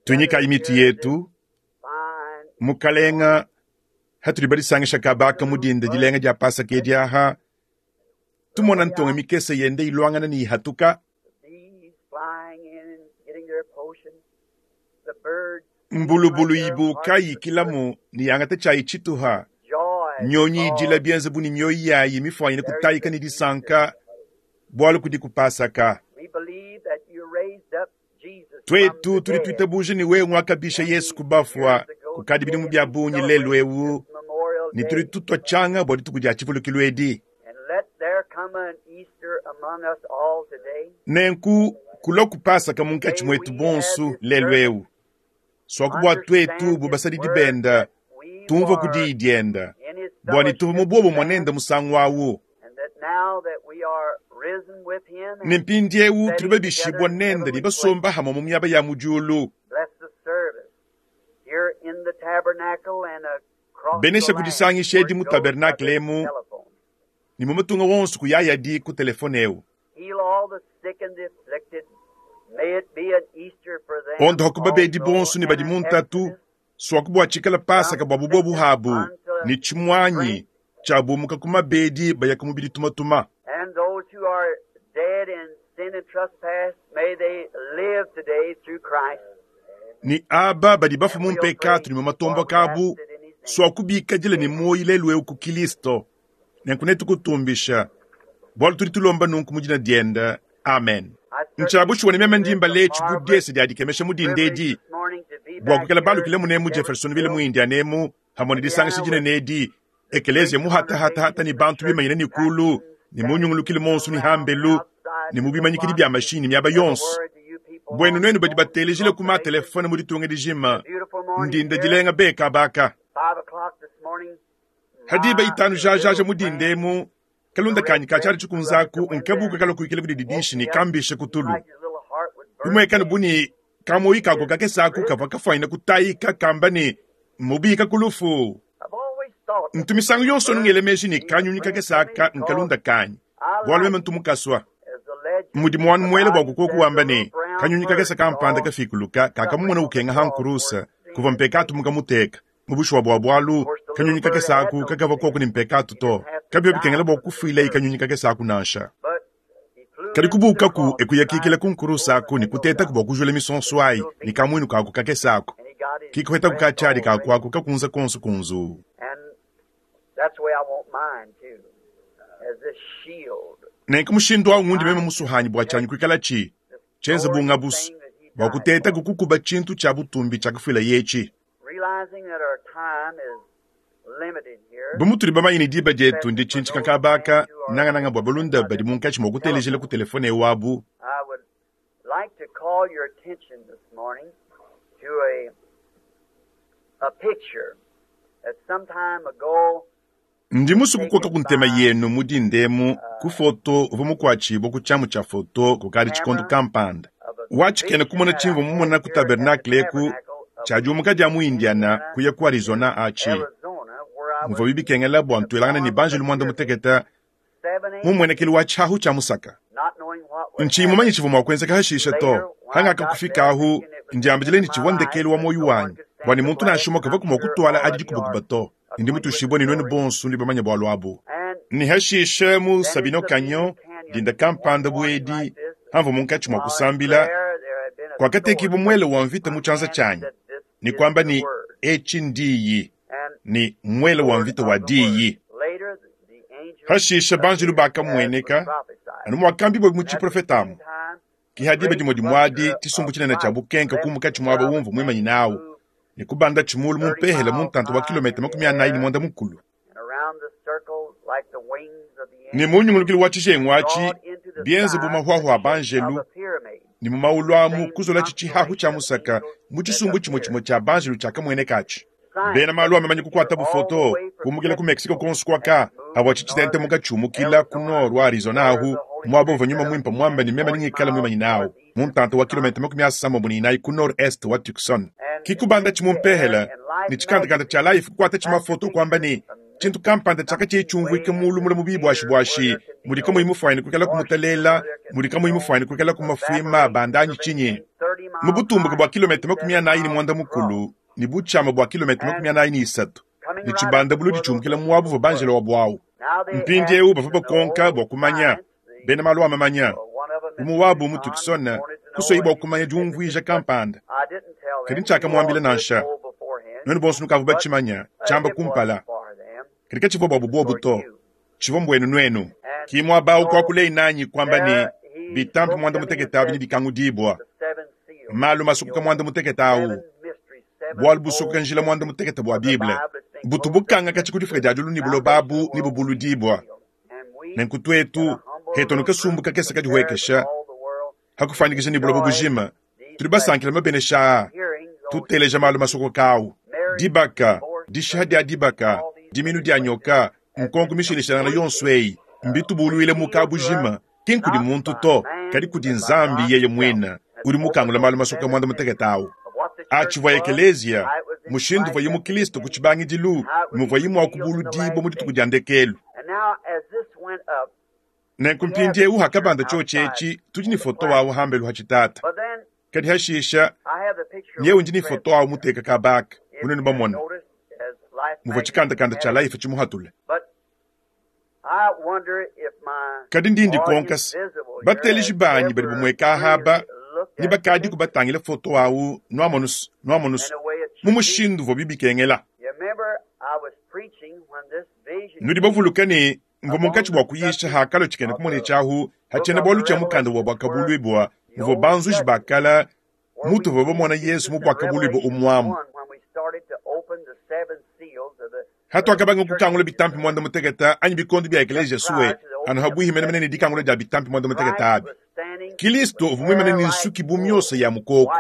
Tuinyikayi mitu yetu. Mukalenga, hatudi badisangisha kabaka mu dinda dilenga dia Pasaka edi aha, tumona ntonga mikese yende iluangana ne ihatuka. Mbulubulu ibuka yikilamu ne yangata tshiayi tshituha. Nyonyi idila bienze bu ne mioyo yayi mifuanyine kutayika ne disanka bualu kudi ku Pasaka. Tuetu tudi tuitabuja ne wewe nguakabisha Yesu ku bafua kukadi bidimu bia bungi lelu eu, ne tudi tutua tshianga bua dituku dia tshivulukilu edi. Nenku kulua ku Pasaka munkatshi muetu bonso lelu eu, suaku bua tuetu bu basadidi benda tumvua ku diyi dienda, bua ne tuvua mu buobumue nende musangu au. Ne mpindieu tudi babishibua nende ne basomba hamue mu miaba ya mu diulu. Benesha kudisangisha edi mu tabernakle emu ne mu matunga wonso kuyayadi ku telefone eu. Ondoha ku babedi bonso ne badi mu ntatu, suaku bua tshikala Pasaka bua bubobu habu ne tshimuanyi tshia bumuka ku mabedi baya ku mubidi tumatuma. Ne aba badi bafua mu mpekatu ne mu matomboka abu, suaku bikadile ne muoyo lelu'eu ku Kilisto. Nenku netukutumbisha, bualu tudi tulomba nunku mu dina diende. Amen. Ntshia bushuwa ne meme ndi mbala etshi bu diese dia dikemesha mu dinda edi, bua kuikala balukile munemu Jeffersonville mu Indiana emu, hamue ne disangisha dinene edi, ekeleziya muhatahatahata ne bantu bimanyine ne kulu ne mu nyungulukilu monso ne hambelu ne mu bimanyikidi bia mashinyi ne miaba yonso. Buenu nuenu badi batelejile ku matelefone mu ditunga dijima, ndinda dilenga be kabaka. Ha diba itanu jajaja mu dinda emu, kalunda kanyi ka tshiadi tshikunzaku nkabuka kalua kuikila kudi didishi ne kambisha ku tulu. Bimuekane bu ne kamuoyi kako kakese aku kavua kafuanyine kutayika kamba ne, Mmubika ku lufu. Ntu misangu yonso anu ngela meji ne kanyunyi kakese aka nkalunda kanyi, bualu meme ntu mukasua. Mudimu wanu muela bua kukoku wamba ne, kanyunyi kakese kampanda kafikuluka kakamumona ukenga ha nkurusa kuvua mpekatu mukamuteka. Mu bushuwa bua bualu, kanyunyi kakese aku kakavua koku ne mpekatu to. Kabivua bikengela bua kufuilayi kanyunyi kakese aku nansha. Kadi kubuukaku e kuyakikila ku nkurusa aku ne kutetaku bua kujula misonso ayi ne kamuinu kaku kakese aku. Ki kuhetaku ka tshiadi kaku aku kakunza konso kunzuu. Nenku mushindu au ngundi meme musuhanyi bua tshianyi kuikala tshi tshienze bu ngabusu bua kutetaku kukuba tshintu tshia butumbi tshiakafuilaye etshi. Bu mutudi bamanye ne diba dietu nditshintshika kaba aka, nangananga bua balunda badi munkatshi mua kutelejila ku telefone eu abu, Ndi musue kukoka ku ntema yenu mu dinda emu ku foto uvua mukuatshibue ku tshiamu tshia foto kukadi tshikondo kampanda wa tshikena-kumona tshimvua mumona ku tabernakle eku tshia diumuka dia mu Indiana kuya ku Arizona atshi muvuabi bikengela bua ntuelangane ne banjelu muanda-mutekete mu mmuenekelu wa tshiahu tshia musaka. Ntshiyi mumanye tshivua mua kuenzeka hashishe to. Hangakakufikahu, ndiambidile ne tshivua ndekelu wa muoyo wanyi, bua ne muntu nansha umue kavuaku mua kutuala adi dikubakuba to. Ndi mutuishibue ne nuenu bonso nudi bamanye bualu abu. Ne hashishe mu Sabino Canyon, dinda kampanda bu edi, hamvua munkatshi mua kusambila, kuakatekibua muele wa mvita mu tshianza tshianyi, ne kuamba ne, Etshi ndiyi, ne muele wa mvita wa diyi. Hashishe banjelu bakamueneka, anu muakambibua mu tshiprofete amu. Ke ha diba dimue dimue adi, tshisumbu tshinene tshia bukenka kumuka tshi muaba umvua muimanyine au, ne kubandatshi mulu mu mpehele mu ntanta wa kilometa 45. Ne mu nyungulukilu wa tshijengu atshi, bienze bu mahuahua a banjelu, ne mu maulu amu kuzolatshi tshihahu tshia musaka mu tshisumbu tshimue tshimue tshia banjelu tshiakamueneka atshi. Bena malu a mamanya kukuatabu foto kumukila ku Mexico kuonso kuaka avua tshitentemuka tshiumukila ku nord wa Arizona ahu muaba uvua nyuma muimpe muambe ne meme nengikale muimanyine awu mu ntanta wa kilometa 34 ku nord-est wa Tucson. Ki kubanda tshi mu mpehele ne tshikandakanda tshia Life kukuata tshi mafoto kuamba ne, tshintu kampanda tshiakatshiyi tshiumvuike mulu mule mu bibuashibuashi mudi kamuyi mufuanyine kuikala kumutalela. Mudi kamuyi mufwanyine kwikalaku mafwima abanda anyi cinyi? Mu butumbuke bwa kilometa 45 ne butshiama bwa kilometa 43, ne tshibanda buludi tshiumukila muaba uvua banjelo wabu awu. Mpindiewu bavua bakonka bua kumanya, bena malu a mamanya, umue wabu mu Tucson, kusuaye bua kumanya diumvuija kampanda. Kadi ntshiakamuambila nansha. Nuenu bonso nukavua batshimanya, tshiamba kumpala. Kadi katshivua buabu buobu to, tshivua mbuenu nuenu. Ki muaba awu kuakuleye nanyi kuamba ne, Bitampi muanda-mutekete abi nebikangudibua. Malu masokoka muanda-mutekete awu, bualu busokoka njila muanda-mutekete bua Bible, butu bukanga katshia ku difuka dia diulu ne buloba abu nebubuludibua. Nenku tuetu, hetu anu kasumbu kakese kadihuekesha, ha kufuanyikija ne buloba bujima, tudi basankila mabenesha aa, tuteleja malu masokoka awu, dibaka, dishiha dia dibaka, diminu dia nyoka, nkonko mishilashilangana yonso eyi, mbitubuluile mu kabujima, ki nkudi muntu to, kadi kudi Nzambi yeye muine, udi mukangula malu masokoka muanda-mutekete awu. A Tshivua ekeleziya, mushindu uvuaye mu Kristo ku tshibangidilu, muvuaye mua kubuludibua mu dituku dia ndekelu. Nenku mpindieu hakabanda tshiotshi etshi, tudi ne foto wawu hambelu ha tshitata. Kadi hashisha, nyeu ndi ne foto wawu muteka kaba aka, bu nuenu bamona muvua tshikandakanda tshia Life tshimuhatule. Kadi ndi ndikonka se, bateleji banyi badi bumueka aha aba ne bakadiku batangila foto awu, nuamonus, nuamonus, mu mushindu uvuabi bikengela. Nudi bavuluke ne, mvua munkatshi bua kuyisha hakalua tshikena-kumona tshiahu ha tshiena-bualu tshia mukanda wa Buakabuluibua, muvua banzuji ba kale mutuvua bamona Yezu mu Buakabuluibua umuamu. Hatuakabanga kukangula bitampi muanda-mutekete anyi bikondo bia ekeleziya sue anu habuihi menemene ne dikangula dia bitampi muanda-mutekete abi, Kilisto uvua muimane ne nsuki bu miosa ya mukoko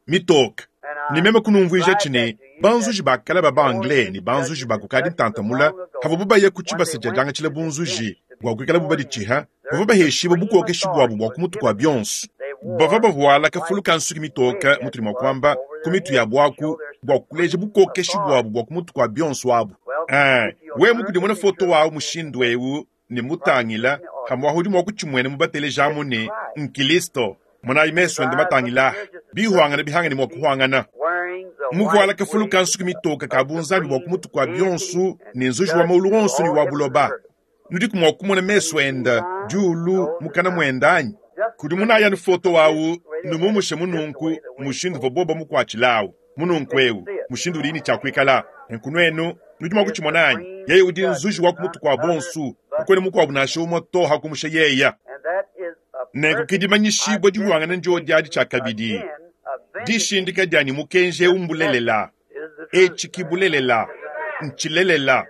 mitoke. Ne meme kunumvuija ne, banzuji ba kale ba ba-Anglais ne banzuji ba kukadi ntanta mula havuabu baya ku tshibasa dia diangatshila bunzuji bua kuikalabu baditshiha, bavua baheshibua bukokeshi buabu bua ku mutu kua bionso. Bavua bavuala kafulu ka nsuki mitoke, mutudi mua kuamba, ku mitu yabu aku, bua kuleja bukokeshi buabu bua ku mutu kua bionso abu. Ee, wewe mukudimuna foto wawu mushindu'eu ne mutangila, pamu'apa udi mua kutshimuena mu batelejamu ne, Nkristo. Monayi mesu ende matangila aha, bihuangana bihangane mua kuhuangana. Muvuala kafulu ka nsuki mitoke ka bunzambi bua ku mutu kua bionso ne nzuji wa maulu onso ne wa buloba. Nudiku mua kumona mesu ende, diulu, mukana muende anyi? Kudimunayi anu foto awu, numumushe mununku, mushindu uvua bobo bamukuatshilawu, mununku ewu, mushindu udiyi ne tshia kuikala. Nenku nuenu, nudi mua kutshimona anyi? Yeye udi nzuji wa ku mutu kua bonsu, kakuena mukuabu nansha umue to hakumusha yeya. Nenku ke dimanyishibua dihuangana ndiodi adi tshiakabidi, dishindika dia ne mukenji eu mbulelela. Etshi ki bulelela, ntshilelela.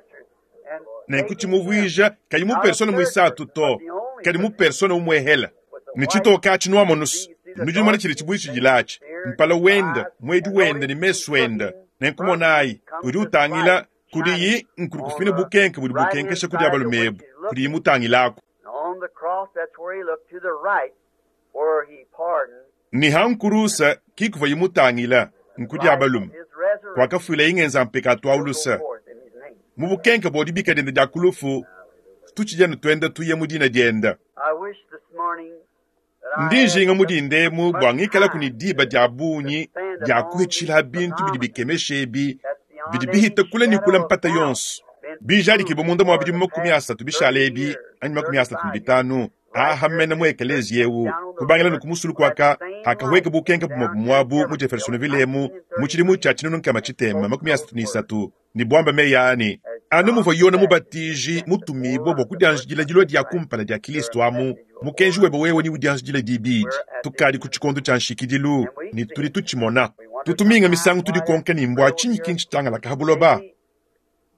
Nenku tshimuvuija kayi mu persona muisatu to, kadi mu persona umuehela. Ne tshitoke atshi nuamonus, nudi numona tshidi tshibuitshidila atshi, mpala wende, muedi wende ne mesu ende. Nenku monayi, udi utangila kudiyi nkudi kufina bukenke budi bukenkesha ku dia balume ebu, kudiyi mutangilaku. Ne ha nkurusa ki kuvuaye mutangila, nku dia balume, kuakafuilaye ngenza mpekatu au luse. Mu bukenke bua dibika diende dia ku lufu, tutshidi anu tuenda tuya mu dina diende. Ndi njinga mu dinda emu bua ngikalaku ne diba dia bungi dia kuhitshila bintu bidi bikemesha ebi bidi bihita kule ne kule mpata yonso, bijadikibue munda mua bidimu 30 bishale ebi anyi 35 aha mene mu ekeleziya eu, kubangila ne ku musulu kuaka hakahueka bukenke bumue bumuabu mu Jeffersonville emu mu tshidimu tshia 1633, ne buamba meyi aa ne, Anu muvua Yone Mubatiji mutumibue bua kudianjidila dilua dia kumpala dia Kristo amu, mukenji webe wewe neudianjidile dibidi. Tukadi ku tshikondo tshia nshikidilu, ne tudi tutshimona. Tutu minga misangu tudikonka ne, mbua tshinyi ki ntshitangalaka ha buloba?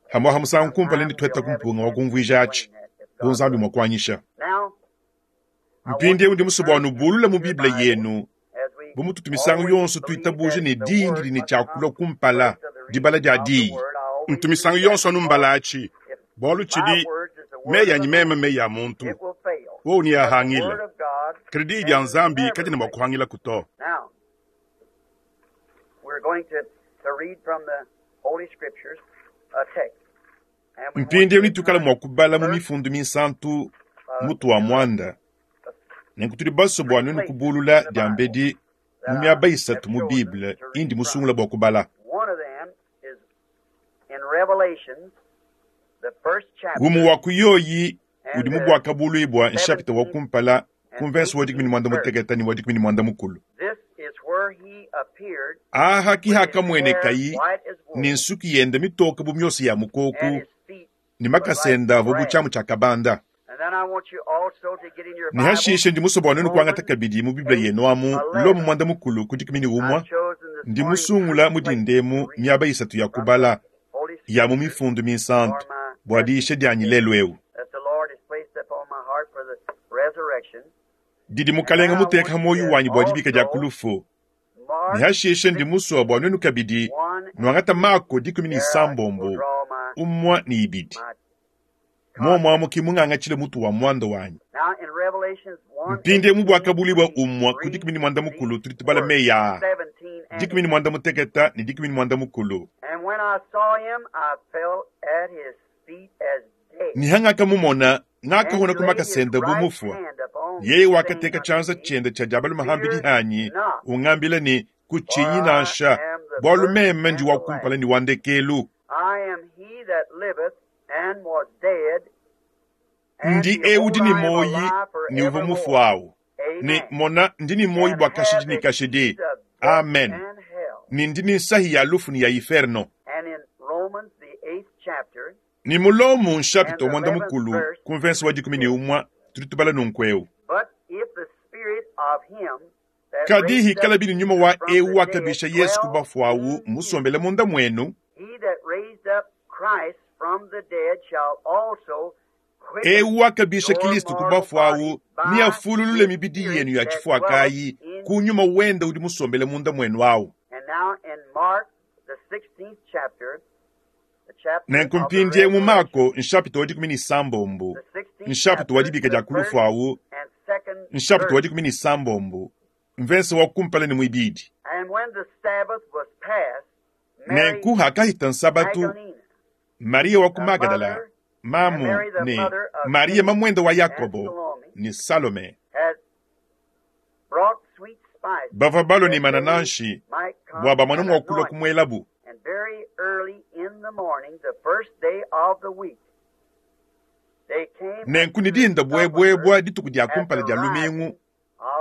Hamuaha musangu kumpala netuhetaku mpunga wa kumvuija atshi, bu Nzambi mua kuanyisha. Mpindieu ndi musue bua nubulule mu Bible yenu, bu mututu misangu yonso tuitabuja ne diyi didi ne tshia kulua kumpala, dibala dia diyi. Ntu misangu yonso anu mbala atshi, bualu tshidi meyi anyi meme meyi a muntu, wowu neahangile, kadi diyi dia Nzambi kadiena mua kuhangilaku to. Mpindieu netuikale mua kubala mu Mifundu Minsantu mutu wa muanda. Nenku tudi basue bua nuenu kubulula diambedi mu miaba isatu mu Bible indi musungula bua kubala. Umue wa ku yoyi udi mu Buakabuluibua nshapita wa kumpala ku mvense wa 16 ne wa 18. Aha ki hakamuenekayi ne nsuki yende mitoke bu miosa ya mukoku ne makasa ende avua bu tshiamu tshia kabanda. Ne hashishe ndi musue bua nuenu kuangata kabidi mu Bible yenu amu Lomo muanda-mukulu ku 11, ndi musungula mu dinda emu miaba isatu ya kubala ya mu Mifundu Minsantu bua diyisha dianyi lelu eu. Didi Mukalenge muteka ha muoyo wanyi bua dibika dia ku lufu. Ne hashishe ndi musue bua nuenu kabidi nuangata Mako 16, 1 ne 2. Muomu amu ki mungangatshile mutu wa muanda wanyi. Mpindieu mu Buakabuluibua 1 ku 13 tudi tubala meyi aa, 18 ne 13. Ne hangakamumona, ngakahona ku makasa ende bu mufue. Yeye wakateka tshianza tshiende tshia dia balume ham'bidi hanyi, ungambila ne, Kutshinyi nansha, bualu meme ndi wa kumpala ne wa ndekelu. Ndi eu udi ne muoyi ne uvua mufue au, ne mona, ndi ne muoyi bua kashidi ne kashidi. Amen. Ne ndi ne nsahi ya lufu ne ya iferno. Ne mu Lomo nshapita wa muanda-mukulu ku mvense wa 11 tudi tubala nunku'eu. Kadi hikalabi ne nyuma wa eu wakabisha Yesu ku bafue au musombele munda muenu, eu wakabisha Kilisto ku bafue au neafululule mibidi yenu ya tshifuakayi ku nyuma wende udi musombele munda muenu au. Nenku mpindieu mu Mako nshapita wa 16, nshapita wa dibika dia ku lufu au, nshapita wa 16, mvense wa kumpala ne muibidi. Nenku hakahita Nsabatu, Mariya wa ku Magadala, mamu ne Mariya mamuende wa Yakobo ne Salome, bavua balua ne manananshi bua bamone mua kulua kumuelabu. Nenku ne dinda buebuebua dituku dia kumpala dia lumingu,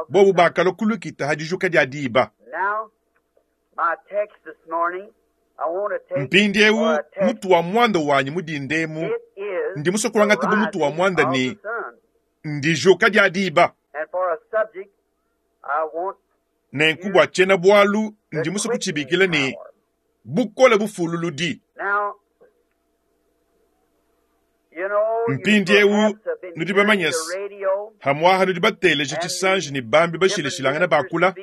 bobu bakalua ku lukita ha dijuka dia diba. Mpindieu mutu wa muanda wanyi mu dinda emu, ndi musue kuangata bu mutu wa muanda ne, Ndijuka dia diba. Nenku bua tshiena-bualu ndi musue kutshibikila ne, Bukole bufululudi. Mpindieu nudi bamanye se, hamuaha nudi bateleje tshisanji ne bambi bashilashilangane bakula,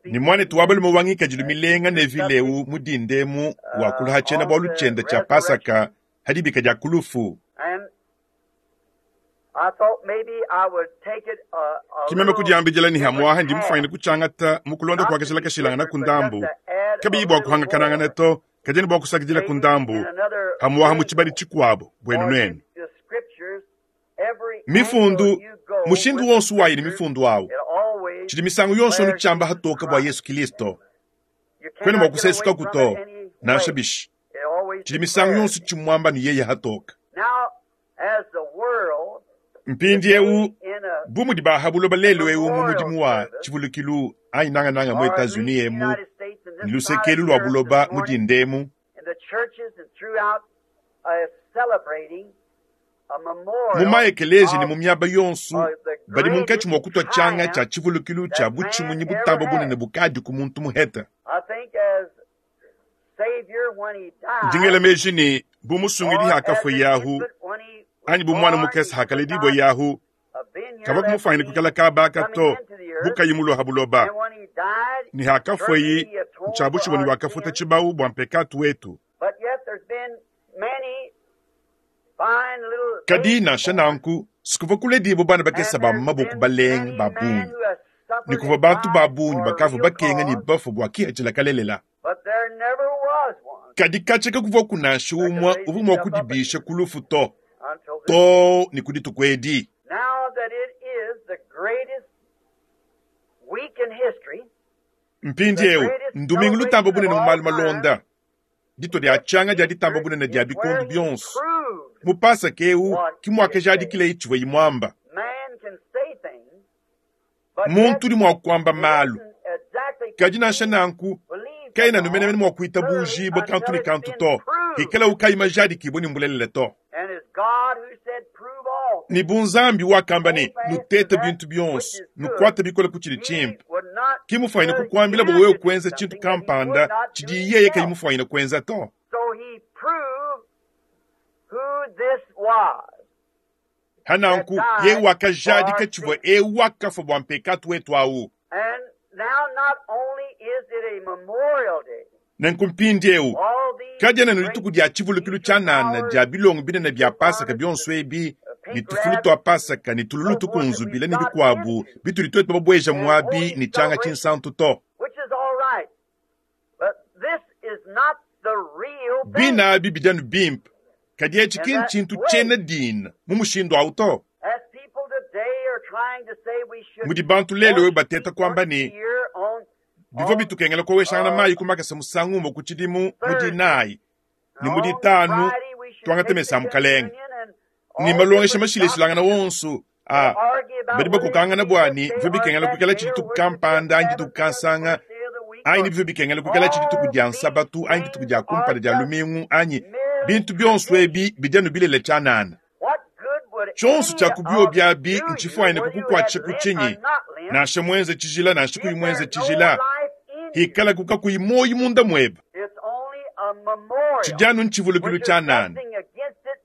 ne muanetu wa balume wa ngikadilu milenga Neville eu mu dinda emu wakula ha tshiena-bualu tshiende tshia Pasaka ha dibika dia ku lufu. Ki meme kudiambidila ne hamuaha ndi mufuanyine kutshiangata mu kulonda kua kashila kashilangana ku ndambu, kabiyi bua kuhangakanangana to, kadi ne bua kusakidila ku ndambu hamuaha mu tshibadi tshikuabo buenu nuenu. Mifundu, mushindu wonso wayi ne mifundu awu, tshidi misangu yonso anu tshiamba hatoka bua Yesu Kilisto. Kuena mua kusesukaku to, nansha bishi. Tshidi misangu yonso tshimuamba ne yeye hatoka. Mpindieu, bu mudi ba ha buloba lelu eu mu mudimu wa tshivulukilu anyi nangananga mu Etats-Unis emu ne luseke elu lua buloba mu dinda emu, mu ma-ekeleziya ne mu miaba yonso badi munkatshi mua kutua tshianga tshia tshivulukilu tshia butshimunyi butamba bunene bukadiku muntu muhete. Ndi ngela meji ne, bu musungidi hakafua Yahu, anyi bu muana mukese hakaledibua Yahu, kavua kumufuanyine kuikala kaba aka to, bu kayi mulua ha buloba. Ne hakafueyi, ntshia bushuwa ne wakafuta tshibawu bua mpekatu wetu. Kadi nansha nanku, sikuvua kuledibua bana bakese ba mu maboko balenga ba bungi, ne kuvua bantu ba bungi bakavua bakenga ne bafua bua kipatshila kalelela. Kadi katshia kakuvuaku nansha umue uvua mua kudibisha ku lufu to, Too ne ku dituku edi. Mpindieu ndumingu lutambe bunene mu malu malonda, ditua dia tshianga dia ditamba bunene dia bikondo bionso. Mu Pasaka eu ke muakajadikilaye tshivuaye muamba. Muntu udi mua kuamba malu, kadi nansha nanku kaena anu menemene mua kuitabujibua kantu ne kantu to, hikalawu kayi majadikibue ne mbulelela to. Ne bu Nzambi wakamba ne, Nutete bintu bionso, nukuate bikole ku tshidi tshimpe, ki mufuanyine kukuambila bua wewe kuenza tshintu kampanda tshidi yeye kayi mufuanyine kuenza to. Pa nanku, yeye wakajadika tshivua eu wakafua bua mpekatu wetu au. Nenku mpindieu, kadiena anu dituku dia tshivulukilu tshianana dia bilongo binene bia Pasaka bionso ebi, ne tufulu tua Pasaka, ne tululu tukunzubile, ne bikuabu bitudi tuetu babueja muabi ne tshianga tshinsantu to. Bine abi bidi anu bimpe, kadi etshi ki ntshintu tshiena dina mu mushindu au to. Mudi bantu lelu eu bateta kuamba ne, bivua bitukengela kuoweshangana mayi ku makasa musangu umue ku tshidimu mu Dinayi ne mu Ditanu tuangate mesa a Mukalenge ne malongesha mashilashilangane onso a badi bakokangana bua ne bivua bikengela kuikalatshi dituku kampanda anyi dituku kansanga anyi ne bivua bikengela kuikalatshi dituku dia Nsabatu anyi dituku dia kumpala dia lumingu anyi bintu bionso ebi bidi anu bilele tshianana. Tshionso tshia ku biobi abi ntshifuanyine kukukuatshisha ku tshinyi? Nansha muenze tshijila nansha kuyi muenze tshijila, hikalaku kakuyi muoyo munda muebe, tshidi anu ntshivulukilu tshianana,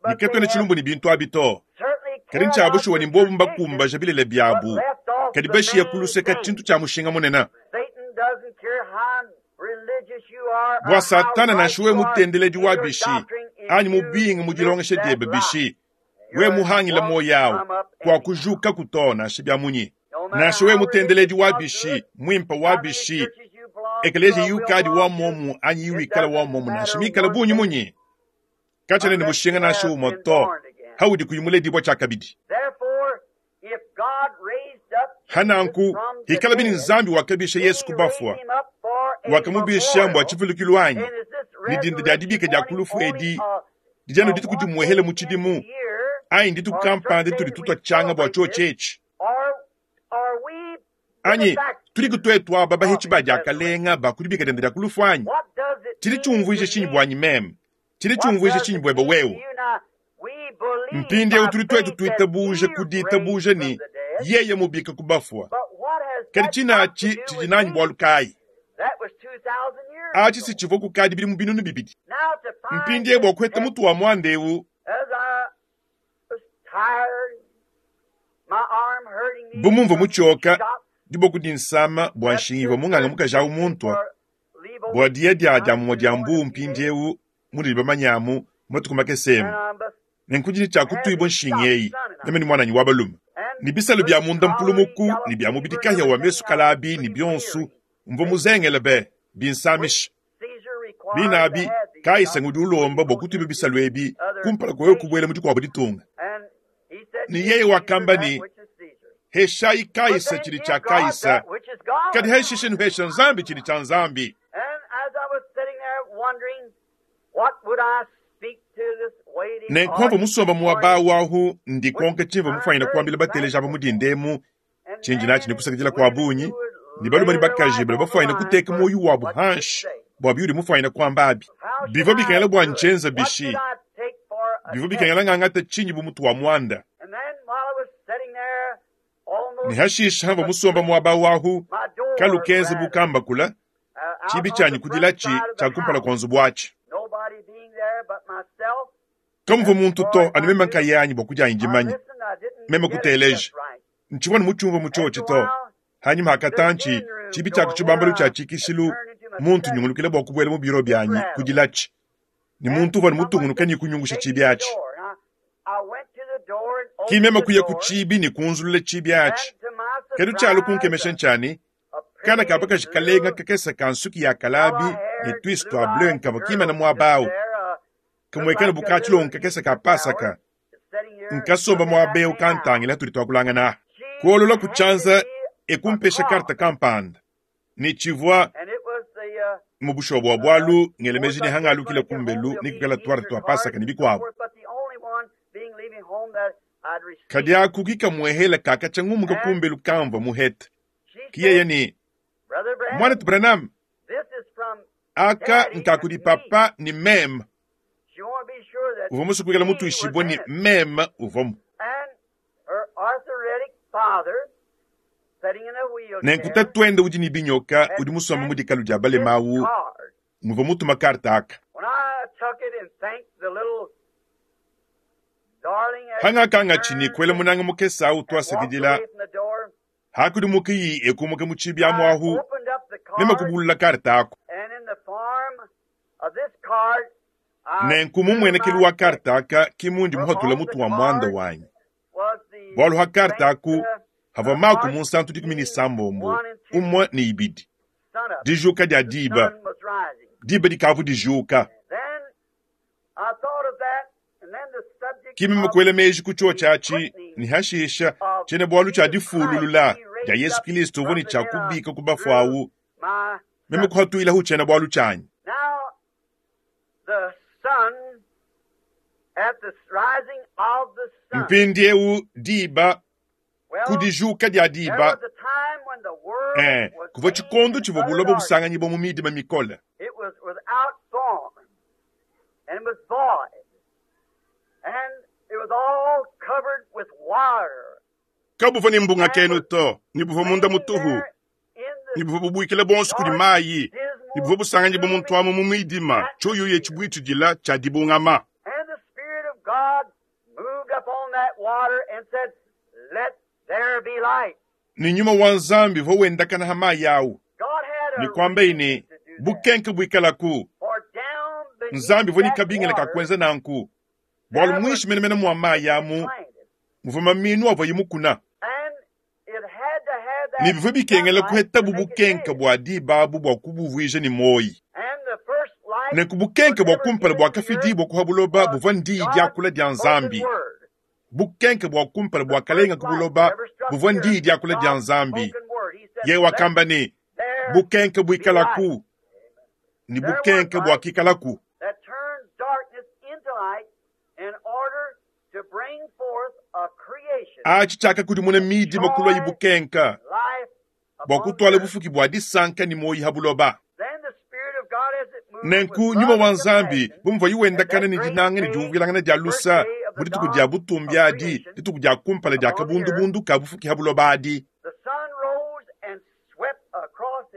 ne katuena tshilumbu ne bintu abi to. Kadi ntshia bushuwa ne mbobu mbakumbaja bilele biabu, kadi bashiya ku luseke tshintu tshia mushinga munene. Bua Satana, nansha wewe mutendeledi wa bishi anyi mubinge mu dilongesha diebe bishi, wewe muhangile muoyo au, kuakujukaku to nansha bia munyi. Nansha wewe mutendeledi wa bishi, muimpe wa bishi, ekeleziya iukadi wa muomu anyi iwikala wa muomu nansha mikale bungi munyi, katshiena ne mushinga nansha umue to haudi kuyi muledibua tshiakabidi. Hananku, hikalabi ne Nzambi wakabisha Yesu ku bafua, wakamubisha mbua tshivulukilu anyi? Ne dinda dia dibika dia ku lufu edi didi anu dituku dimuehele mu tshidimu, anyi ndituku kampanda ditudi tutua tshianga bua tshiotshi etshi? Anyi tudiku tuetu aba bahitshi ba diakalenga ba ku dibika diende dia ku lufu anyi? Tshidi tshiumvuija tshinyi buanyi meme? Tshidi tshiumvuija tshinyi buebe wewe? Mpindieu tudi tuetu tuitabuja ku ditabuja ne yeye mubika ku bafua. Kadi tshina atshi tshidi nanyi bualu kayi? Atshi si tshivua kukadi bidimu binunu bibidi. Mpindieu bua kuheta mutu wa muanda eu, bu mumvua mutshioka diboko dinsama bua nshinga ivua munganga mukaji au muntua, bua diya dia dia mumue dia mbuu mpindieu munudi bamanyamu matuku makese emu. Nenku ndi ne tshia kutuibua nshinga eyi, meme ne muananyi wa balume, ne bisalu bia munda mpulumuku ne bia mubidi kahia wa mesu kalabi ne bionsu, mvua muzengele be, binsamisha. Bine abi, Kaisa ngudi ulomba bua kutuibua bisalu ebi kumpala kua wewe kubuela mu dikuabu ditunga. Ne yeye wakamba ne, Heshayi Kaisa tshidi tshia Kaisa, kadi hashishe nuhesha Nzambi tshidi tshia Nzambi. Nenku pamvua musomba muaba awu ahu ndikonka tshimvua mufuanyine kuambila bateleji aba mu dinda emu, tshindi natshi ne kusakidila kua bungi, ne balume ne bakaji badi bafuanyine kuteka muoyo wabu hanshi bua biudi mufuanyine kuamba abi. Bivua bikengela bua ntshienza bishi? Bivua bikengela ngangate tshinyi bu mutu wa muanda? Ne hashishe hamvua musomba muaba awu ahu, kalu kenza bu kambakula, tshibi tshianyi kudilatshi tshia kumpala kua nzubu atshi. Kamuvua muntu to, anu meme nkayanyi bua kudianyi dimanya. Meme kuteleja, ntshivua anu mutshiumvue mu tshiotshi to. Hanyima ha katantshi, tshibi tshia ku tshibambalu tshia tshikishilu, muntu nyungulukila bua kubuela mu biro bianyi kudilatshi, ne muntu uvua anu mutungunuke ne kunyungusha tshibi atshi. Ki meme kuya ku tshibi ne kunzulula tshibi atshi. Kadi tshialua kunkemesha ntshia ne, Kana ka bakaji kalenga kakese ka nsuki ya kalabi ne tuisu tua bleu nkavua kimana muaba au, kamuekela bu ka tshilongo kakese ka Pasaka. Nkasomba muaba eu kantangila hatudi tuakulangana aha. Kuolola ku tshianza e kumpesha karte kampanda, ne tshivua mu bushuwa bua bualu ngela meji ne hangalukila kumbelu ne kuikala tuarte tua Pasaka ne bikuabu. Kadi aku ki kamuehela kakatshia ngumuka kumbelu kamvua muhete. Ki yeye ne, Muanetu Branham, aka nka kudi papa ne meme. Uvua musue kuikala mutuishibue ne meme uvuamu. Nenku tatuende udi ne binyoka udi musombe mu dikalu dia balema awu nguvua mutuma karte aka. Hangakangatshi ne kuela munanga mukese awu tuasakidila, hakudimukiyi e kumuka mu tshibi amu ahu, meme kubulula karte aku. Nenku mu mmuenekelu wa karte aka ki mundi muhatula mutu wa muanda wanyi. Bualu ha karte aku havua Mako Munsantu 16, umue ne ibidi, dijuka dia diba, diba dikavua dijuka. Ki meme kuela meji ku tshiotshi atshi, ne hashisha tshiena-bualu tshia difululula dia Yesu Kilisto uvua ne tshia kubika ku bafue awu, meme kuhatuilahu tshiena-bualu tshianyi. Mpindieu diba, ku dijuka dia diba, ee, kuvua tshikondo tshivua buloba busanganyibua mu midima mikole. Kabuvua ne mbungakenu to, ne buvua munda mutuhu, ne buvua bubuikila buonso kudi mayi, ne buvua busanganyibua muntu amu mu midima, tshiuyuya tshibuitshidila tshia dibungama. Ne nyuma wa Nzambi uvua wendakana ha mayi au, ne kuambaye ne, Bukenke buikalaku. Nzambi uvua ne kabingila ka kuenza nanku, bualu muinshi menemene mua mayi amu muvua maminu avuaye mukuna. Ne bivua bikengela kuhetabu bukenke bua diba abu bua kubuvuija ne muoyi. Nenku bukenke bua kumpala buakafidibua ku ha buloba buvua ndiyi diakula dia Nzambi. Bukenke bua kumpala buakalenga ku buloba buvua ndiyi diakula dia Nzambi. Yeye wakamba ne, Bukenke buikalaku, ne bukenke buakikalaku. Atshi tshiakakudimuna midima kuluayi bukenka, bua kutuala bufuki bua disanka ne muoyo ha buloba. Nenku nyuma wa Nzambi, bu muvuaye wendakana ne dinanga ne diumvuilangana dia lusa mu dituku dia butumbi adi, dituku dia kumpala dia kabundubundu ka bufuki ha buloba adi,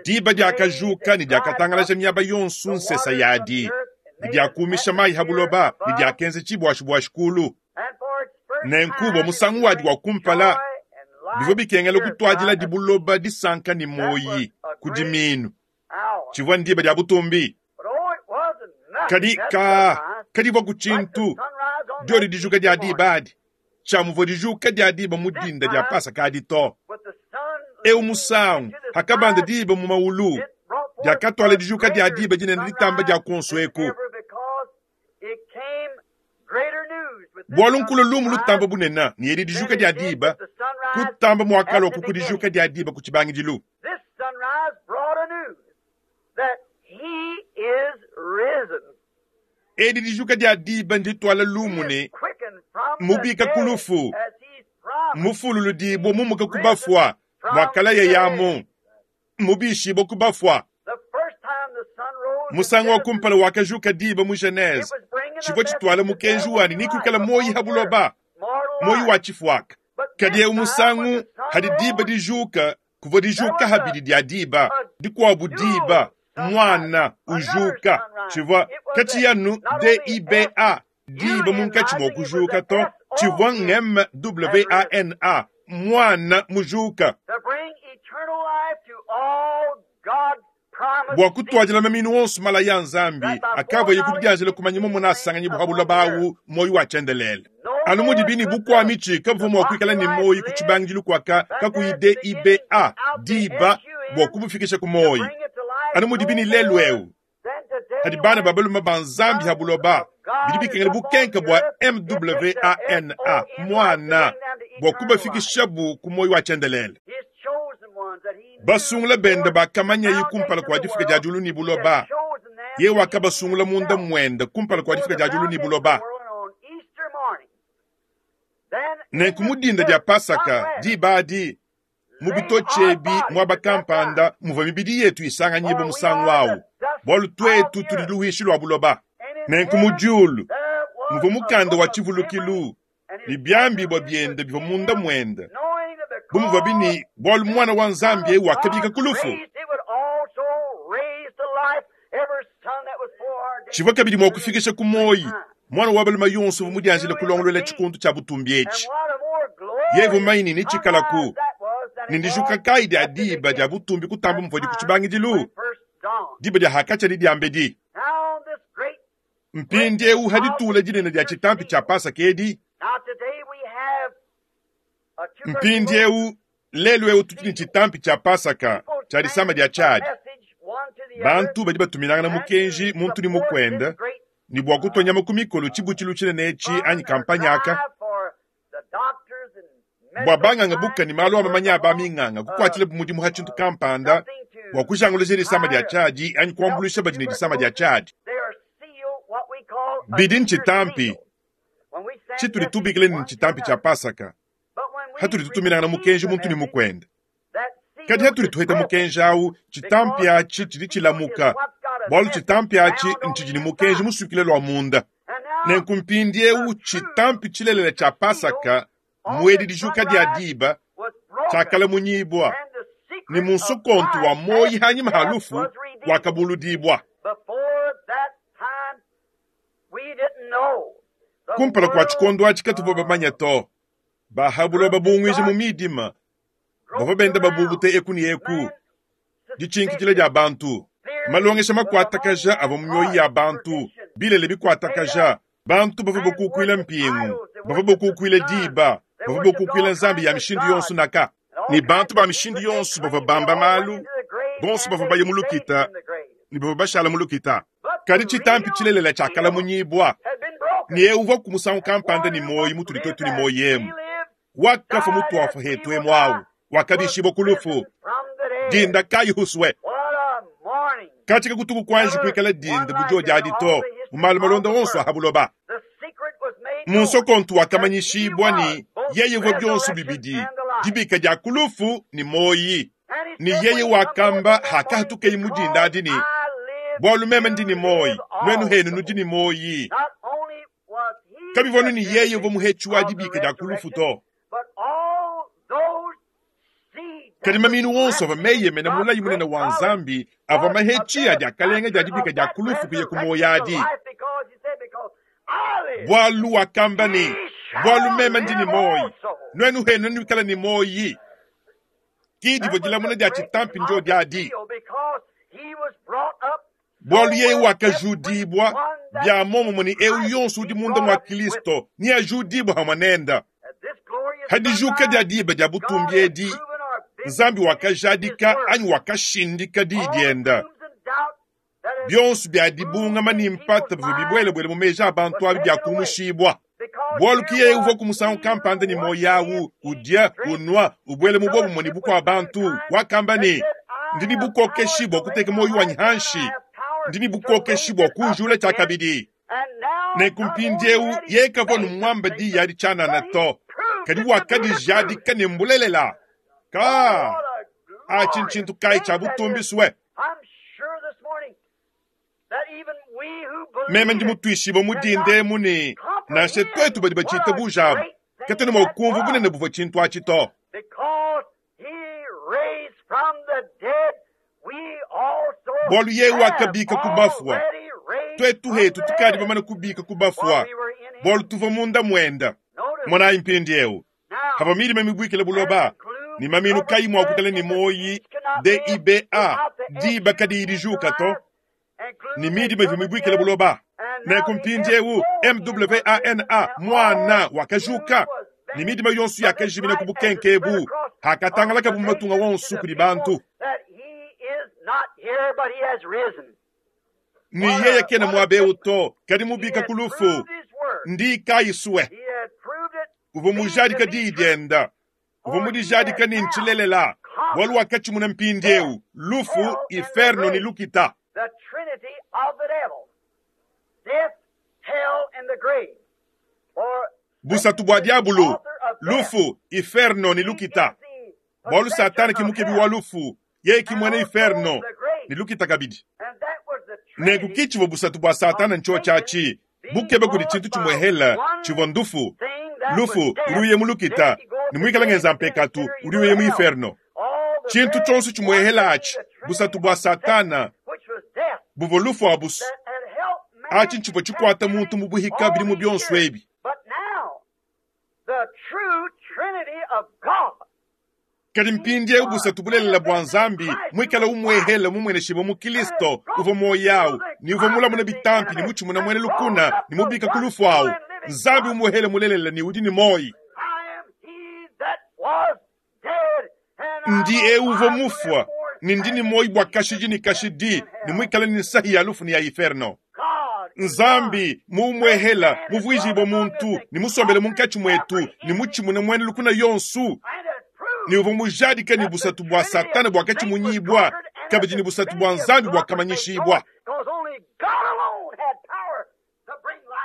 diba diakajuka ne diakatangalaja miaba yonso nsesa yadi, ne diakuumisha mayi ha buloba, ne diakenza tshibuashibuashi kulu. Nenku bua musangu wadi wa kumpala, bivua bikengela kutuadiladi buloba disanka ne muoyi ku diminu. Tshivua ndiba dia butumbi. Kadi ka kadivua ku tshintu diodi dijuka dia diba adi, tshia muvua dijuka dia diba mu dinda dia Pasaka adi to. Eu musangu, hakabanda diba mu maulu, diakatuala dijuka dia diba dinene ditamba dia kuonso eku. Bualu nkulua lumu lutamba bunene ne edi dijuka dia diba kutamba muakalua ku dijuka dia diba ku tshibangidilu. Edi dijuka dia diba ndituala lumu ne mubika ku lufu, mufululudibua mumuka ku bafua, muakalaya yamu mubishibua ku bafua. Musangu wa kumpala wakajuka diba mu Genese, tshivua tshituala mukenji wanyi ni kuikala muoyi ha buloba, muoyi wa tshifuaka. Kadi eu musangu hadi diba dijuka, kuvua dijuka habidi dia diba, dikuabu diba muana ujuka, tshivua katshiyi anu DIBA, diba munkatshi mua kujuka to, tshivua MWANA, muana mujuka. Bua kutuadila maminu onso malaya a Nzambi akavuaye kudianjila kumanya mumona asanganyibua pa buloba awu muoyo wa tshiendelele. Anu mudibi ne bukua mitshi kabuvua mua kuikala ne muoyo ku tshibangidilu kuaka kakuyi DIBA, diba, bua kubufikisha ku muoyo. Anu mudibi ne lelu'eu. Hadi bana ba balume ba Nzambi ha buloba, bidi bikengela bukenke bua M-W-A-N-A, Muana, bua kubafikishabu ku muoyo wa tshiendelele. Basungula bende bakamanyaye kumpala kua difika dia diulu ne buloba. Yeye wakabasungula munda muende kumpala kua difika dia diulu ne buloba. Nenku mu dinda dia Pasaka, diba adi, mu bitotshi ebi muaba kampanda muvua mibidi yetu isanganyibua musangu au, bualu tuetu tudi luhuishi lua buloba. Nenku mu diulu muvua mukanda wa tshivulukilu ne biambibua biende bivua munda muende, bu muvuabi ne bualu Muana wa Nzambi eu wakabika ku lufu. Tshivua kabidi mua kufikisha ku muoyo muana wa balume yonso uvua mudianjile kulongolola tshikondo tshia butumbi etshi. Yeye uvua mumanye ne netshikalaku, ne ndijuka kayi dia diba dia butumbi kutamba muvuadi ku tshibangidilu, diba dia hakatshia ne diambedi. Mpindieu ha ditula dinene dia tshitampi tshia Pasaka edi, mpindieu lelu eu tudi ne tshitampi tshia Pasaka tshia disama dia tshiadi. Bantu badi batuminangana mukenji muntu ne mukuende ne bua kutua nyama ku mikolo tshibutshilu tshinene etshi anyi kampanye aka bua banganga buka ne malu a mamanya a baminganga kukuatshilabu mudimu ha tshintu kampanda bua kujanguluja disama dia tshiadi anyi kuambuluisha badi ne disama dia tshiadi. Bidi ntshitampi tshitudi tubikila ne ntshitampi tshia Pasaka hatudi tutuminangana mukenji muntu ne mukuende. Kadi hatudi tuheta mukenji au, tshitampi atshi tshidi tshilamuka, bualu tshitampi atshi ntshidi ne mukenji musukile lua munda. Nenku mpindieu tshitampi tshilelela tshia Pasaka muedi dijuka dia diba tshiakalamunyibua, ne mu nsokontu wa muoyi hanyima ha lufu wakabuludibua. Kumpala kua tshikondo atshi katuvua bamanye to, ba ha buloba bunguija mu midima bavua benda babubute eku ne eku ditshinkidila dia bantu, malongesha makuatakaja avua mu mioyo ya bantu, bilele bikuatakaja, bantu bavua bakukuila mpingu, bavua bakukuila diba, bavua bakukuila nzambi ya mishindu yonso naka. Ne bantu ba mishindu yonso bavua bamba malu, bonso bavua baya mu lukita ne bavua bashala mu lukita. Kadi tshitampi tshilelela tshiakalamunyibua, ne eu uvua ku musangu kampanda ne muoyo mutudi tuetu ne muoyo emu. Wakafua mutuafua hetu emu au, wakabishibua ku lufu. Dinda kayi husue? Katshika kutuku kuanji kuikala dinda bu diodi adi to, mu malu malonda onso a ha buloba. Mu nsokontu wakamanyishibua ne yeye uvua bionso bibidi, dibika dia ku lufu ne muoyi. Ne yeye wakamba hakahatukeye mu dinda adi ne, bualu meme ndi ne muoyi, nuenu henu nudi ne muoyi. Kabivua anu ne yeye uvua muhetshi wa dibika dia ku lufu to, kadi maminu wonso avua meyemena mulayi munene wa Nzambi avua mahetshi a diakalenga dia dibika dia ku lufu kuya ku muoyo adi. Bualu wakamba ne, bualu meme ndi ne muoyo, nuenu henu nuikala ne muoyo. Ki divua dilamuna dia tshitampi ndio adi. Bualu yeye wakajudibua bia muomumue ne eu yonso udi munda mua Kristo neajudibue hamue nende. Ha dijuka dia diba dia butumbi edi, Nzambi wakajadika anyi wakashindika diyi diende. Bionso bia dibungama ne mpata bivua bibuelebuele mu meji a bantu abi biakumushibua. Bualu ki yeye uvua ku musangu kampanda ne muoyo au, udia, unua, ubuela mu buobumue ne bukua bantu, wakamba ne, Ndi ne bukokeshi bua kuteka muoyo wanyi hanshi, ndi ne bukokeshi bua kuujula tshiakabidi. Nenku mpindieu yeye kavua numuamba diyi adi tshianana to, kadi wakadijadika ne mbulelela. Ka atshi ntshintu kayi tshia butumbi sue? Meme ndi mutuishibue mu dinda emu ne nansha tuetu badi batshitabuja abu katuena mua kumvua bunene buvua tshintu atshi to. Bualu yeye wakabika ku bafua, tuetu hetu tukadi bamane kubika ku bafua, bualu tuvua munda muenda. Monayi mpindieu pavua midima mibuikile buloba ne maminu kayi mua kuikala ne muoyi diba diba kadiyi dijuka to, ne midima ivua mibuikile buloba. Nenku mpindieu MWANA muana wakajuka, ne midima yonso yakajimina ku bukenke ebu, hakatangalakabu mu matunga wonso kudi bantu. Ne yeye kena muaba eu to, kadi mubika ku lufu. Ndi kayi sue. Uvua mujadika diyi dienda. Uvua mudijadika ne ntshilelela, bualu wakatshimuna mpindieu lufu, inferno ne lukita. Busatu bua diabulu, lufu, inferno ne lukita. Bualu Satana ke mukebi wa lufu, yeye ke muena inferno ne lukita kabidi. Nenku ki tshivua busatu bua Satana ntshiotshi atshi, bukeba kudi tshintu tshimuehela tshivua ndufu. Lufu udi uya mu lukita, ne muikale ngenza mpekatu udi uya mu inferno. Tshintu tshionso tshimuehela atshi, busatu bua Satana buvua lufu abusu. Atshi ntshivua tshikuata muntu mu buhika bidimu bionso ebi. Kadi mpindieu busatu bulelela bua Nzambi muikale umuehela mumueneshibue mu Kristo uvua muoyo au ne uvua mulamune bitampi ne mutshimune muena lukuna ne mubika ku lufu au. Nzambi umuehele mulelela ne udi ne muoyo. Ndi eu uvua mufua ne ndi ne muoyo bua kashidi ne kashidi ne muikale ne nsahi ya lufu ne ya inferno. Nzambi muumuehela muvuijibue muntu ne musombele munkatshi muetu ne mutshimune muena lukuna yonso ne uvua mujadike ne busatu bua Satana buakatshimunyibua kabidi ne busatu bua Nzambi buakamanyishibua.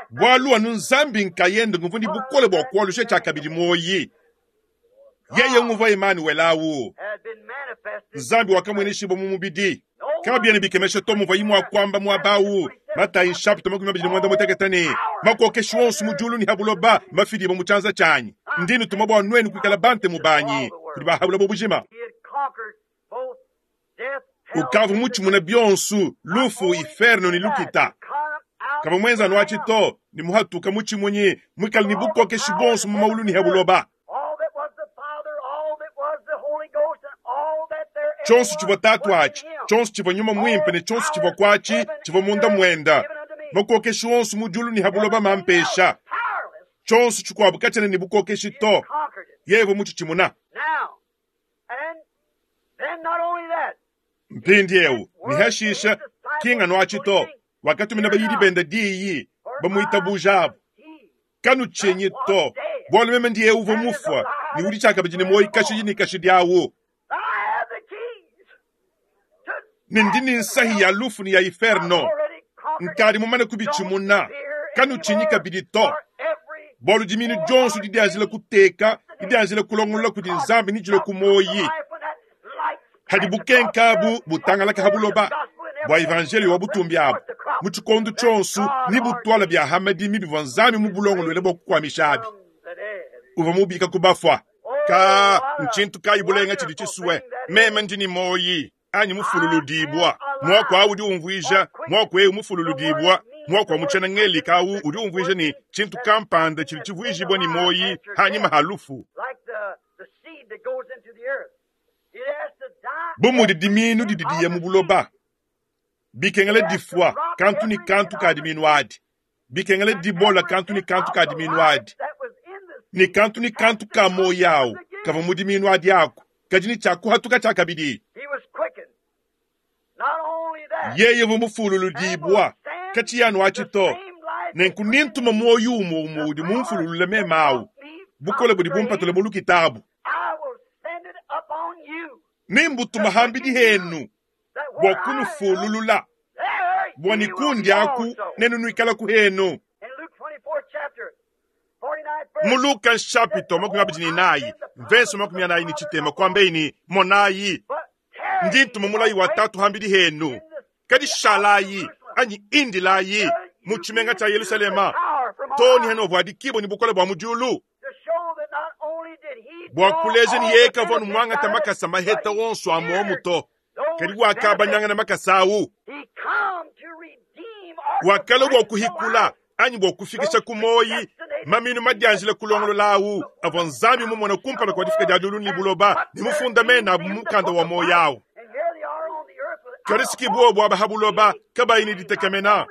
Bualu anu Nzambi nkayende nguvua ne bukole bua kualusha tshiakabidi muoyi. Yeye nguvua Emanuele au, Nzambi wakamueneshibua mu mubidi. Kabiena bikemesha to muvuaye mua kuamba muaba au, Matayi nshapita 25 ne, Makokeshi wonso mu diulu ne ha buloba mafidibue mu tshianza tshianyi. Ndi nutuma bua nuenu kuikala bantemu banyi kudi ba ha buloba bujima. Ukavua mutshimune bionso, lufu, inferno ne lukita. Kavua muenze anu atshi to, ne muhatuka mutshimunyi, muikale ne bukokeshi buonso mu maulu ne ha buloba. Tshionso tshivua Tatu atshi, tshionso tshivua Nyuma Muimpe ne tshionso tshivua kuatshi tshivua munda muenda. Makokeshi onso mu diulu ne ha buloba mampesha. Tshionso tshikuabu katshiena ne bukokeshi to. Yeye uvua mutshitshimuna. Mpindieu ne hashisha, ki nganu atshi to, wakatumina bayidi bende diyi, bamuitabujabu. Kanutshinyi to, bualu meme ndi eu uvua mufua ne udi tshiakabidi ne muoyo kashidi ne kashidi awu. Ne ndi ne nsahi ya lufu ne ya inferno. Nkadi mumane kubitshimuna. Kanutshinyi kabidi to, bualu diminu dionso didianjila kuteka, didianjila kulongolola kudi Nzambi ne dilue ku muoyi. Hadi bukenka abu butangalaka ha buloba bua evanjeliyo wa butumbi abu mu tshikondo tshionso ne butuala bia ha madimi bivua Nzambi mubulongoluele bua kukuamishabi. Uvua mubika ku bafua. Ka ntshintu kayi bulenga tshidi tshisue meme ndi ne muoyi anyi mufululudibua. Muaku au udi umvuija muaku eu mufululudibua, muaku wa mu tshiena Ngelika au udi umvuija ne tshintu kampanda tshidi tshivuijibua ne muoyi hanyima ha lufu. Bu mudi dimiinu didi diya mu buloba, bikengela difua kantu ne kantu ka dimiinu adi, bikengela dibola kantu ne kantu ka dimiinu adi, ne kantu ne kantu ka muoyo au kavua mu dimiinu adi aku kadi ne tshiakuhatuka tshiakabidi. Yeye uvua mufululudibua, katshiyi anu atshi to. Nenku nintuma muoyo umue umue udi mumfululule meme au, bukole budi bumpatule mu lukita abu. Nembutuma hambidi henu bua kunufululula, bua ne kundi aku nenu nuikalaku henu. Mu Luka nshapita 24 mvese 43 kuambei ne, Monayi, ndi ntuma mulayi wa Tatu hambidi henu, kadi shalayi anyi indilayi mu tshimenga tshia Yelushalema too ne hanuavuadikibua ne bukole bua mu diulu. Bua kuleja ne yeye kavua anu muangata makasa maheta onso a muomu to, kadi wakabanyangana makasa au. Wakalua bua kuhikula anyi bua kufikisha ku muoyi maminu madianjila kulongolola au avua Nzambi mumone kumpala kua difika dia diulu ne buloba ne mufunda mena abu mu mukanda wa muoyo au. Kadi si buobu aba ha buloba kabayi ne ditekemena.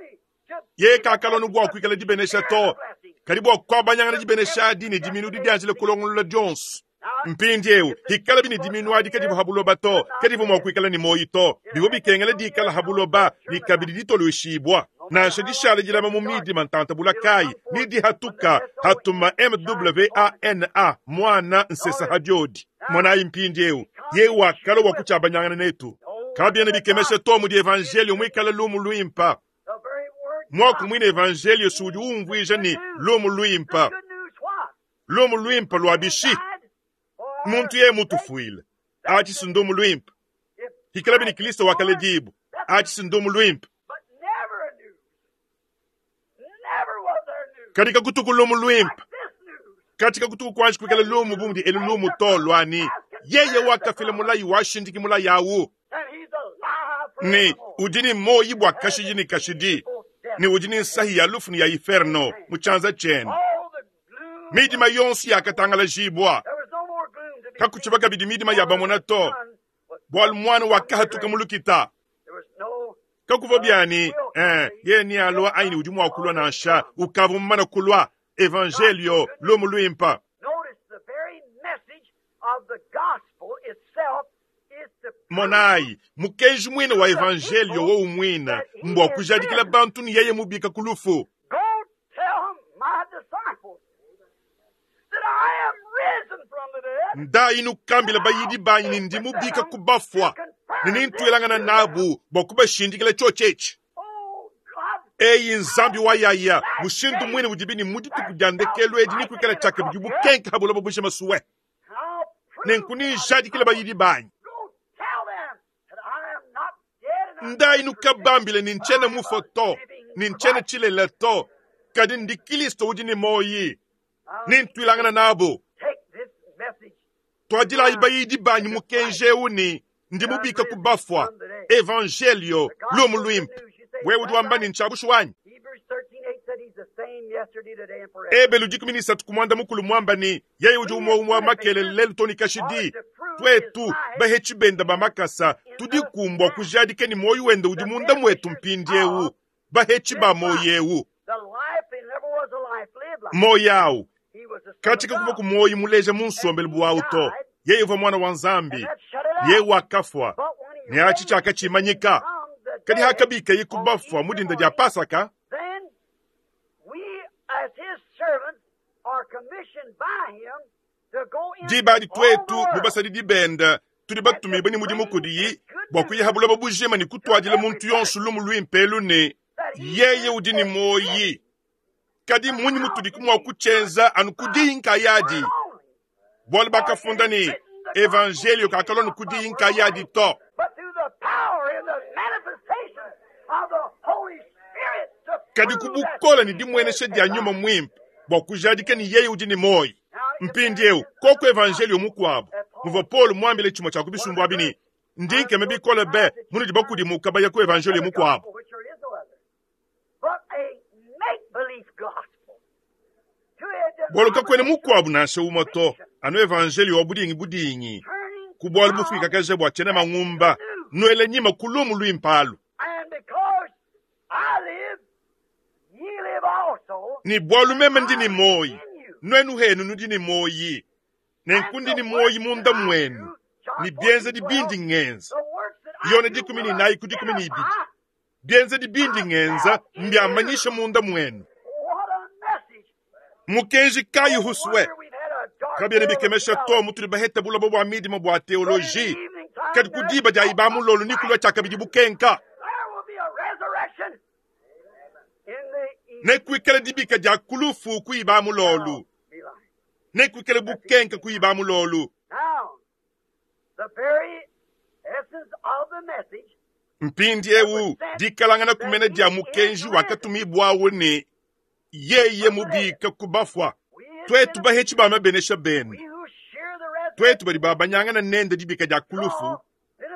Yeye kakalua anu bua kuikala dibenesha to, kadi bua kuabanyangana dibenesha adi ne diminu didianjila kulongolola dionso. Mpindiewu, hikalabi ne diminu adi kadivua ha buloba to, kadivua mua kuikala ne muoyi to. Bivua bikengela dikala ha buloba ne kabidi ditolueshibua. Nansha dishala dilama mu midima ntanta bula kayi, ne dihatuka hatuma MWANA, muana nsesa ha diodi. Monayi mpindiewu, yeye wakalua bua kutshiabanyangana netu. Kabiena bikemesha to mudi evanjeliyo muikale lumu luimpa. Muaku muine evanjeliyo udi umvuija ne, lumu luimpa. Lumu luimpa lua bishi? Muntu yeye mutufuile, atshi si ndumu luimpe. Hikalabi ne Kristo wakaledibua, atshi si ndumu luimpe. Kadi kakutuku lumu luimpe kati kakutuku kuanji kuikala lumu bu mudi elu lumu to lua ne, yeye wakafila mulayi washindiki mulayi awu ne udi ne muoyi bua kashidi ne kashidi ne udi ne nsahi ya lufu ne ya iferno mu tshianza tshiende. Midima yonso yakatangalajibua, kakutshivua kabidi midima ya bamona to, bualu muana wakahatuka mu lukita. Kakuvua bia ne, eh, yeye nealua anyi ne udi mua kulua nansha, ukavua mumane kulua. Evanjelio, lumu luimpa. Monayi, mukenji muine wa Evanjelio wowu muine mbua kujadikila bantu ne yeye mubika ku lufu. Ndayi nukambile bayidi banyi ne ndi mubika ku bafua, ne nentuilangana nabu bua kubashindikila tshiotshi etshi. Eyi Nzambi wa yaya, mushindu muine udibi ne mu dituku dia ndekelu edi nekuikale tshiakabidi bukenke ha buloba bujima sue. Nenku nenjadikile bayidi banyi. Ndayi nukabambile ne ntshiena mufue to, ne ntshiena tshilela to, kadi ndi Kristo udi ne muoyi. Nentuilangana nabu. Tuadilayi bayidi banyi mukenji eu ne, ndi mubika ku bafua. Evanjelio, lumu luimpe. Wewe udi wamba ne, ntshia bushuwa anyi? Ebelu 13 ku muanda mukulu muamba ne, yeye udi umue umue wa makelela lelu too ne kashidi. Tuetu, bahetshi bende ba makasa, tudiku mbua kujadika ne muoyo wende udi munda muetu mpindieu, bahetshi ba muoyo eu. Muoyo au katshi kakuvua ku muoyo muleja mu nsombelu bu au to. Yeye uvua Muana wa Nzambi, yeye wakafua, ne atshi tshiakatshimanyika. Kadi hakabikaye ku bafua mu dinda dia Pasaka, diba adi tuetu bu basadidi bende tudi batumibue ne mudimu kudiyi bua kuya ha buloba bujima ne kutuadila muntu yonso lumu luimpe elu ne, yeye udi ne muoyi. Kadi mmunyi mutudi mua kutshienza anu ku diyi nkayadi? Bualu bakafunda ne, Evanjelio kakalua anu ku diyi nkayadi to. Kadi ku bukole ne dimuenesha dia Nyuma Muimpe bua kujadika ne yeye udi ne muoyo. Mpindieu, koku evanjelio mukuabu muvua Paulo muambile tshimue tshia ku bisumbu abi ne, Ndi nkema bikole be munudi bakudimuka baya ku evanjelio mukuabu. Bualu kakuena mukuabu nansha umue to, anu evanjelio wa budingi budingi, ku bualu bufuikakaja bua tshiena mangumba, nuele nyima ku lumu luimpe alu. Ne bualu meme ndi ne muoyi, nuenu henu nudi ne muoyi, nenku ndi ne muoyi munda muenu, ne bienzedi bindi ngenza. Yone 14 ku 12. Bienzedi bindi ngenza mbiamanyisha munda muenu. Mukenji kayi husue? Kabiena bikemesha to mutudi bahete buloba bua midima bua teoloji, kadi ku diba dia iba mulolu ni kulua tshiakabidi bukenka. Nekuikale dibika dia ku lufu ku iba mulolu. Nekuikale bukenka ku iba mulolu. Mpindiewu dikalangana kumena dia mukenji wakatumibuawu ne yeye mubika ku bafua, tuetu bahetshi ba mabenesha bende, tuetu badi babanyangana nende dibika dia ku lufu,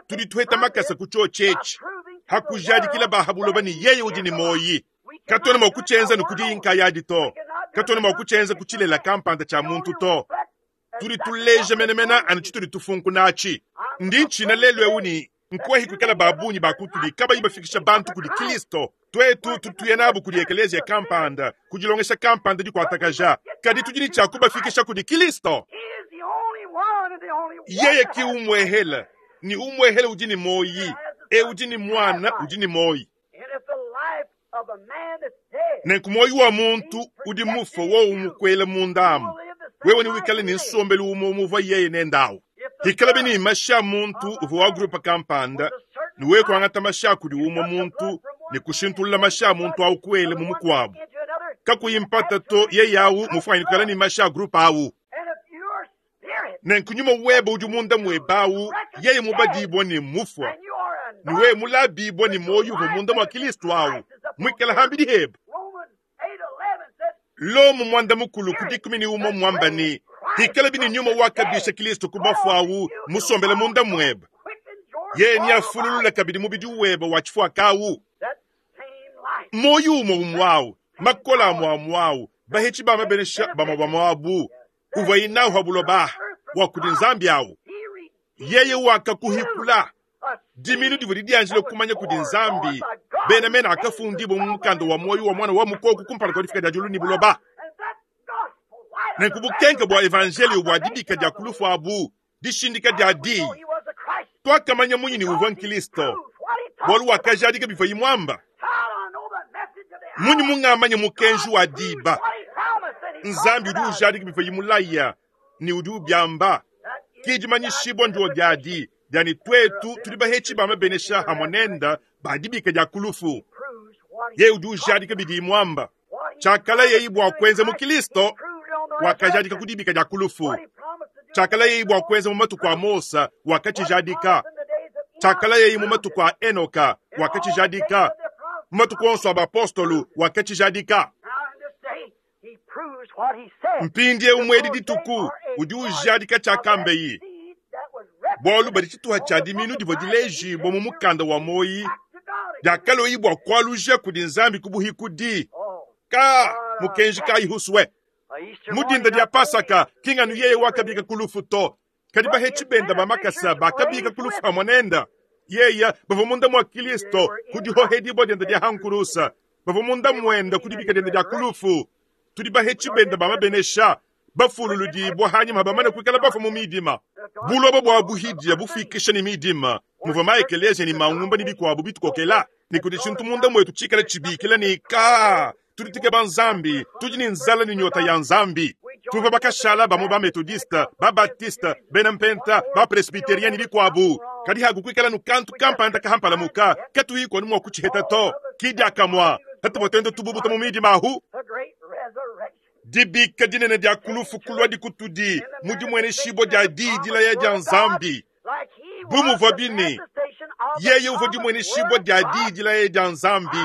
tudi tuheta makasa ku tshiotshi etshi, ha kujadikila ba ha buloba ne yeye udi ne muoyi. Katuena mua kutshienza ne ku diyi nkayadi to, katuena mua kutshienza ku tshilela kampanda tshia muntu to. Tudi tuleja menemene anu tshitudi tufunkuna atshi. Ndi ntshina lelu eu ne nkuehi kuikala ba bungi ba kutudi kabayi bafikisha bantu kudi Kristo. Tuetu tudi tuya nabu kudi ekeleziya kampanda, ku dilongesha kampanda dikuatakaja, kadi tudi ne tshia kubafikisha kudi Kristo. Yeye ki umwehela, ne umwehela udi ne muoyi, eu udi ne Muana udi ne muoyi. Nenku muoyi wa muntu udi mufue wowu mukuele munda amu, wewe newikale ne nsombelu umue umuvua yeye nende au. Hikalabi ne mashi a muntu uvua wa grupe kampanda, ne wewe kuangata mashi a kudi umue muntu ne kushintulula mashi a muntu au kuele mu mukuabu, kakuyi mpata to, yeye au mufuanyine kuikala ne mashi a grupe au. Nenku nyuma webe udi munda muebe au, yeye mubadibua ne mufua, ne wewe mulabibua ne muoyo uvua munda mua Kilisto au, muikale hambidi hebe. Lomo 11 ku 11 muamba ne, hikalabi ne nyuma wakabisha Kilisto ku bafua au musombele munda muebe, yeye neafululule kabidi mubidi webe wa tshifuaka au. Muoyo umue umue au, makola amue amue au, bahetshi ba mabenesha bamue bamue abu, uvua inahu ha buloba bua kudi Nzambi au. Yeye wakakuhikula diminu divua didianjile kumanya kudi Nzambi, bena mena akafundibua mu mukanda wa muoyo wa mwana wa mukoko kumpala kua difika dia diulu ne buloba. Nenku bukenke bua evanjelio bua dibika dia kulufu abu, dishindika dia diyi, tuakamanya munyi ne uvua Nkristo, bualu wakajadika bivua muamba. Munyi mungamanya mukenji wa diba? Nzambi udi ujadika bivua mulaya ne udi ubiamba. Ki dimanyishibua ndio diadi diani twetu tudi bahetshi ba mabenesha hamwe nenda ba dibika dia kulufu. Yeye udi ujadika bidi muamba. Tshiakala yeye bua kuenza mu Kristo, wakajadika ku dibika dia kulufu. Tshiakala yeye bua kuenza mu matuku a Mosa, wakatshijadika. Tshiakala yeye mu matuku a Enoka, wakatshijadika. Mu matuku onso a bapostolu, wakatshijadika. Mpindiewu mwedi dituku udi ujadika tshiakambeyi. Bualu badi tshituha tshia diminu divua dilejibua mu mukanda wa moyi, diakaloyi bua kualuja kudi Nzambi ku buhikudi. Ka mukenji kayi huswe. Mu dinda dia Pasaka, kinganu yeye wakabika ku lufu to. Kadi bahetshi benda ba makasa bakabika ku lufu hamwe nenda. Yeye bavua munda mua Kristo ku dihohedibua dienda dia hankurusa. Bavua munda muenda ku dibika dienda dia kulufu. Tudi bahetshi benda ba mabenesha, bafululudibua hanyima bamane kuikala bafua mu midima. Buloba bua buhidia bufikisha ne midima, muvua maekelesia ne mangumba ne bikuabu bitukokela, ne kudi tshintu munda mwetu tshikala tshibikila ne ka tudi tukeba Nzambi, tudi ne nzala ne nyota ya Nzambi. Tuvua bakashala bamue ba metodiste, ba baptiste, bena mpenta, ba presbyterien ne bikuabu. Kadi hakukuikala nukantu kampanda kahampalamuka, katuyi kwanu mua kutshiheta to. Kidiakamua, hatuvua tuenda tububuta mu midima ahu. Dibika dinene dia kulufu kulua dikutudi mu dimweneshibua dia diyi dilaya dia Nzambi. Bu muvua bine, yeye uvua dimweneshibua dia diyi dilaya dia Nzambi.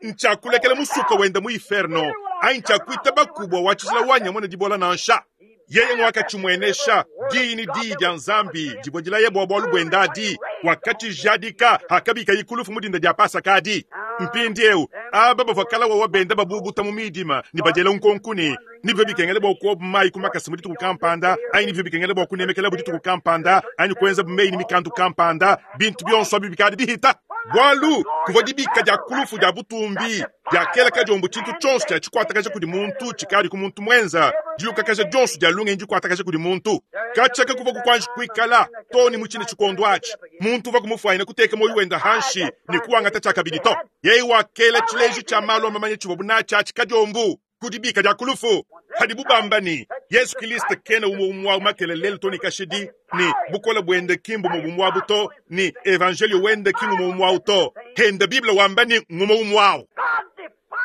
Ntshiakulekela musuka wenda mu inferno, anyi ntshiakuita bakubwa wa tshijila wa nyama ne dibola nansha. Yeye ngwakatshimwenesha diyi ne diyi dia Nzambi divua dilaya bua bualu buenda adi, wakatshijadika hakabika ikulufu mu dinda dia Pasaka adi. Mpindiewu aba bavua kala wawa benda babubuta mu midima ne badiela nkonko ne nibyo bikengela bua kuoba mayi ku makasa mu dituku kampanda, anyi nibyo bikengela bua kunemekela bu dituku kampanda, anyi kuenza meyi ne mikandu kampanda, bintu bionso abi bikadi bihita. Bualu kuvua dibika dia kulufu dia butumbi diakela kadiombo tshintu tshionso tshia tshikuatakaja kudi muntu tshikadi ku muntu mwenza, dilukakaja dionso dia lungenyi dikuatakaja kudi muntu. Katshaka kuvua kukuanji kuikala to ne mu tshine tshikondo atshi. Muntu uvua kumufuanyina kuteka moyo wenda hanshi ne kuangata tshiakabidi to. Yeye wakela tshileji tshia malu a mamanya tshivua bunatshi atshi kadiombo ku dibika dia kulufu. Hadibu bamba ne Yesu Kristo kena umue umue wa makelele to ne kashidi, ne bukola buende ki mbumue bumue abu to, ne evangelio wende ki ngumue umue awu to. Henda Bible wamba ne ngumue umue awu.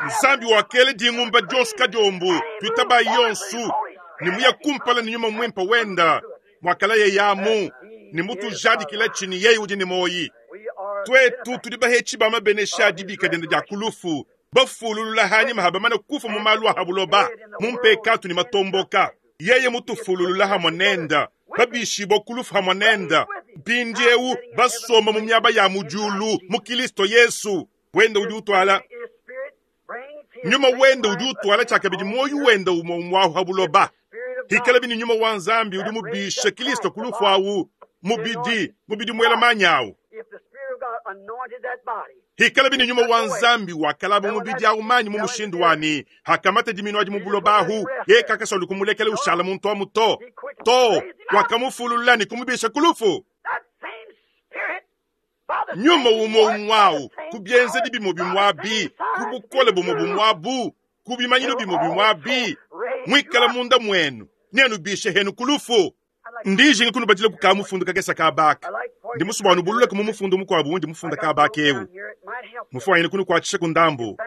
Nzambi wakela dingumba dionso kadiombo, tuitaba yonso, ne muya kumpala ne nyuma mwimpe wenda, mwakala yeye amu, ne mutujadikila tshini yeye udi ne moyi. Twetu tudi bahetshi ba mabenesha dibika diende dia kulufu, bafululula hanyima habamana kufa mu malu a habuloba, mu mpekatu ne matomboka. Yeye mutufululula hamwe nenda, babishibwa kulufu hamwe nenda. Mpindiewu basomba mu miaba ya mu diulu mu Kristo Yesu. Wenda udi utwala nyuma wenda udi utwala tshiakabidi moyo wenda umwe umwe ahu habuloba. Hikala bini nyuma wa Nzambi udi mubisha Kristo kulufu awu, mubidi, mubidi mwela manyawu. Hikala bini nyuma wa Nzambi wakalaba mubidi awu manyi mu mushindu wani, hakamata diminu adi mu buloba ahu, ye kakasolu kumulekela ushala muntu amu to. Too, wakamufululula ne kumubisha ku lufu. Nyuma umue umue au, ku bienzedi bimue bimue abi, ku bukole bumue bumue abu, ku bimanyinu bimue bimue abi, muikale munda muenu, neanubishe henu ku lufu. Ndi njinga kunubadila ku ka mufundu kakese ka baka. Ndi musue bua nubululaku mu mufundu mukuabu undi mufunda ka baka eu. Mufuanyine kunukuatshisha ku ndambu.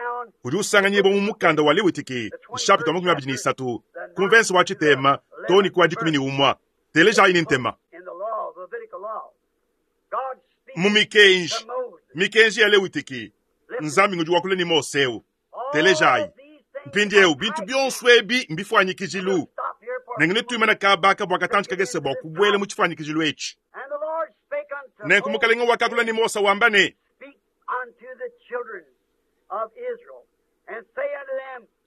Udi usanganyibua mu mukanda wa Lewitiki, nshapita wa 23, ku mvense wa tshitema too ne ku wa 11. Telejayi ne ntema. Mu mikenji, mikenji ya Lewitiki, Nzambi ngudi wakula ne Mose eu. Telejayi. Mpindieu bintu bionso ebi mbifuanyikijilu. Nenku netuimane kaba aka bua katantshi kakese bua kubuela mu tshifuanyikijilu etshi. Nenku Mukalenge wakakula ne Mose wamba ne,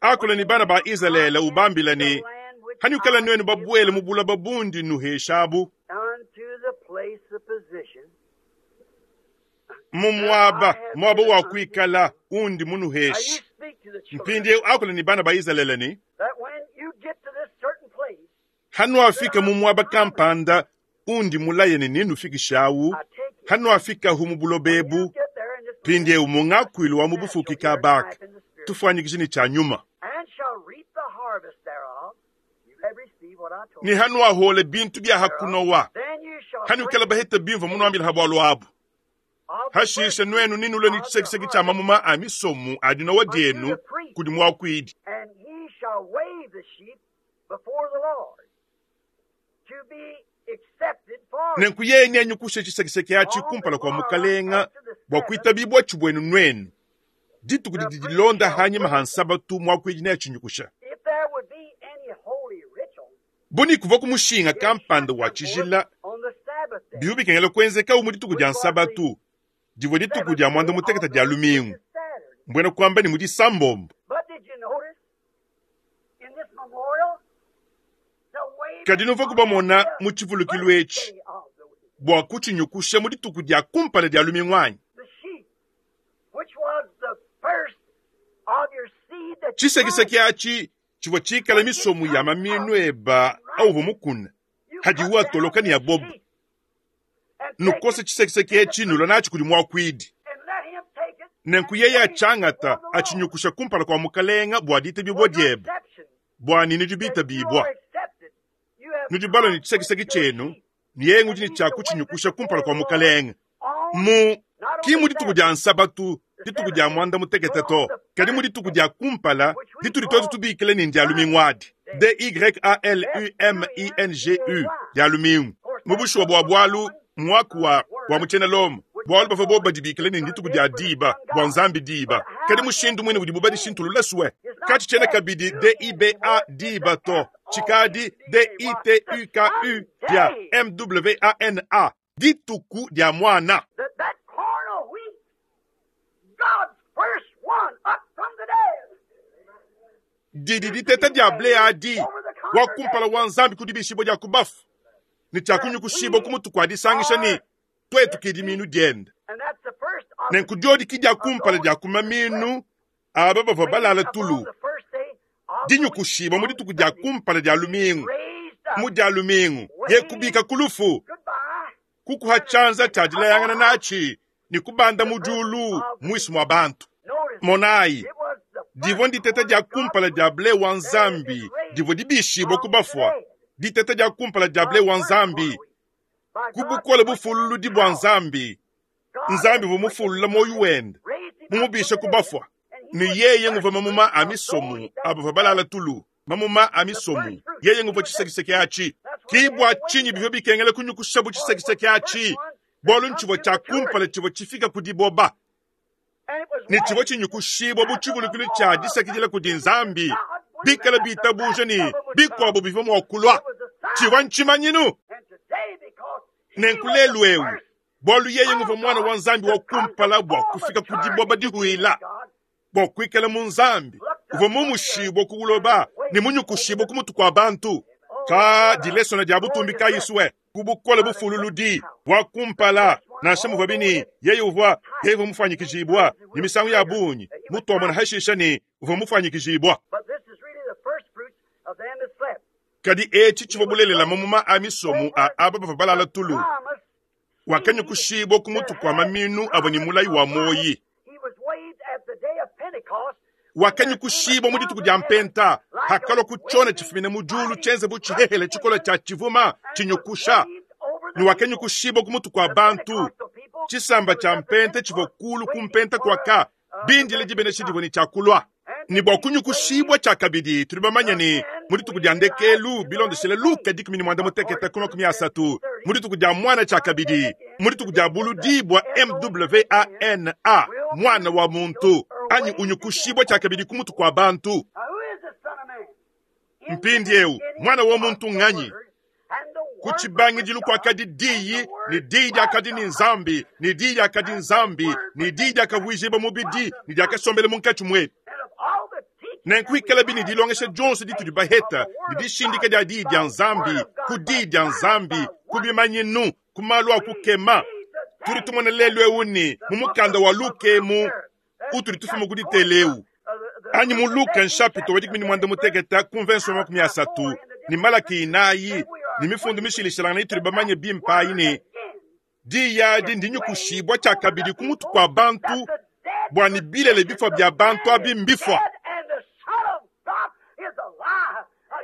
Akula ne bana ba Izalele ubambila ne, Hanuikala nuenu babuele mu buloba bundi nnuheshabu, mu muaba, muaba wa kuikala undi munuheshe. Mpindieu akula ne bana ba Izalele ne, Hanuafika mu muaba kampanda undi mulaye ne nenufikishawu, hanuafikahu mu buloba ebu, mpindieu mu ngakuilu wa mu bufuki kabaka, tufuanyikije ne tshia nyuma. Ne hanuahuola bintu bia ha kunowa, hanuikala baheta bimvua munuambila ha bualu abu. Hashishe nuenu nenulue ne tshisekiseki tshia mamuma a misomu a dinowa dienu kudi muakuidi. Nenku yeye neanyukushe tshisekiseki atshi kumpala kua mukalenga bua kuitabibuatshi buenu nuenu. Dituku didi dilonda hanyima ha Nsabatu muakuidi neatshinyukusha. Bu ne kuvua ku mushinga kampanda wa tshijila, bivua bikengela kuenzekawu mu dituku dia Nsabatu, divua dituku dia muanda-mutekete dia lumingu, mbuena kuamba ne mu Disambombo. Kadi nuvuaku bamona mu tshivulukilu etshi bua kutshinyukusha mu dituku dia kumpala dia lumingu anyi? Tshisekiseki atshi tshivua tshikale misomu ya maminu eba auvua mukune, hadiwu atoloka ne aboba. Nukose tshisekiseki etshi nulua natshi kudi muakuidi. Nenku yeye atshiangata atshinyukusha kumpala kua mukalenga bua ditabibua diebe, bua ne nudi bitabibua. Nudi balua ne tshisekiseki tshienu, ne yeye ngudi ne tshia kutshinyukusha kumpala kua mukalenga. Mu ki mu dituku dia Nsabatu, dituku dia muanda mutekete to, kadi mu dituku dia kumpala ditudi tuetu tubikila ne ndia lumingu adi, D-Y-A-L-U-M-I-N-G-U, dia lumingu. Mu bushuwa bua bualu, muaku wa wa mu tshiena Lomo, bualu bavua bobu badibikila ne ndituku dia diba, bua nzambi diba. Kadi mushindu muine udibu badishintulula sue, katshitshiena kabidi D-I-B-A, diba to, tshikadi D-I-T-U-K-U, dia M-W-A-N-A, dituku dia muana. Didi diteta dia ble adi, wa kumpala wa Nzambi ku dibishibua dia ku bafu, ne tshia kunyukushibua ku mutu kua disangisha ne tuetu ke dimiinu diende. Nenku diodi ke dia kumpala dia ku mamiinu aba bavua balala tulu, dinyukushibua mu dituku dia kumpala dia lumingu, mu dia lumingu ye kubika ku lufu, kukuha tshianza tshia dilayangana natshi ne kubanda mu diulu muinshi mua bantu. Monayi, divua nditeta dia kumpala dia ble wa Nzambi divua dibishibua ku bafua, diteta dia kumpala dia ble wa Nzambi ku bukole bufululudi bua Nzambi. Nzambi uvua mufulula muoyo wende, mumubishe ku bafua, ne yeye nguvua mamuma a misomu a bavua balala tulu, mamuma a misomu, yeye nguvua tshisekiseki atshi. Ke bua tshinyi bivua bikengela kunyukushabu tshisekiseki atshi, bualu ntshivua tshia kumpala tshivua tshifika ku diboba, ne tshivua tshinyukushibua bu tshivulukilu tshia disakidila kudi Nzambi, bikale bitabuja ne bikuabu bivua mua kulua. Tshivua ntshimanyinu. Nenku lelu'eu, bualu yeye nguvua Muana wa Nzambi wa kumpala bua kufika ku diboba dihuila, bua kuikala mu Nzambi, uvua mumushibua ku buloba ne munyukushibua ku mutu kua bantu. Ka dilesona dia butumbi kayi sue ku bukole bufululudi wa kumpala, nansha muvuabi ne yeye uvua yeye uvua mufuanyikijibua ne misangu ya bungi mutuamona hashisha ne uvua mufuanyikijibua. Kadi etshi tshivua bulelela mamuma a misomu a aba bavua balala tulu. Wakanyukushibua ku mutu kua maminu avua ne mulayi wa muoyi. Wakanyukushibua mu dituku dia Mpenta, hakalua ku tshiona tshifumine mu diulu tshienze bu tshihehele tshikole tshia tshivuma tshinyukusha, ne wakanyukushibua ku mutu kua bantu. Tshisamba tshia Mpenta tshivua kulu ku Mpenta kuaka bindile dibenesha divua ne tshia kulua. Ne bua kunyukushibua tshiakabidi, tudi bamanye ne, mu dituku dia ndekelu, bilondeshile Luka 13 ku 30, mu dituku dia Muana tshiakabidi, mu dituku dia buludibua MWANA, Muana wa muntu, anyi unyukushibua tshiakabidi ku mutu kua bantu. Mpindieu, Muana wa muntu nnganyi? Ku tshibangidilu kuakadi Diyi, ne Diyi diakadi ne Nzambi, ne Diyi diakadi Nzambi, ne Diyi diakavuijibua mubidi, ne diakasombela munkatshi muetu. Nenku ikalabi ne dilongesha dionso ditudi baheta, ne dishindika dia Diyi dia Nzambi, ku Diyi dia Nzambi, ku bimanyinu, ku malu a kukema, tudi tumona lelu eu ne mu mukanda wa Luka emu utudi tufuma ku ditela eu, anyi mu Luka nshapita wa 16 ku mvenso wa 30 ne Malaki 4 ne mifundu mishilashilangane itudi bamanye bimpe ayi ne diyi adi ndinyukushibua tshiakabidi ku mutu kua bantu bua ne bilele bifua bia bantu abi mbifua.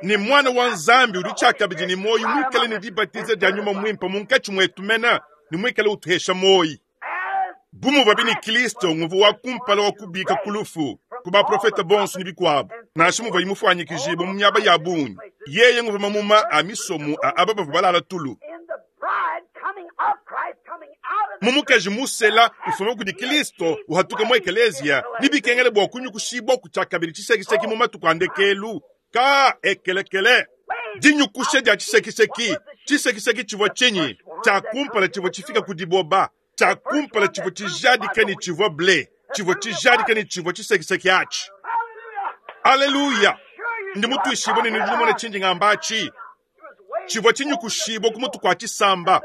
Ne Muana wa Nzambi udi tshiakabidi ne muoyo muikale ne dibatiza dia Nyuma Muimpe munkatshi muetu mena ne muikale utuhesha muoyo. Bu muvuabi ne Kristo nguvua wa kumpala wa kubika ku lufu ku baprofete bonso ne bikuabu, nansha muvuaye mufuanyikijibue mu miaba ya bungi, yeye nguvua mamuma a misomu a aba bavua balala tulu. Mu mukaji musela ufuma kudi Kristo uhatuka mu ekeleziya, ne bikengela bua kunyukushibua ku tshiakabidi tshisekiseki mu matuku a ndekelu. Ka ekelekele dinyukusha dia tshisekiseki. Tshisekiseki tshivua tshinyi? Tshia kumpala tshivua tshifika ku diboba. Tshia kumpala tshivua tshijadika ne tshivua ble, tshivua tshijadika ne tshivua tshisekiseki atshi. Aleluya! Ndi mutuishibue ne nudi numona tshindi ngamba atshi. Tshivua tshinyukushibua ku mutu kua tshisamba,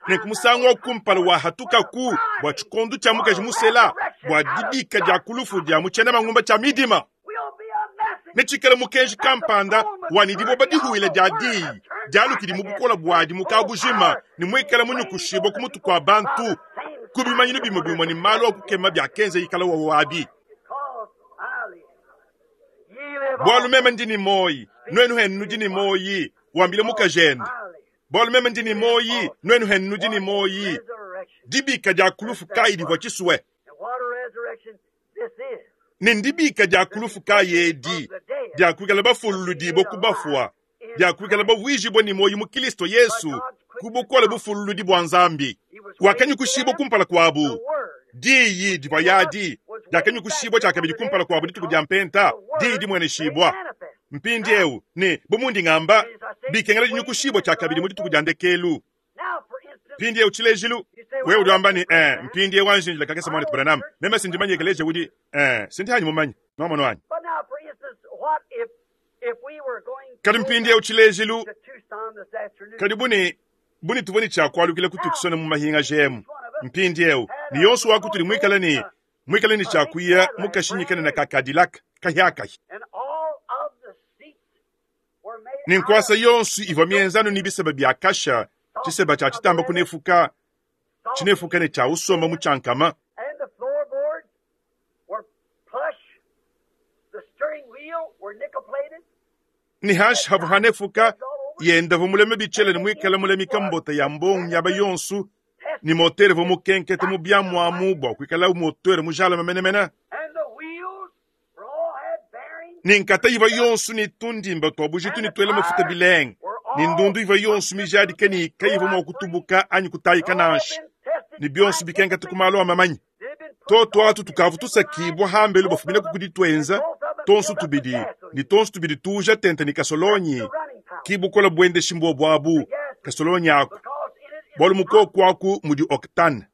ne ku musangu wa kumpala wahatukaku bua tshikondo tshia mukaji musela, bua dibika dia ku lufu dia mu tshiena mangumba tshia midima. Netshikale mukenji kampanda wa ne diboba dihuila dia diyi dialukidi mu bukola buadi mu kabujima ne muikale munyukushibua ku mutu kua bantu ku bimanyinu bimue bimue ne malu a kukema biakenza ikala wawo abi. Bualu meme ndi ne muoyi, nuenu henu nudi ne muoyi, wambile mukajende. Bualu meme ndi ne muoyi, nuenu henu nudi ne muoyi. Dibika dia ku lufu kayi divua tshisue? Ne ndibika dia ku lufu kayi edi dia kuikala bafululudibue ku bafua, dia kuikala bavuijibue ne muoyo mu Kristo Yesu ku bukole bufululudi bua Nzambi. Wakanyukushibua kumpala kuabu. Diyi divua yadi diakanyukushibua tshiakabidi kumpala kuabu dituku dia Mpenta, diyi dimueneshibua. Mpindieu, ne bu mundi ngamba, bikengela dinyukushibua tshiakabidi mu dituku dia ndekelu. Mpindieu tshilejilu, wewe udi wamba ne, eh, mpindieu anji njila kakese muanetu Branham, meme si ndimanye ekeleziya udi, eh, si ndi hanyi mumanye. Nwamonu anyi? Kadi mpindieu tshilejilu, kadi bu ne, bu ne tuvua ne tshia kualukila ku Tucson mu mahingaja emu mpindieu, ne yonso wa kutudi muikale ne, muikale ne tshia kuya mu kashinyi kanene ka Cadillac kahiakahi. Ne nkuasa yonso ivua mienza anu ne biseba bia kasha, tshiseba tshia tshitamba kunefuka, tshinefuka ne tshia usomba mu tshiankama. Ne hanshi havua hanefuka, yenda uvua mulame bitshele ne muikale mulamika mbota ya mbongo miaba yonso, ne motere uvua mukenkete mu biamuamu bua kuikala motere mujalame menemene. Ne nkata ivua yonso ne tundimba tua bujitu ne tuela mafuta bilenga, ne ndundu ivua yonso mijadike ne kayivua mua kutubuka anyi kutayika nansha, ne bionso bikenkete ku malu a mamanyi. Toto atu tukavua tusakibua hambelu bafumina ku dituenza tonso tubidi ne tonso tubidi tuuja tente ne kasolonyi ki bukola buendeshi mbuobu abu kasolonyi aku bualu mukoku aku mudi octane.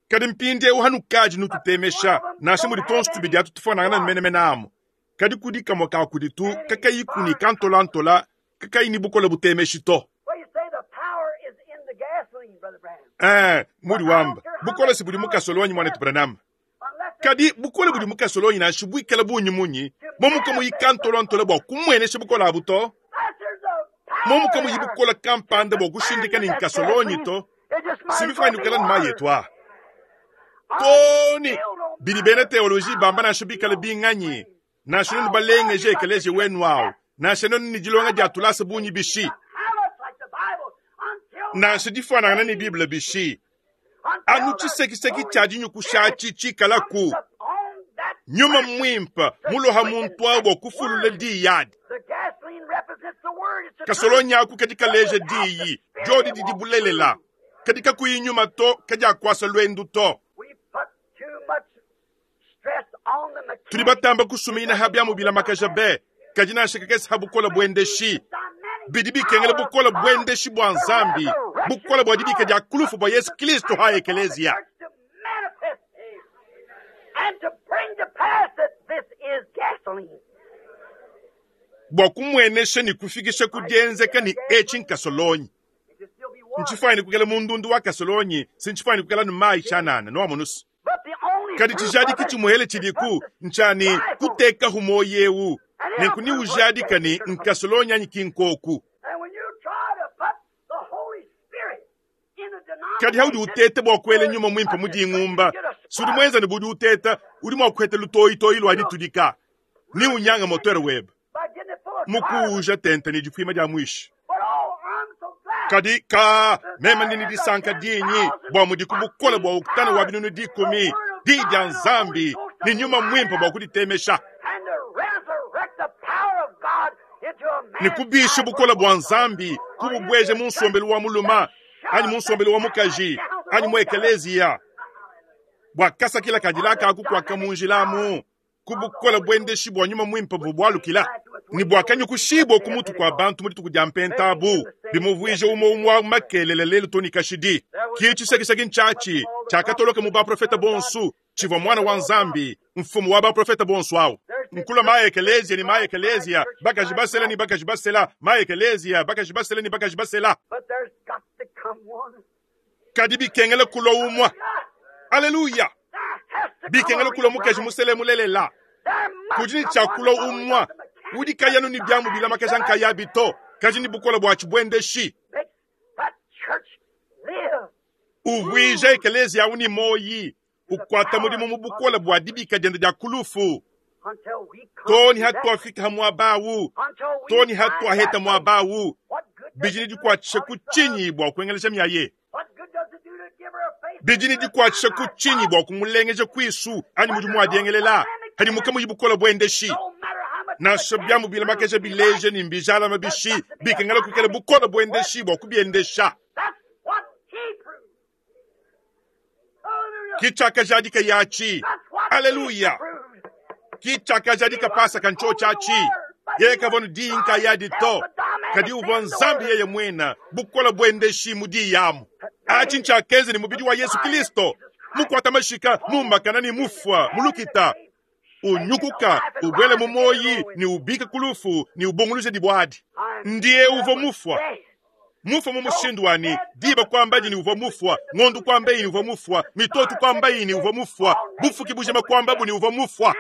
Kadi mpindieu hanukadi nututemesha, nansha mudi tuonso tubidi atu tufuanangana menemene amu, kadi kudi kamue ka kuditu kakayiku ne kantolantola, kakayi ne bukole butemeshi to. Ee, mudi wamba, bukole si budi mu kasolonyi, muanetu Branham. Kadi bukole budi mu kasolonyi nansha buikale bungi munyi, momu kamuyi kantolontola bua kumuenesha bukole abu to. Momu kamuyi bukole kampanda bua kushindika ne nkasolonyi to. Si bifuanyine kuikala ne mayi etu aa. Too ne bidi bena teoloji bamba nansha bikale binganyi, nansha nuenu balengeje ekeleziya wenu au, nansha nuenu ne dilonga dia tulasa bungi bishi, nansha difuanangana ne Bible bishi, anu tshisekiseki tshia dinyukusha atshi tshikalaku, Nyuma Muimpe muloha muntu au bua kufulula diyi adi. Kasolonyi aku kadi kaleja diyi, diodi didi bulelela. Kadi kakuyi nyuma to, kadiakuasa luendu to. Tudi batamba kusuminyina ha biamu bilamakaja be, kadi nansha kakese ha bukole buendeshi. Bidi bikengela bukole buendeshi bua Nzambi, bukole bua dibika dia ku lufu bua Yesu Kristo ha ekeleziya. Bua kumuenesha ne kufikisha ku dienzeka ne etshi nkasolonyi. Ntshifuanyine kuikala mu ndundu wa kasolonyi, si ntshifuanyine kuikala ne mayi tshianana, nuamonu's. Kadi tshijadiki tshimuele tshidiku ntshia ne, kutekahu muoyo eu, nenku neujadike ne, nkasolonyi anyi ki nkoku. Kadi haudi uteta bua kuela nyuma muimpe mu dingumba, si udi muenza ne budi uteta, udi mua kuheta lutoyitoyi lua ditudika, ne unyanga motere webe mukuuja tente ne difuima dia muishi. Kadi ka meme ndi ne disanka dinyi bua mudiku bukole bua oktane wa 100,000 diyi dia Nzambi ne nyuma muimpe bua kuditemesha ne kubisha bukole bua Nzambi kububueja mu nsombelu wa mulume anyi mu nsombelu wa mukaji anyi mu ekeleziya bua kasakila kadila kaku kuaka mu njila amu ku bukole buendeshi bua nyuma muimpe buvua bualukila ne buakanyukushibua ku mutu kua bantu mu dituku dia mpenta abu, bimuvuija umue umue wa makelela lelu too ne kashidi. Ke tshisekiseki ntshiatshi tshiakatoloka mu baprofete bonso, tshivua Muana wa Nzambi, mfumu wa baprofete bonso au. Nkulua ma-ekeleziya ne ma-ekeleziya, bakaji basela ne bakaji basela, ma-ekeleziya, bakaji basela ne bakaji basela. Kadi bikengela kulua umue. Aleluya! Bikengela kulua mukaji musele mulelela. Kudi ne tshia kulua umue udi kayi anu ne biamu bilamakaja nkayabi to, kadi ne bukole bua tshibuendeshi. Uvuija ekeleziya au ne muoyi, ukuata mudimu mu bukole bua dibika diende dia ku lufu, too ne hatuafika ha muaba au, too ne hatuaheta muaba au. Bidi ne dikuatshisha ku tshinyi bua kuengelesha miaye? Bidi ne dikuatshisha ku tshinyi bua kumulengeja kuisu anyi mudimu wa diengelela hadi mukamuyi bukole buendeshi? Nansha biamu bilamakaja bileja ne mbijalama bishi, bikengela kuikala bukole buendeshi bua kubiendesha. Ki tshiakajadika yatshi. Aleluya! Ki tshiakajadika Pasaka ntshiotshi atshi. Yeye kavua ne diyi nkayadi to, kadi uvua Nzambi yeye muine, bukole buendeshi mu diyi amu. Atshi ntshiakenza ne mubidi wa Yesu Kristo, mukuata mashika, mumbakana ne mufua mu lukita, unyukuka, ubuela mu muoyi ne ubika ku lufu ne ubunguluja dibua adi. Ndiye uvua mufua. Mufua mu mushindu wa ne, diba kuambadi ne uvua mufua, ngondo kuambayi ne uvua mufua, mitoto kuambayi ne uvua mufua, bufuki bujima kuambabu ne uvua mufua.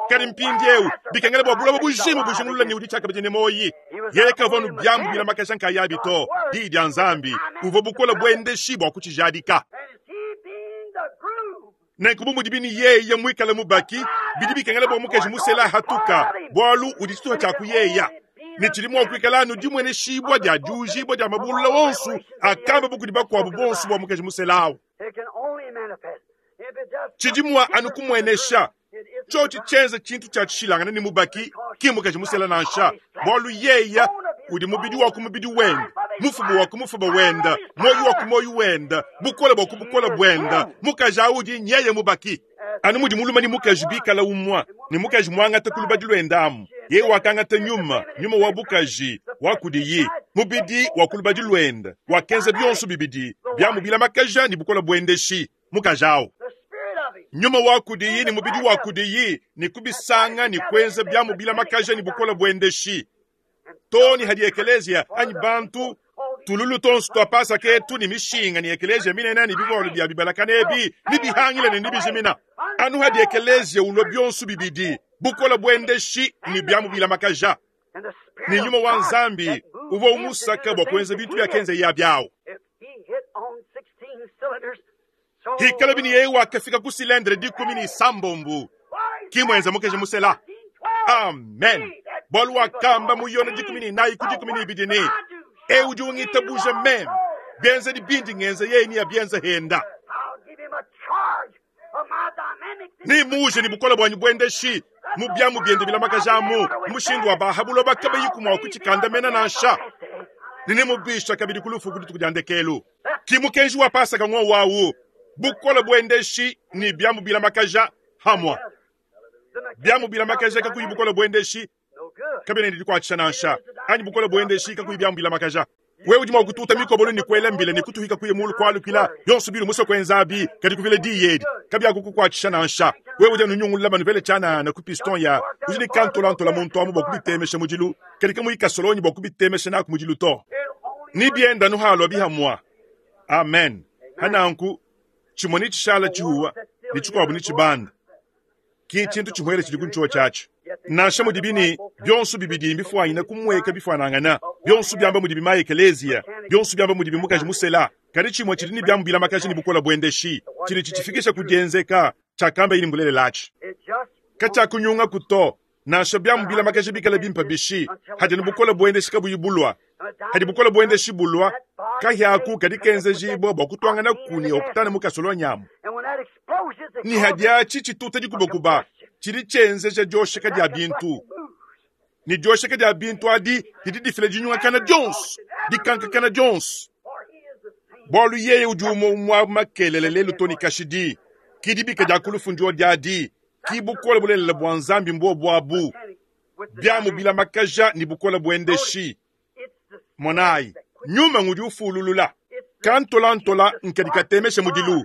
Kadi mpindieu bikengela bua buloba bujima bujingulula ne udi tshiakabidi ne muoyi. Yeye kavua anu biambu bilamakaja nkayabi to, Diyi dia Nzambi uvua bukole buendeshi bua kutshijadika. Nenku bu mudibi ne yeye muikale mubaki, bidi bikengela bua mukaji musela ahatuka, bualu udi tshitupa tshia ku yeya, ne tshidi mua kuikala anu dimueneshibua dia diujibua dia mabulula onso akamba kudi bakuabu bonso bua mukaji musela awu. Tshidi mua anu kumuenesha tshiotshi tshienza tshintu tshia tshishilangane ne mubaki, ki mukaji musela nansha, bualu yeya udi mubidi wa ku mubidi wende, mufuba wa ku mufuba wende, muoyo wa ku muoyo wende, bukole bua ku bukole buende. Mukaji au udi nyeye mubaki. Anu mudi mulume ne mukaji bikala umue, ne mukaji muangata ku lubadi luende amu, yeye wakangata nyuma, nyuma wa bukaji wa kudiyi, mubidi wa ku lubadi luende, wakenza bionso bibidi biamu bilamakaja ne bukole buendeshi, mukaji au. Nyuma wa kudiyi ne mubidi wa kudiyi, ne kubisanga ne kuenza biamu bilamakaja ne bukole buendeshi, too ne hadi ekeleziya anyi bantu. Tululu tuonso tua Pasaka etu ne mishinga ne ekeleziya minene ne bivualu bia bibalakana ebi nebihangile ne nebijimina. Anu hadi ekeleziya ulua bionso bibidi, bukole buendeshi ne biamu bilamakaja, ne nyuma wa Nzambi uvua umusaka bua kuenza bintu biakenzeye abi au. Hikalabi ne yeye wakafika ku silendre 16, ki muenza mukeji musela. Amen. Bualu wakamba mu Yone 14 ku 12 ne, Eu udi ungitabuja meme, bienzedi bindi ngenza yeye neabienze henda. Nemmuuje ne bukole buanyi buendeshi mu biamu biende bilamakaja amu mu mushindu wa ba ha buloba kabayiku mua kutshikandamena nansha, ne nemubisha kabidi ku lufu ku dituku dia ndekelu. Ki mukenji wa Pasaka ng'wowu au, bukole buendeshi ne biamu bilamakaja hamua. Biamu bilamakaja kakuyi bukole buendeshi kabiena ne dikuatshisha nansha, anyi bukole buendeshi kakuyi biamu bilamakaja. Wewe udi mua kututa mikobolo ne kuela mbila ne kutuhika kuya mulu kualukila, bionso biudi musue kuenza abi, kadi kuvila diyi edi kabiakukukuatshisha nansha. Wewe udi anu nyungulula manuvele tshianana ku piston ya udi ne kantolantola muntu amu bua kubitemesha mudilu, kadi kamuyi kasolonyi bua kubitemesha naku mudilu to. Ne bienda anu halua bihamua. Amen. Hananku tshimue netshishala tshihuwa ne tshikuabu netshibanda. Ki tshintu tshimuele tshidi ku ntshiwa tshiatshi. Nansha mudibi ne bionso bibidi mbifuanyine kumueka bifuanangana, bionso biamba mudibi ma ekeleziya, bionso biamba mudibi mukaji musela, kadi tshimue tshidi ne biamu bilamakaja ne bukole buendeshi tshidi tshitshifikisha ku dienzeka. Tshiakamba yini mbulelela atshi katshiakunyungaku to, nansha biamu bilamakaja bikale bimpe bishi, hadi ne bukole buendeshi kabuyi bulua. Hadi bukole buendeshi bulua, kahia aku kadi kenzejibua bua kutuanganaku ne octane mu kasolonyi amu. Ne hadi atshi tshituta dikubakuba, tshidi tshienzeja diosheka dia bintu, ne diosheka dia bintu adi didi difila dinyungakana dionso, dikankakana dionso. Bualu yeye udi umue umue makelela lelu to ne kashidi, ki dibika dia ku lufu ndio diadi, ki bukole bulelela bua Nzambi mbuobu abu, biamu bilamakaja ne bukole buendeshi. Monayi, nyuma ngudi ufululula. Kantolantola nkadi katemesha mudilu,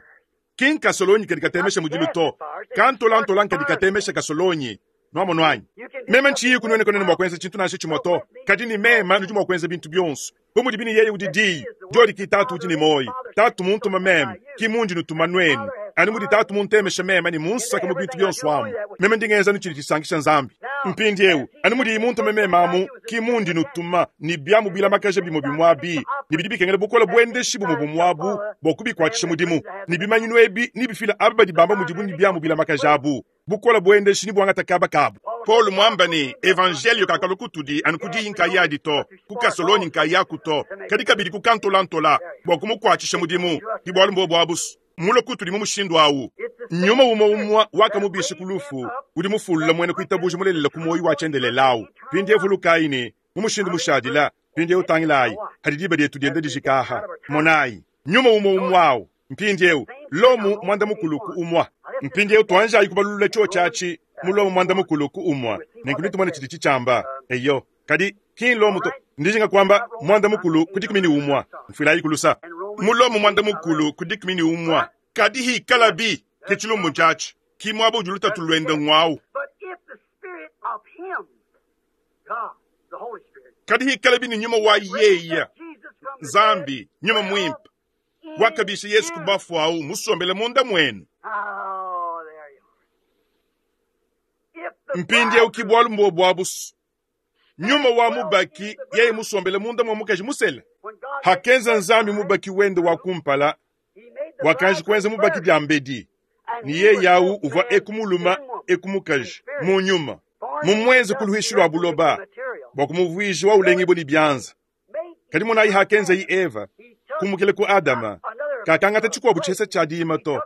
ki nkasolonyi kadi katemesha mudilu to. Kantolantola nkadi katemesha kasolonyi. Nuamonu anyi? Meme ntshiyiku nuenu kanuena mua kuenza tshintu nansha tshimue to, kadi ne meme nudi mua kuenza bintu bionso. Bu mudibi ne yeye udi Diyi, diodi ki Tatu udi ne muoyo. Tatu muntuma meme, ki mundi nutuma nuenu. Anu mudi Tatu muntemesha meme ne munsaka mu bintu bionso amu, meme ndi ngenza anu tshidi tshisankisha Nzambi. Mpindieu, anu mudiye muntume meme amu, ki mundi nutuma ne biamu bilamakaja bimue bimue abi, ne bidi bikengela bukole buendeshi bumue bumue abu bua kubikuatshisha mudimu, ne bimanyinu ebi nebifile aba badi bamba mudibu ne biamu bilamakaja abu bukole buendeshi ne buangata kaba kabu. Paulo muamba ne, Evanjeliyo kakalua kutudi anu ku diyi nkayadi to, ku kasolonyi nkayaku to, kadi kabidi ku kantolantola bua kumukuatshisha mudimu. Ke bualu mbuobu abu mulue kutudi mu mushindu au. Nyuma umue umue wakamubisha ku lufu udi mufulula muena kuitabuja mulelela ku muoyo wa tshiendelele au. Mpindieu vulukayi ne, mu mushindu mushadila, mpindieu tangilayi hadi diba dietu dienda dijika aha. Monayi, nyuma umue umue au Mpindieu, Lomo muanda-mukulu ku umue. Mpindieu tuanjayi kubalulula tshiotshi atshi mu Lomo muanda-mukulu ku umue, nenku netumone tshidi tshitshiamba. Eyo, kadi ki n'Lomo to, ndijinga kuamba muanda-mukulu ku 11. Mfuilayiku lusa. Mu Lomo muanda-mukulu ku 11, kadi hikalabi ke tshilumbu ntshiatshi, ki muaba udi lutatu luende ng'wau. Kadi hikalabi ne nyuma wa yeye, Nzambi, Nyuma Muimpe, wakabisha Yesu ku bafue au musombele munda muenu. Mpindieu ki bualu mbuobu abu. Nyuma wa mubaki yeye musombele munda mua mukaji musele. Hakenza Nzambi mubaki wende wa kumpala, wakanji kuenza mubaki diambedi, ne yeye au uvua eku mulume eku mukaji mu nyuma, mumuenze ku luishi lua buloba bua kumuvuija wa ulengibue ne bianza. Kadi monayi hakenzayi Eva, kumukila ku Adama, kakangata tshikuabu tshihesa tshia dima to,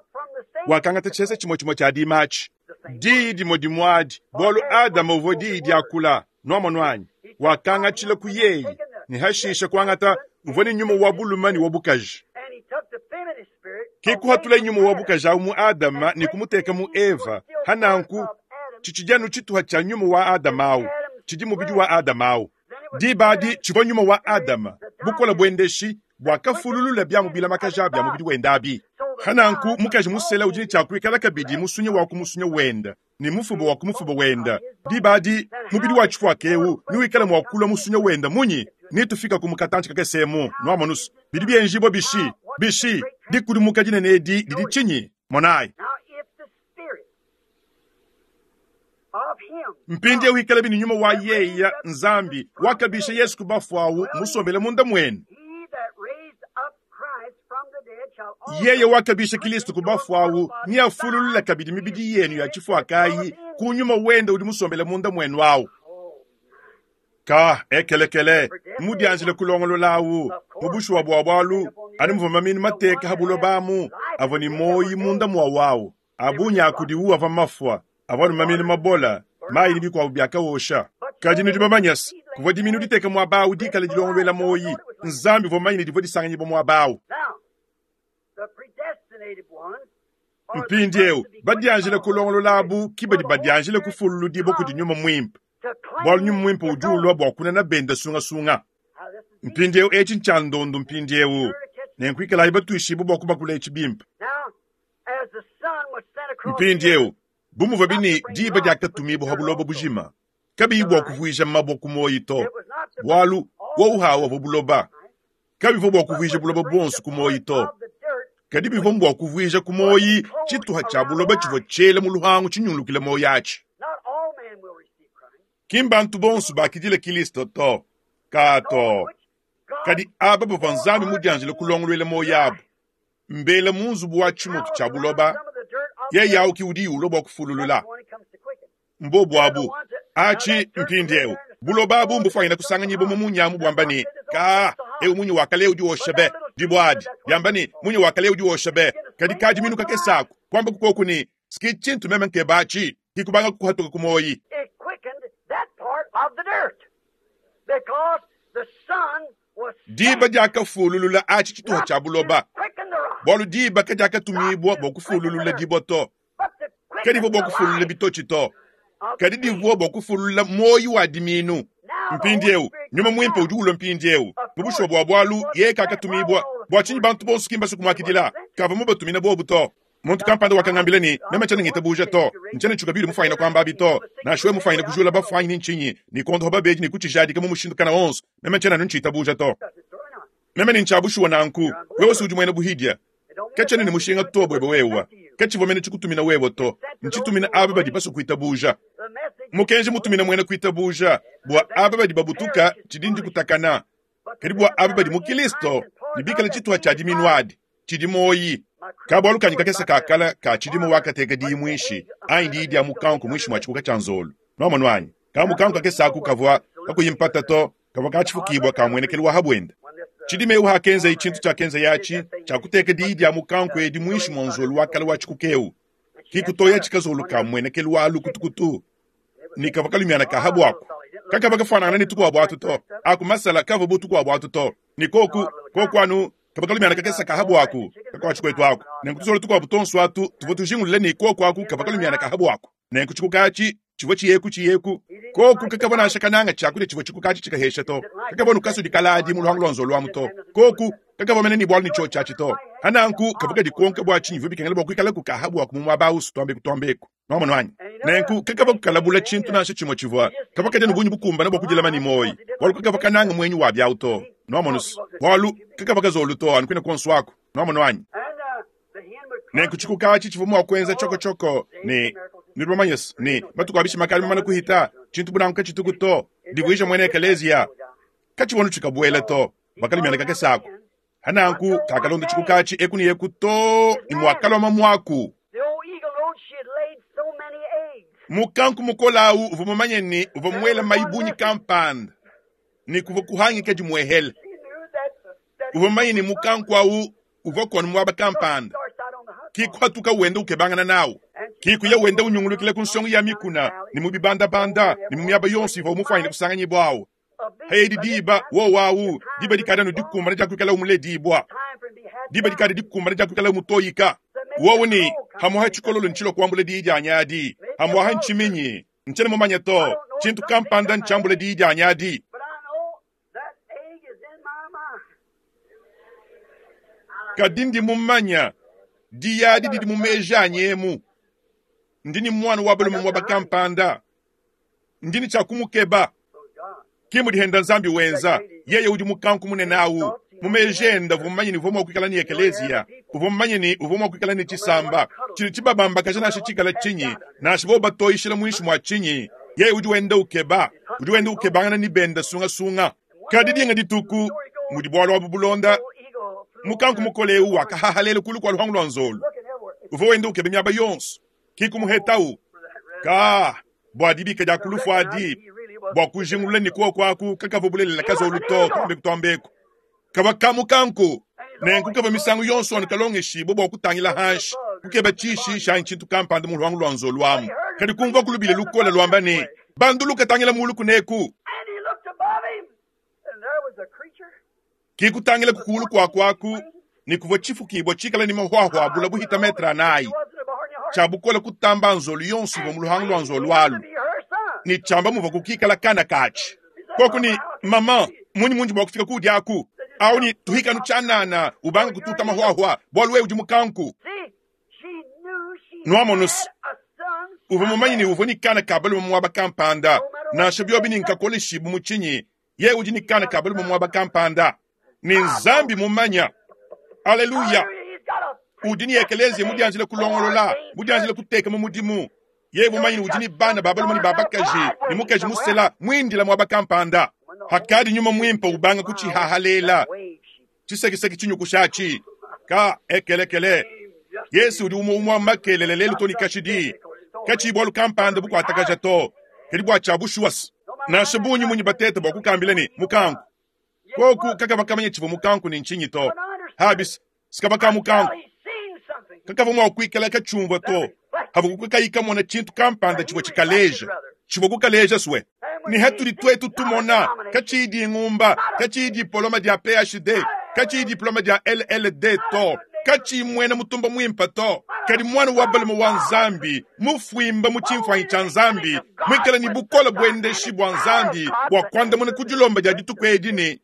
wakangata tshihesa tshimue tshimue tshia dima atshi, diyi dimue dimue adi, bualu Adama uvua diyi diakula. Nuamonu anyi? Wakangatshila ku yeyi, ne hashishe kuangata uvua ne nyuma wa bulume ne wa bukaji. Ke kuhatula nyuma wa bukaji au mu Adama ne kumuteka mu Eva. Hananku tshitshidi anu tshituha tshia nyuma wa Adama au, tshidi mubidi wa Adama au. Diba adi tshivua nyuma wa Adama, bukole buendeshi, buakafululula biamu bilamakaja bia mubidi wende abi. Pananku mukaji musela udi ne tshia kuikala kabidi musunyi wa ku musunya wende ne mufuba wa ku mufuba wende. Diba adi mubidi wa tshifuaka eu newikale mua kulua musunya wende munyi? Netufikaku mu katantshi kakese emu, nwamonu's. Bidi byenjiibwa bishi? Bishi? Dikudimuka dinene edi didi cinyi? Monaayi. Mpindyewu ikalabi ne Nyuma wa Yeye, Nzambi, wakabiisha Yesu ku bafwe awu, musombele munda mwenu. Yeye wakabiisha Kilisto ku bafwe awu neafululule kabidi mibidi yenu ya cifwakayi ku Nyuma Wende udi musombele munda mwenu awu. Ka, ekelekele, mmudyanjile kulongolola awu, mu bushuwa bwa bwalu, anu muvwa mamiinu mateeka ha buloba amu, avwa ne mwoyi munda mwawu awu. A bungi a kudiwu avua mafua, avua anu mamiinu mabola, mayi ne bikuabu biakawosha. Kadi nudi bamanye se, kuvua dimiinu diteka muaba awu dikale dilongoluela muoyi. Nzambi uvua mumanye ne divua disanganyibua muaba awu. Mpindieu, badianjila kulongolola abu ki badi badianjila kufululudibua kudi Nyuma Muimpe, bualu Nyuma Muimpe udi ulua bua kunana benda sungasunga. Mpindieu etshi ntshia ndondu mpindieu, nenku ikalayi batuishibue bua kubakula etshi bimpe. Mpindiewu, bu muvuabi ne diba diakatumibua pa buloba bujima, kabiyi bua kuvuija mabua ku muoyi to, bualu wowu awu avua buloba, kabivua bua kuvuija buloba buonso ku muoyi to, kadi bivua mbua kuvuija ku muoyi tshituha tshia buloba tshivua tshiela mu luhangu tshinyungulukile muoyi atshi. Ki mbantu bonso bakidila Kilisto to, ka to, kadi aba bavua Nzambi mudianjile kulongoluela muoyi abu. Mbela mu nzubu wa tshimotu tshia buloba, yeye awu ki udi ulua bua kufululula. Mbobu abu. Atshi, mpindiewu, buloba abu mbufwanyine kusanganyibua mu munya amu buamba ne, Kaa, ewu munya wa kale udi wosha be. Dibua adi, diamba ne, Munya wa kale udi wosha be. Kadi kadiminu kakese aku, kuambaku koku ne, S'ki tshintu meme nkeba atshi, ki kubanga kuhatuka ku muoyi. Diba diakafululula atshi tshituha tshia buloba, bualu diba kadiakatumibua bua kufululula dibua to, kadivua bua kufululula bitotshi to, kadi divua bua kufululula muoyo wa diminu. Mpindieu Nyuma Muimpe udi ulua mpindieu mu bushuwa bua bualu yeye kakatumibua. Bua tshinyi bantu bonso ki mbasue kumuakidila? Kavua mubatumine bobu to. Muntu kampanda wakangambila ne, Meme tshiena ngitabuja to. Ntshiena ntshuka biudi mufwanyine kuamba abi to. Nansha wewe mufwanyine kujula bafue anyi ni ntshinyi, ne kuondopa babedi ne kutshijadika mu mushindu kana wonso, meme ntshiena anu ntshitabuja to. Meme ne ntshia bushuwa nanku. Wewe si udi muena buhidia. Katshiena ne mushinga to buebe wewe. Katshivua mene tshikutumina wewe to. Ntshitumina aba badi basue kuitabuja. Mukenji mutumina muena kuitabuja, bua aba badi babutuka, tshidi ndikutakana. Kadi bua aba badi mu Kilisto ne bikale tshituha tshia diminu adi, tshidi muoyi. Ka bualu kanyi kakese ka kala ka tshidimu wakateka diyi muinshi anyi diyi dia mukanku muinshi mua tshikuka tshia nzolu. Nuamonu anyi? Ka mukanku kakese aku kavua kakuyi mpata to, kavua ka tshifukibua ka muenekelu wa ha buenda. Tshidime eu hakenzaye tshintu tshiakenzaye atshi tshia kuteka diyi dia mukanku edi muinshi mua nzolu wa kala wa tshikuka eu, ki kutoyatshi kazolu ka muenekelu wa lukutukutu ne kavua kalumiana ka ha buaku. Kakavua kafuanangana ne tukuabu atu to. Aku masala kavua bu tukuabu atu to. Ne koku, koku anu kavua kalumiana kakese ka ha buaku kakuatshi kuetu aku. Nenku tuzolo tukuabu tuonso atu tuvua tujingulula ne koku aku kavua kalumiana ka ha buaku. Nenku tshikuka atshi tshivua tshiyeku tshiyeku. Koku kakavua nansha kananga tshiakudia tshivua tshikuka atshi tshikahesha to. Kakavua nukasudi kaladi mu luhangu lua nzolu amu to. Koku kakavua mene ne bualu ne tshiotshi atshi to. Hananku kavua kadikonka bua tshinyi bivua bikengela bua kuikalaku ka ha buaku mu muaba au tuambeku tuambeku. Nwamonu anyi? Nenku kakavua kukalabula tshintu nansha tshimue tshivua kavua kadia ne bungi bukumbane bua kudilama ne muoyi, bualu kakavua kananga muenyi wa biawu to. Nwamonu's? Bualu kakavua kazolu to anu kuine kuonso aku. Nwamonu anyi? Nenku tshikuka atshi tshivua mua kuenza tshoko-tshoko ne, nudi bamanye's ne, matuku a bishima akadi mamane kuhita, tshintu bu nanku katshituku to, divuija muena ekeleziya. Katshivua anu tshikabuela to. Bakalumiana kakese aku. Hananku kakalonda tshikuka atshi eku ne eku too ne muakalua mamuaku. Mukanku mukole au uvua mumanye ne, uvua muele mayi bungi kampanda ne kuvua kuhangika dimuehele. Uvua mumanye ne, mukanku au uvua kuanu muaba kampanda. Ki kuhatuka wenda ukebangana nawu. Ki kuya wenda unyungulukila ku nsongo ya mikuna ne mu bibandabanda ne mu miaba yonso ivua mufuanyine kusanganyibua au. Edi diba, wowo awu, diba dikadi anu dikumbana dia kuikala umuledibua. Diba dikadi dikumbana dia kuikala umutoyika. Wowo ne, Hamuha tshikololo ntshilua kuambula diyi dianyi adi. Hamuaha ntshiminyi. Ntshiena mumanye to. Tshintu kampanda ntshiambula diyi dianyi adi. Kadi ndi mumanya, diyi adi didi mu meji anyi emu. Ndi ne muana wa balume muaba kampanda. Ndi ne tshia kumukeba. Ki mudi henda Nzambi wenza. Yeye udi mukanku munene awu. Mu meji ende uvua mumanye ne uvua mua kuikala ne ekeleziya, uvua mumanye ne uvua mua kuikala ne tshisamba tshidi tshibabambakaja nansha tshikala tshinyi, nansha bobu batoyishila muinshi mua tshinyi. Yeye udi wenda ukeba, udi wenda ukebangana ne benda sungasunga. Kadi dinga dituku, mudi bualu abu bulonda, mukanku mukole eu wakahahalela kulu kua luhangu lua nzolu. Uvua wenda ukeba miaba yonso, ki kumuhetawu. Ka bua dibika dia ku lufu adi, bua kujingulula ne kuoku aku kakavua bulelela kazolu to, tuambeku tuambeku. Kavua ka mukanku, nenku kavua misangu yonso anu kalongeshibue bua kutangila hanshi, kukeba tshishishi anyi tshintu kampanda mu luhangu lua nzolu amu. Kadi kumvua ku lubila lukole luamba ne, Banduluka, tangila mulu kuneku! Ki kutangila ku kuulu kuaku aku, ne kuvua tshifukibua tshikale ne mahuahua bule buhita metre anayi, tshia bukole kutamba nzolu yonso ivua mu luhangu lua nzolu alu, ne tshiamba muvua kukikala kana katshi. Koku ne, Maman, munyi mundi mua kufika kuudi aku? Au ne, Tuhika anu tshianana, ubanga kututa mahuahua, bualu wewe udi mukanku. Nuamonus, uvua mumanye ne uvua ne kana ka balume muaba kampanda, nansha biobi ne nkakoleshibu mu tshinyi, yeye udi ne kana ka balume muaba kampanda. Ne Nzambi mumanya. Aleluya! Udi ne ekeleziya mudianjila kulongolola, mudianjila kuteka mu mudimu. Yeye mumanye ne udi ne bana ba balume ne ba bakaji ne mukaji musela muindila muaba kampanda. Hakadi nyuma muimpe ubanga kutshihahalela, tshisekiseki tshinyukushatshi ka ekelekele. Yesu udi umue umue makelela lelu to ne kashidi. Katshiyi bualu kampanda bukuatakaja to, kadi bua tshia bushuwa. Nansha bungi munyi bateta bua kukambila ne mukanku, koku kakavua kamanya tshivua mukanku ne ntshinyi to. Habis sikavua ka mukanku kakavua mua kuikala katshiumvua to, havua kakayi kamona tshintu kampanda tshivua tshikaleja tshivua kukaleja sue ne hatudi tuetu tumona katshiyi dingumba, katshiyi dipoloma dia PhD, katshiyi diploma dia LLD to, katshiyi muena mutumba muimpe to, kadi muana wa balume wa Nzambi mufuimba mu tshimfuanyi tshia Nzambi, muikale ne bukole buendeshi bua Nzambi bua kuandamuna ku dilomba dia dituku edi ne,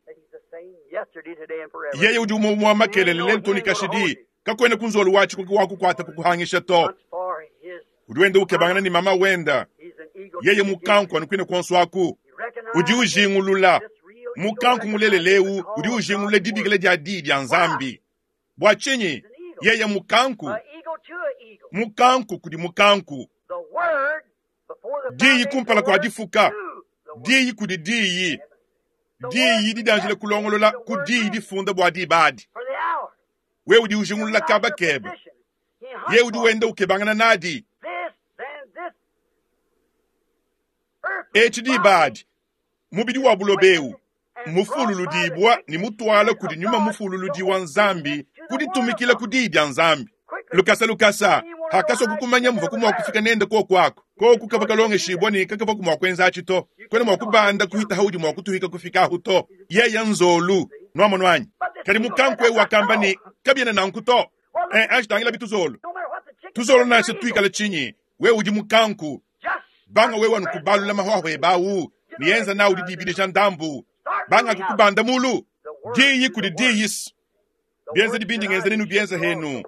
yeye udi umue umue makelele lelu to ne kashidi, kakuena ku nzolu watshi wa kukuata kukuhangisha to. Udi wenda ukebangana ne mama wenda, yeye mukanku anu kuine kuonso aku. Udi ujingulula mukanku mulelela eu, udi ujingulula dibikila dia diyi dia Nzambi. Bua tshinyi? Yeye mukanku, mukanku kudi mukanku. Diyi kumpala kua difuka, diyi kudi diyi, diyi didianjila kulongolola ku diyi difunda bua diba adi. Wewe udi ujingulula kaba kebe, yeye udi wenda ukebangana nadi. Etshi diba adi, mubidi wa buloba eu mufululudibua ne mutuala kudi nyuma mufululudi wa Nzambi ku ditumikila ku diyi dia Nzambi. Lukasa lukasa, hakasua kukumanya muvua mua kufika nende koku aku. Koku kavua kalongeshibua ne kakavua mua kuenza atshi to. Kuena mua kubanda kuhita haudi mua kutuhika kufika ahu to. Yeya nzolu, nuamonu anyi? Kadi mukanku eu wakamba ne, kabiena nanku to. Eh, anji tangila bituzolu. Tuzolu nansha tuikala tshinyi, wewe udi mukanku. Banga wewe anu kubalula mahuahua ebe au ne enza nawu didibidija ndambu. Banga kukubanda mulu. Diyi kudi diyi. Bienzedi bindi ngenza nenu bienza henu.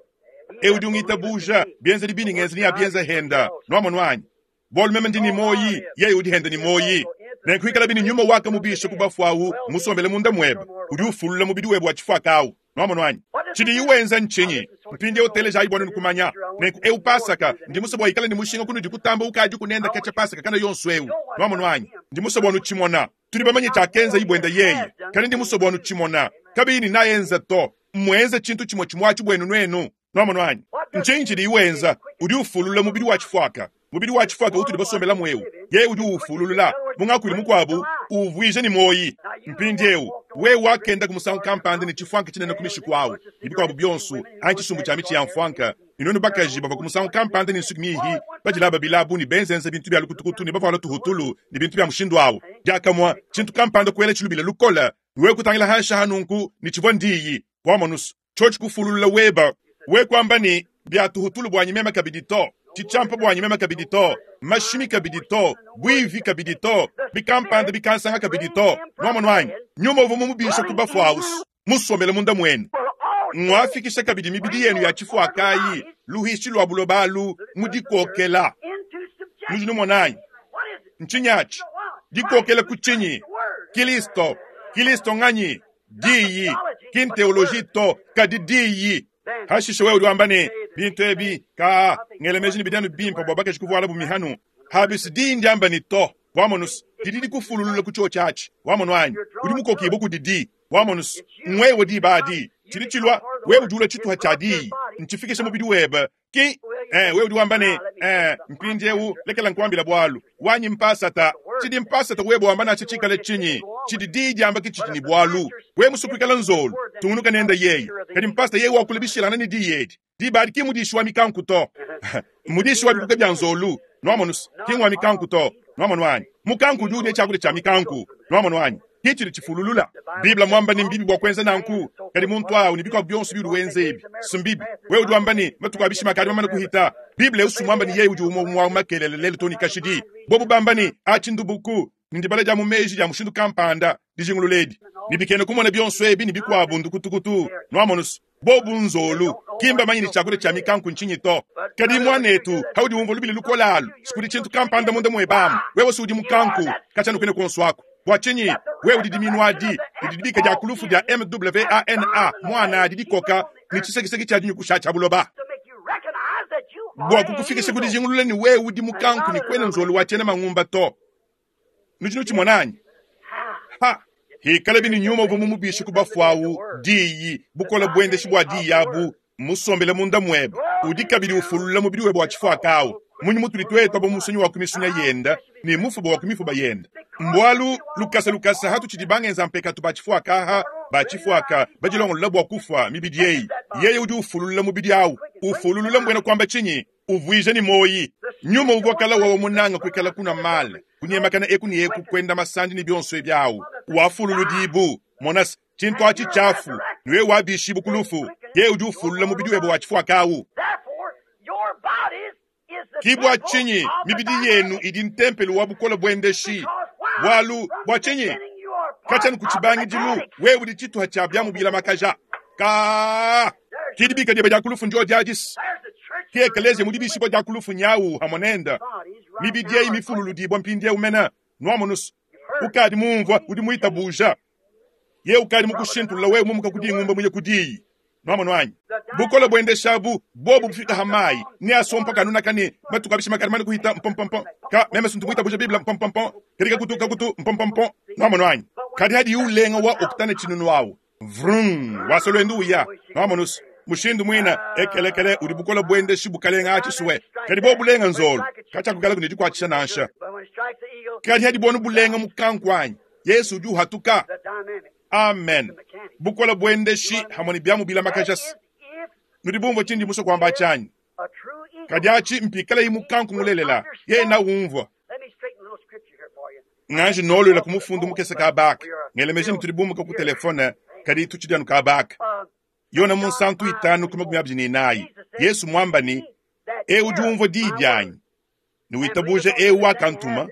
Eu udi ungitabuja, bienzedi bindi ngenza ne abienza henda. Nuamonu anyi? Bualu meme ndi ne muoyi, yeye udi henda ne muoyi. Nenku ikalabi ne nyuma wakamubisha ku bafue au musombele munda muebe, udi ufulula mubidi webe wa tshifuaka au. Nuamonu anyi? Tshidiyi wenza ntshinyi? Mpindieu telejayi bua nuenu kumanya. Nenku eu Pasaka, ndi musue bua ikale ne mushinga kunudi kutamba ukadiku nenda katshia Pasaka kana yonso eu. Nuamonu anyi? Ndi musue bua nutshimona. Tudi bamanye tshiakenzayi buenda yeye, kadi ndi musue bua nutshimona. Kabiyi ne naenza to, mmuenze tshintu tshimue tshimue atshi buenu nuenu. Nuamonu anyi? Ntshinyi tshidiyi wenza? Udi ufulula mubidi wa tshifuaka, mubidi wa tshifuaka utudi basombelamu eu. Yeye udi uwufululula, mu ngakuilu mukuabu, uwuvuija ne muoyi. Mpindieu, wewe wakenda ku musangu kampanda ne tshifuanka tshinene ku mishiku awu, ne bikuabu bionso, anyi tshisumbu tshia mitshi ya mfuanka, ne nuenu bakaji bavua ku musangu kampanda ne nsuki miihi, badilaba bilabu ne benzenza bintu bia lukutukutu ne bavuala tuhutulu ne bintu bia mushindu awu. Diakamue, tshintu kampanda kuela tshilubila lukole, ne wewe kutangila hanshi aha nunku, ne tshivua ndiyi. Wamonus, tshiotshi kufululula weba, we kuamba ne, bia tuhutulu buanyi meme kabidi to, tshitshiampa buanyi meme kabidi to, mashimi kabidi to, buivi kabidi to, bikampanda bikansanga kabidi to. Nuamonu anyi? Nyuma uvua mumubisha ku bafue au musombele munda muenu, nguafikisha kabidi mibidi yenu ya tshifuakayi luhishi lua buloba alu mu dikokela. Nudi numona anyi? Ntshinyi atshi? Dikokela ku tshinyi? Kilisto. Kilisto nganyi? Diyi. Ki nteoloji to, kadi Diyi. Hashishe wewe udi wamba ne, Bintu ebi, kaa, ngela meji ne bidi anu bimpe bua bakaji kuvualabu mihanu. Habis diyi ndiamba ne to. Wamonus, didi dikufululula ku tshiotshi atshi. Wamonu anyi? Udi mukokibue kudi Di. Wamonus, ngwewe diba adi. Tshidi tshilua, wewe udi ulua tshituha tshia Diyi. Ntshifikisha mubidi webe. Ki, eh, wewe udi wamba ne, eh, mpindiewu lekela nkuambila bualu. Wanyi mpasata. Tshidi mpasata webe wamba nansha tshikale tshinyi, tshidi Diyi diamba ke tshidi ne bualu. Wewe musue kuikala nzolu, tungunuka nende yeye. Kadi mpasata yeye wakula bishilangane ne Diyi edi, diba adi ki mmudishi wa mikanku to. Mmudishi wa bikuka bia nzolu. Nwamonus, ki ngwa mikanku to. Nwamonu anyi? Mukanku udi udia tshiakudia tshia mikanku. Nwamonu anyi? Ki tshidi tshifululula. Bible mwamba ne mbibi bua kuenza nanku, kadi muntu awu ne bikuabu bionso biudi wenza ebi, si mbibi. Wewe udi wamba ne, matuku a bishima akadi mamane kuhita. Bible eu si muamba ne yeye udi umue umue wa makelela lelu too ne kashidi. Bobu bamba ne, atshi ndubuku, ne ndibala dia mu meji dia mushindu kampanda, dijingulula edi, ne bikena kumona bionso ebi ne bikuabu ndukutukutu. Nwamonus? Bobu nzolu, ki mbamanye ne tshiakudia tshia mikanku ntshinyi to. Kadi muanetu, paudi umvua lubila lukole alu, sikudi tshintu kampanda munda muebe amu. Wewe si udi mukanku, katshia nukune kuonso aku. Bua tshinyi? Wewe udi diminu adi, didi dibika dia ku lufu dia MWANA, muana adi dikoka ne tshisekiseki tshia dinyukusha tshia buloba. Bua kukufikisha ku dijingulula ne wewe udi mukanku ne kuena nzolu wa tshiena mangumba to. Nudi nutshimona anyi? Ha! Hikalabi ne nyuma uvua mumubishe ku bafue awu, Diyi, bukole buendeshi bua Diyi abu, mmusombele munda muebe, udi kabidi ufulula mubidi webe wa tshifuaka awu. Mmunyi mutudi tuetu aba musunyi wa ku misunya yende ne mufuba wa ku mifuba yende? Mbualu lukasa lukasa hatutshidi bangenza mpekatu ba tshifuaka aha, ba tshifuaka badilongolola bua kufua mibidi eyi, yeye udi ufululula mubidi awu. Ufululula mbuena kuamba tshinyi? Uvuija ne muoyi. Nyuma uvua kala wawa munanga kuikala kunua male, kunyemakana eku ne eku, kuenda masandi ne bionso ebi awu, wafululudibu. Monas, tshintu atshi tshiafu, ne wewe wabishibu ku lufu. Yeye udi ufulula mubidi webe wa tshifuaka awu. Ki bua tshinyi mibidi yenu idi ntempelo wa bukole buendeshi. Bualu, bua tshinyi? Katshia ku tshibangidilu, wewe udi tshituha tshia biamu bilamakaja. Ka! Ki dibika diebe dia ku lufu ndio diadis. Ki ekeleziya mu dibishibua dia ku lufu nyawu hamue nende. Mibidi eyi mifululudibua mpindieu mene. Nuamonus, ukadi mumvua, udi muitabuja. Yeye ukadi mukushintulula wewe mumuka ku dingumba muye ku diyi. Nuamonu anyi? Bukole buendeshabu bobu bufika ha mayi ne asompa kanunaka ne matuku abishima kadi mane kuhita mpompompo ka meme suntu muitabuja Bible mpompompo kadi kakutu kakutu mpompompo. Nuamonu anyi? Kadi hadi ulenga wa oktane tshinunu awu vrum wasa luendu uya. Nuamonus, mushindu muina ekelekele udi bukole buendeshi bukalenga atshisue kadi bobu bulenga nzolu katshiakukalaku ne dikuatshisha nansha. Kadi hadi bonu bulenga mukanku anyi Yesu udi uhatuka. Amen. Bukole buendeshi hamue ne biamu bilamakaja. Nudi bumvue tshindi musue kuamba atshi anyi? Kadi atshi mpikalayi mukanku mulelela, yeye naumvua. Nganji noluela ku mufundu mukese kaba aka. Ngela meji ne tudi bumuka ku telefone, kadi tutshidi anu kaba aka. Yona munsantu itanu ku makumi abidi ne inayi, Yesu muamba ne, Eu udi umvua diyi dianyi ne witabuja eu wakantuma,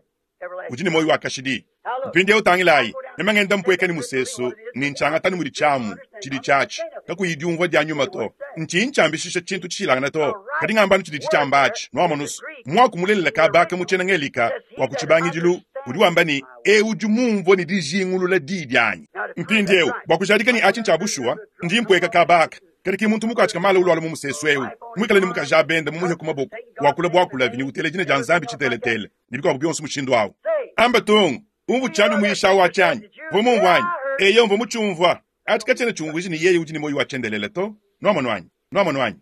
udi ne muoyo wa kashidi. Mpindieu tangilayi, meme ngenda mpueka ne musesu ne ntshiangata ne mudi tshiamu tshidi tshiatshi, kakuyi diumvua dia nyuma to. Ntshiyi ntshiambishisha tshintu tshishilangane to, kadi ngamba anu tshidi tshitshiamba atshi. Nuamonus, muaku mulelela kabaka mu tshiena Ngelika wa ku tshibangidilu udi wamba ne, Eu udi mumvue ne dijingulula diyi dianyi. Mpindieu, bua kujadika ne atshi ntshia bushuwa, ndi mpueka kabaka. Kadi ki muntu mukuatshika mala ulualua mu musesu eu, muikale ne mukaji a bende mumuhe ku maboko, wakula buakulavi ne utela dina dia Nzambi tshiteletele, ne bikuabu bionso mushindu au. Amba tung, umvu tshiambi muyisha au atshi anyi? Mvua mumvua anyi? Eyo, mvua mutshiumvua. Atshi katshiena tshiumvuija ne yeye udi ne muoyo wa tshiendelele to. Nuamonu anyi? Nuamonu anyi?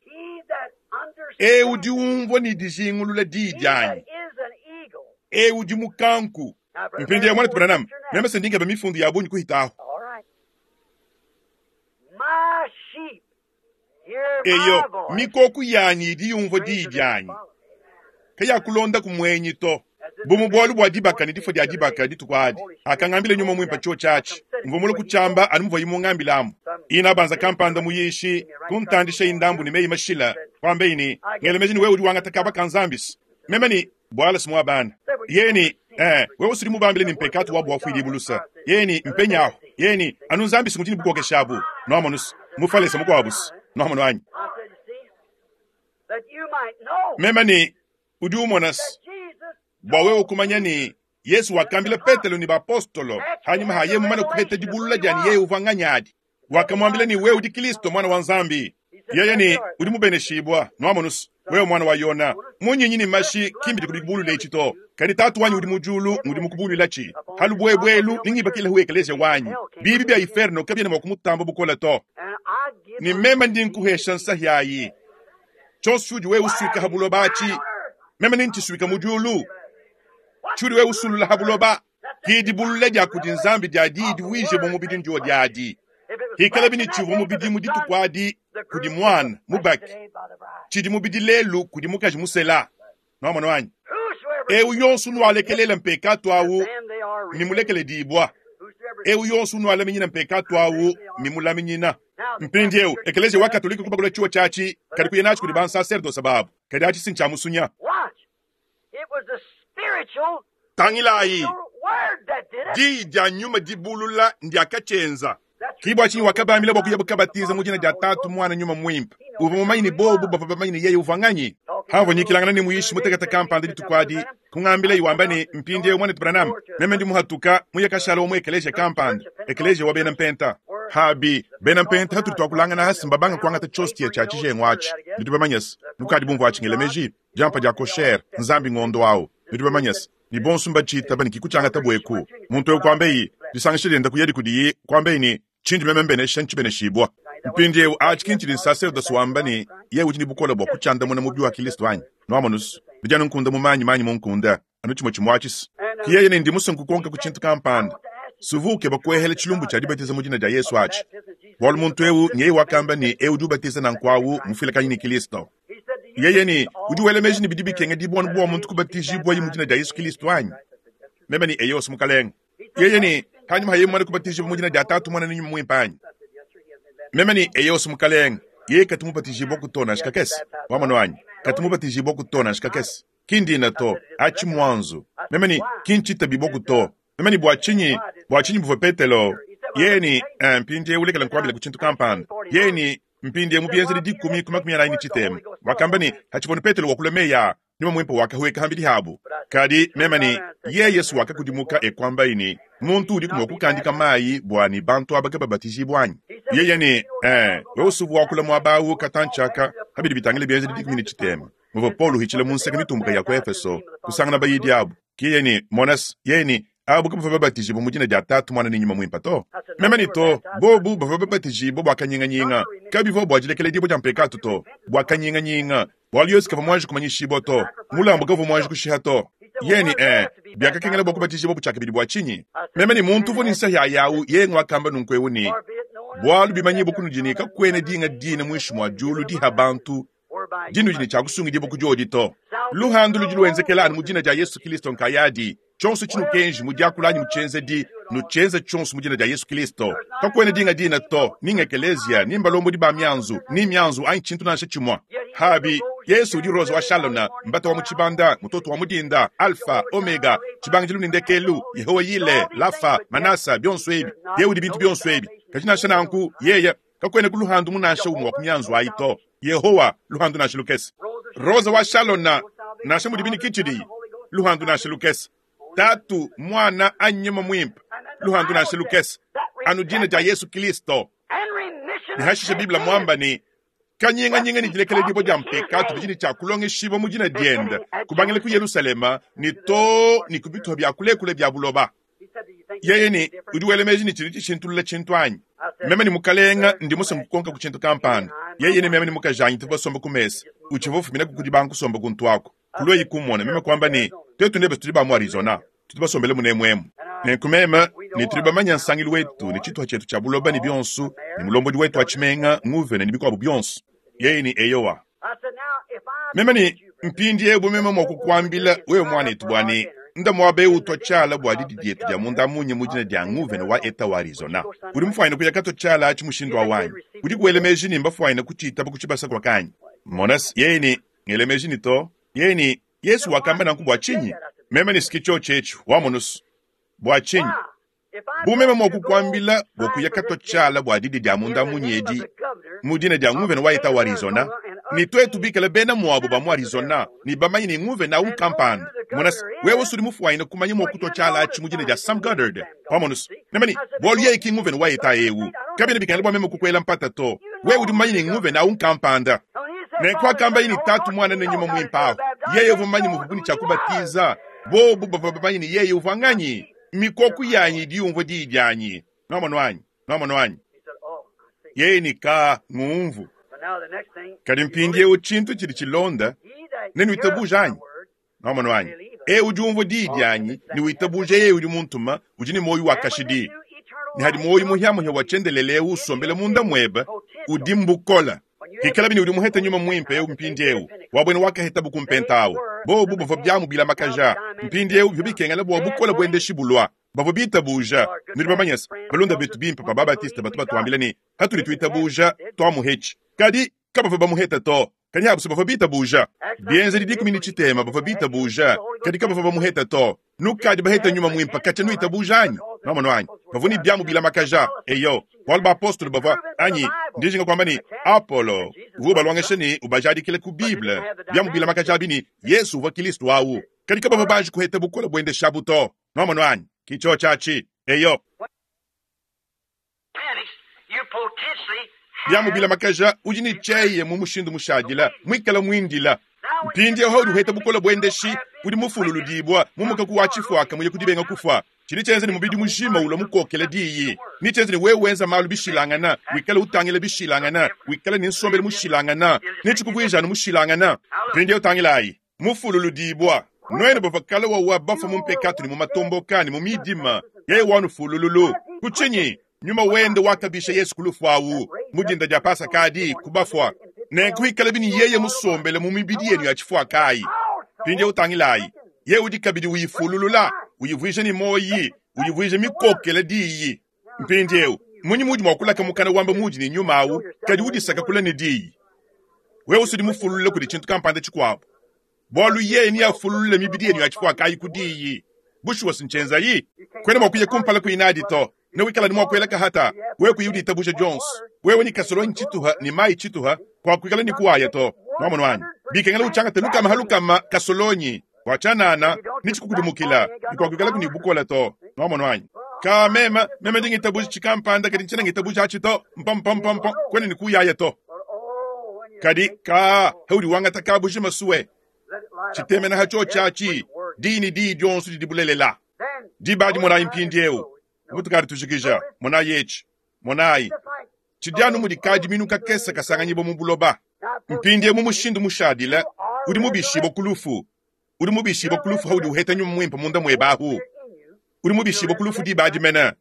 Eu udi umvua ne dijingulula diyi dianyi. Eu udi mukanku. Mpindieu, muanetu Branham, meme se ndi nkeba mifundu ya bungi kuhita ahu. Eyo, mikoku yanyi idi yumvua diyi dianyi, kayakulondaku muenyi to. Bu mu bualu bua dibaka ne difua dia dibaka dituku adi, hakangambila Nyuma Muimpe tshiotshi atshi, mvua mulue kutshiamba anu muvuaye mungambilamu. Inabanza kampanda muyishi kuntandishayi ndambu ne meyi mashila, kuambeyi ne, Ngela meji ne wewe udi wangata kaba ka Nzambi se. Meme ne, Buala si muabana. Yeye ne, Eh, wewe usudi mubambile ne mpekatu wabu wafuidibu lusa. Yeye ne, Mpenyahu. Yeye ne, Anu Nzambi si ngudi ne bukokeshi abu. Nuamonu se, Mufalese mukuabu se. Nuamonu anyi? Meme ne, Udi umona se, bua wewe kumanya ne, Yesu wakambila Petelo ne bapostolo Hanyima ha yeye mumane kuheta dibulula dia ne yeye uvua nganyi adi, wakamuambila ne, Wewe udi Kilisto, Muana wa Nzambi. Yeye ne, Udi mubeneshibua, nwamonu's, wewe mwana wa Yona. Munyinyi ne mashi ki mbidi kubibulula eci to, kadi Taatu wanyi udi mu diulu ngudi mukubuluilaci. Ha lubwebwe elu ningibakilehu ekeleziya wanyi. Biibi bya iferno kabyena mwa kumutamba bukole to. Ne meme ndi nkuhesha nsahi ayi. Cyonso cyudi wewe uswika ha buloba aci, meme nenciswika mu diulu. Cyudi wewe usulula ha buloba, ki dibulula dya kudi Nzambi dya Diyi divuijibua mubidi ndyo dyadi. Hikalabi ne tshivua mubidi mu dituku adi kudi muana mubaki, tshidi mubidi lelu kudi mukaji musela. Nwamonu anyi? Ewu yonso unualekelela mpekatu awu mmimulekeledibua. Ewu yonso unualaminyina mpekatu awu mmimulaminyina. Mpindiewu, Ekeleziya wa Katolike kubakula tshiwa tshiatshi, kadi kuya natshi kudi bansaserdose babu. Kadi atshi si ntshia musunya. Tangilayi, diyi dia nyuma dibulula ndiakatshienza. Ki bua tshinyi wakabambila bua kuyabu kabatiza mu dina dia Tatu, Muana, Nyuma Muimpe. Uvua mumanye ne bobu bavua bamanye ne yeye uvua nganyi. Pamvua nyikilangana ne muyishi mutekete kampanda dituku adi, kungambilaye wamba ne, Mpindieu, Muanetu Branham, meme ndi muhatuka, muye kashala wa mu ekeleziya kampanda, ekeleziya wa bena Mpenta. Habi, bena Mpenta hatudi tuakulangana asi mbabanga kuangata tshiostia tshia tshijengu atshi. Nudi bamanyese, nukadi bumvua atshi ngela meji, diampa dia kosher, Nzambi ngondo au. Nudi bamanyese, ne bonso mbatshiitaba ne kikutshiangata eku. Muntu eu kuambeyi, disangisha dienda kuyadi kudiyi, kuambeyi ne, Tshindi meme mbenesha ntshibeneshibua. Mpindiewu atshi ki ntshidi nsaserdose wamba ne yeye udi ne bukole bua kutshiandamuna mubi wa Kilisto anyi? Nwamonu's, bidi anu nkunda mu manyi, manyi mu nkunda, anu tshimue tshimue atshi. Ki yeye ne ndi musue nkukonka ku tshintu kampanda. Suvua ukeba kuehela tshilumbu tshia dibatiza mu dina dia Yesu atshi, bualu muntu eu nyeye wakamba ne eu udi ubatiza nanku awu mmufuilakanyi ne Kilisto. Yeye ne, Udi wela meji ne bidi bikengedibua anu bua muntu kubatijibuaye mu dina dia Yesu Kilisto anyi? Meme ne, Eyo's, Mukalenge. Yeye ne, Panyima pa yeye mumane kubatijibua mu dina dia Tatu, Muana ne Nyuma Muimpe anyi? Meme ne, Eyo's, Mukalenge. Yeye katu mubatijibuaku to nansha kakese. Wamonu anyi? Katu mubatijibuaku to nansha kakese. Ki ndina to, aci mmuanzu. Meme ne, Ki ncitabibuaku to. Meme ne, Bua tshinyi, bua tshinyi buvua Petelo? Yeye ne, Ee, mpindiewu lekela nkuambileku tshintu kampanda. Yeye ne, Mpindieu mu bienzedi dikumi ku makumi anai ne tshitema, wakamba ne, Hatshivua Petelo wakula mei a, Nyuma Muimpe wakahueka ham'bidi habo. Kadi meme ne, Yeye Yesu wakakudimuka e kuambaye ne, Muntu udiku mua kukandika mai bua ne bantu aba kababatijibua, anyi? Yeye ne, E, wewe usuvua wakula muaba au katantshi aka ha bidi bitangila bienzedi dikumi ne tshitema, muvua Paulo uhitshila mu nseke mitumbuka ya ku Efeso, kusangana bayidi abu. Ke yeye ne, Mona's, yeye ne, abu kabavua babatijibua mu dina dia Tatu, Muana ne Nyuma Muimpe to. Meme ne, To, bobu bavua babatijibua bua kanyinganyinga. Kabivua bua dilekeledibua dia mpekatu to, bua kanyinganyinga, bualu Yesu kavua muanji kumanyishibua to, mulambu kavua muanji kushiha to. Yeye ne, Ee, biakakengela bua kubatijibua tshiakabidi bua tshinyi? Meme ne, Muntu uvua ne nsahi ayi au, yeye nguakamba nunku eu ne, Bualu bimanyibua kunudi ne kakuena dinga dina muinshi mua diulu diha bantu dinudi ne tshia kusungidibua ku diodi to. Luhandu ludi luenzekela anu mu dina dia Yesu Kilisto nkayadi. Tshionso tshinukenji mu diakula anyi mu tshienzedi, nutshienze tshionso mu dina dia Yesu Kilisto. Kakuena dinga dina to, ni ng'ekeleziya, ni mbalombodi ba mianzu, ni mianzu anyi tshintu nansha tshimue. Habi, Yesu udi Rose wa Shalona, mbata wa mu tshibanda, mutoto wa mu dinda, Alfa, Omega, tshibangidilu ne ndekelu, Yehowa Yile, Lafa, Manasa, bionso ebi. Yeye udi bintu bionso ebi. Kadi nansha nanku, yeye Kakuena ku luhandu mu nansha umue wa ku mianzu ayi to. Yehowa, luhandu nansha lukese. Rosa wa Shalona, nansha mudibi ne kitshidi, luhandu nansha lukese. Tatu, Muana, anyi Nyuma Muimpe, luhandu nansha lukese. Anu dina dia Yesu Kilisto. Ne hashishe Bible muamba ne, Kanyinganyinga ne dilekeledibua dia mpekatu bidi ne tshia kulongeshibua mu dina diende, kubangila ku Yelushalema ne too ne ku bitupa bia kulekule bia buloba. Yeye ne, Udi wela meji ne tshidi tshishintulula tshintu anyi? Meme ne mukalenga ndi musue kukonka ku tshintu kampanda. Yeye ne meme ne mukajanyi tuvua basombe ku mesa. Utshivua ufuminaku ku dibanga kusomba kuntu aku. Kuluaye kummona, meme kuamba ne, Tuetu nebe tudi ba mu Arizona. Tudi basombele munemu emu. Nenku meme ne tudi bamanye nsangilu wetu ne tshituha tshietu tshia buloba ne bionso, ne mulombodi wetu wa tshimenga, nguvena ne bikuabu bionso. Yeye ne, Eyowa. Meme ne, Mpindiewu bu meme mua kukuambila wewe muanetu bua ne, nda muaba eu utua tshiala bua didi dietu dia munda munya mu dina dia nguvena wa Eta wa Arizona. Udi mufuanyine kuya katua tshiala atshi mushindu au anyi? Udiku wela meji ne mbafuanyine kutshitaba ku tshibasa kuaka anyi? Mona se, yeye ne, ngela meji ne to. Yeye ne, Yesu wakamba nanku bua tshinyi? Meme ne, S'ki tshiotshi etshi, wamonu's. Bua tshinyi? Bu meme mua kukuambila bua kuya katua tshiala bua didi dia munda munya edi mu dina dia nguvena wa Eta wa Arizona, Ne tuetu bikale bena muabu ba mu Arizona ne bamanye ne nguvena awu nkampanda, mona se, wewe s'udi mufwanyine kumanya mwa kutwa cyala aci mu dina dya Sam Goddard. Wamonu's? Meme ne, Bwalu yeye ki nguvena wa Etat ewu. Kabyena bikengela bwa meme kukwela mpata to. Wewe udi mumanye ne nguvena awu nkampanda. Nenku akambaye ne Taatu, Mwana, ne Nyuma Mwimpe awu, yeye uvwa mumanye muvwabu ne cya kubatiiza. Bobu bavwa bamanye ne yeye uvwa nganyi. Mikooku yanyi idi yumvwa diyi dyanyi. Nwamonu anyi? Nwamonu anyi? Yeye ne, Kaa, ngumvu. Kadi mpindyewu cintu cidi cilonda, nenuitabuja anyi? Nwamonu anyi? Ewu udi umvwa diyi dyanyi ne witabuja yeye udi muntuma udi ne mwoyi wa kashidi. Ne hadi mwoyi muhyamuhya wa cyendeleele ewu usombela munda mwebe, udi mbukola. Pikalabi ne udi muhete Nyuma Mwimpe ewu mpindyewu, wa bwena wakahetabu ku Mpenta awu, bobu bavwa byamu bilamakaja. Mpindyewu bivwa bikengela bwa bukole bwendeshi bulwa. Bavwa bitabuja. Nudi bamanye's, balunda betu bimpe ba ba-Baptiste batu batwambila ne, Patudi twitabuja, twamuhetshi. Kadi kabavwa bamuheta to. Kadi abu se bavwa bitabuja. Bienzedi dikumi ne tshitema bavwa bitabuja, kadi kabavwa bamuheta to. Nukadi baheta Nyuma Mwimpe katshia nuitabuja anyi? Nwamonu anyi? Bavwa ne biamu bilamakaja. Eyo, bualu bapostolo bavwa, anyi, ndi njinga kuamba ne, Apolo uvwa ubalongesha ne ubajadikila ku Bible, biamu bilamakaja abi ne, Yesu uvwa Kilisto awu. Kadi kabavwa banji kuheta bukole buendeshabu to. Nwamonu anyi? Ki cyoci aci. Eyo. Biamu bilamakaja udi ne cyeye mu mushindu mushadila, mwikala mwindila. Mpindyewu haudi uheta bukole bwendeshi, udi mufululudibwa mu mukaku wa cifwaka muye ku dibenga kufwa. Cidi cyenza ne mubidi mujima ulwa mukokela Diyi. Ne cyenza ne wewe wenza maalu bishilangana, wikala utangila bishilangana, wikala ne nsombelu mushilangana, ne cikuvwija anu mushilangana. Mpindyewu tangilaayi. Mufululudibwa, nwenu bavwa kale wawa bafwa mu mpekatu ne mu matomboka ne mu miidima, yeye wanufulululu. Ku cinyi? Nyuma wende wakabisha Yesu ku lufu awu, mu dinda dya Pasaka adi, ku bafwa. Nenku ikalabi ne yeye musombele mu mibidi yenu ya cifwakaayi. Mpindyewu tangilaayi, yeye udi kabidi uyifululula, uyivwija ne mwoyi, uyivwija mikokela Diyi. Mpindyewu, mmunyi muudi mwa kulaka mukana wamba muudi ne Nyuma awu, kadi udisaka kule ne Diyi? Wewe usudi mufululula kudi cintu kampanda cikwabo, bwalu Yeye neafululule mibidi yenu ya cifwakaayi ku Diyi. Bushuwa's ncyenzayi. Kwena mwa kuya kumpala kuyi naadi to. Newikala ne mwa kwela kahata, wewe kuyi uditabuja dyonso. Wewe ne kasolonyi cituha ne mayi cituha, kwakwikala ne kuwaya to. Nwamonu anyi? Bikengela ucyangate lukama ha lukama kasolonyi, bwa cyanana, ne cikukudimukila, ne kwakwikalaku ne bukola to. Nwamonu anyi? Kaa, meme, meme ndi ngitabuja cikampanda, kadi ncyena ngitabuja aci to. Mpo-mpo-mpo-mpo, kwena ne kuyaya to. Kadi, kaa, haudi wangata kabujima sue, citemena ha cyoci aci, diyi ne diyi dyonso didi bulelela. Diba adi monayi mpindyewu, mutukadi tujikija, monayi eci, monayi, cidi anu mudi kadiminu kakese kasanganyibwa mu buloba. Mpindyewu mu mushindu mushadile, udi mubishibwa ku lufu. Udi mubishibwa ku lufu haudi uheta Nyuma Mwimpe munda mwebe ahu. Udi mubishibwa ku lufu diba adi mene.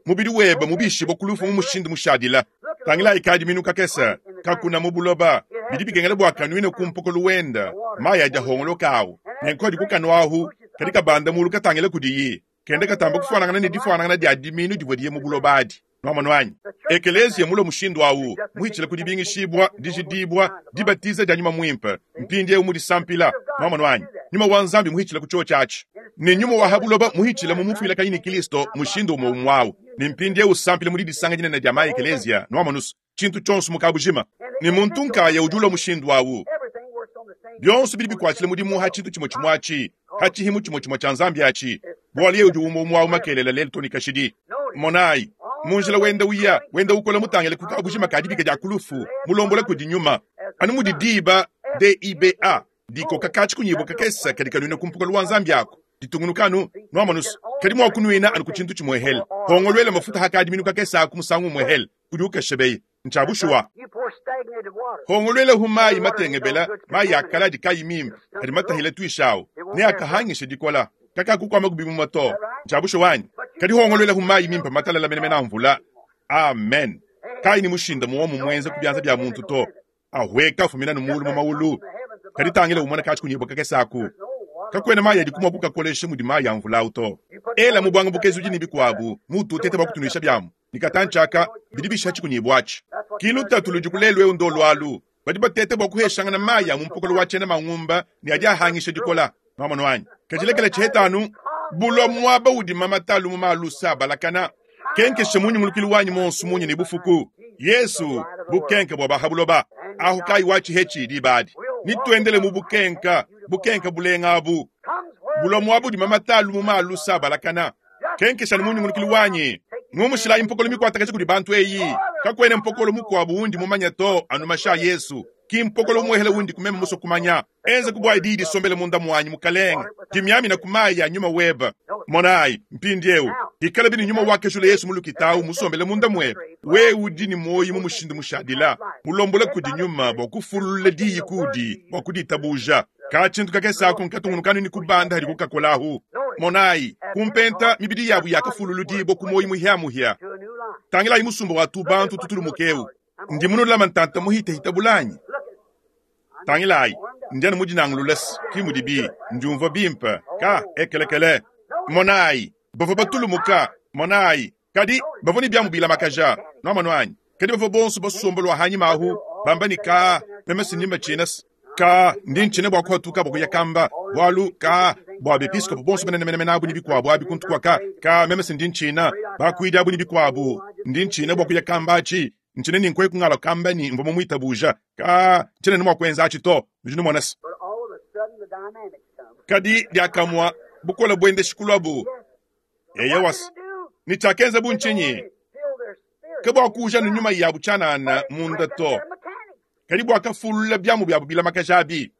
Mubidi webe mubishibwa ku lufu mu mushindu mushadila. Tangilayi kadiminu kakese kakuna mu buloba. Bidi bikengela bua kanuine ku mpokolo wenda mayi adi ahongoloka awu. Nenku adi ku kanua ahu kadi kabanda mulu katangila kudiyi. Kenda katamba kufuanangana ne difuanangana dia diminu divua diye mu buloba adi. Nwamonu anyi? Ekeleziya mulue mushindu awu, muhitshila ku dibingishibua, dijidibua, dibatiza dia Nyuma Mwimpe, mpindiewu mu disampila. Nwamonu anyi? Nyuma wa Nzambi muhitshila ku cyoci aci, ne nyuma wa ha buloba muhitshila mu mufuilakanyi ne Kilisto, mushindu umue umue awu, ne mpindiewu usampila mu didisanga dinene dia ma-ekeleziya, nwamonu's, cintu cyonso mu kabujima. Ne muntu nkaya udi ulua mushindu awu. Byonso bidi bikwatshila mudimu ha cintu cimue cimue aci, ha cihimu cimue cimue cya Nzambi aci, bualu yeye udi umue umue awu makelela, lelu too ne kashidi. Monayi, mu njila wenda uya, wenda ukola mutangile ku kabujima ka dibika dya ku lufu, mulombola kudi Nyuma, anu mudi diba, D-i-b-a, dikoka katshikunyibua kakese kadi kanuina ku mpokolo wa Nzambi aku, ditungunuka anu, nwamonu's, kadi mua kunuina anu ku tshintu tshimuehele. Hongoluela mafuta ha kadiminu kakese aku musangu umuehele, udi ukeshebeya. Ntshia bushuwa. Hongoluelahu mayi matengebela, mayi a kale adi kayi mimpe, adi matahile tuishi awu, ne akahangisha dikola, kakakukuamaku bimuma to. Ntshia bushuwa anyi? Kadi hongoluelahu mayi mimpe matalala menemene a mvula. Amen. Kayi ne mushinda muomu muenza ku bianza bia muntu to. Ahueka afumina anu mulu mu maulu. Kadi tangila umone katshikunyibua kakese aku. Kakuena mayi adiku mua kukakolesha mudi mayi a mvula au to. Ela mu buanga bukezudi ne bikuabu muutu uteta bua kutunuisha biamu ne katantshi aka bidi bishiha tshikunyibua atshi. Ki lutatu ludiku lelu eu ndolu alu. Badi bateta bua kuheshangana mayi a mu mpokolo wa tshiena mangumba ne adi ahangisha dikola. Nuamonu anyi? Kadi lekela tshiheta anu bulua muaba udi mamata a lumuma a lusa abalakana. Kenkesha mu nyungulukilu wanyi monsu munya ne bufuku. Yesu, bukenka bua ba ha buloba. Ahu kayi wa tshihetshi diba adi. Nituendele mu bukenka, bukenka bulenga abu. Bulua muaba udi mamata a lumuma a lusa abalakana. Kenkesha anu mu nyungulukilu wanyi. Ngumushilayi mpokolo mikuatakaja kudi bantu eyi. Kakuena mpokolo mukuabu undi mumanya to, anu mashi a Yesu. Ki mpokolo umuehele undi ku meme musue kumanya. Enza ku bua diyi disombele munda muanyi, Mukalenge. Dimiamina ku mayi a nyuma webe. Monayi, mpindieu, ikalabi ne nyuma wakejula Yesu mu lukita awu musombele munda muebe, wewe udi ne muoyo mu mushindu mushadila, mulombola kudi nyuma bua kufululula diyi kuudi bua kuditabuja. Ka tshintu kakese aku nkatungunuka anu ne kubanda hadiku kakola ahu. Monayi, ku mpenta, mibidi yabu yakafululudibua ku muoyo muhia-muhia. Tangilayi musumba wa tu-bantu tutulumuke eu. Ndi munulama ntanta muhitahita bulanyi. Tangilayi, ndi anu mudinangulule, ki mudibi ndiumvua bimpe. Ka ekelekele. Monayi, bavua batulumuka. Monayi, kadi bavua ne biamu bilamakaja. Nuamonu anyi? Kadi bavua bonso basomba lua hanyima ahu, bamba ne, Ka, meme si ndi mbatshina. Ka, ndi ntshina bua kuhatuka bua kuya kamba, bualu, ka, bua bepiskopo bonso banene menemene abu ne bikuabu abi kuntu kua ka, ka, meme si ndi ntshina, bakuidi abu ne bikuabu, ndi ntshina bua kuya kamba atshi. Ntshina ne nkueku ngalua kamba ne mvua mumuitabuja. Ka, ntshiena ne mua kuenza atshi to. Nudi numona se. Kadi diakamua bukole buendeshi kuluabu. Eyowa, ne tshiakenzabu ntshinyi? Ke bua kuuja ne nyuma yabu tshianana munda to, kadi buakafululula biamu biabu bilamakaja abi.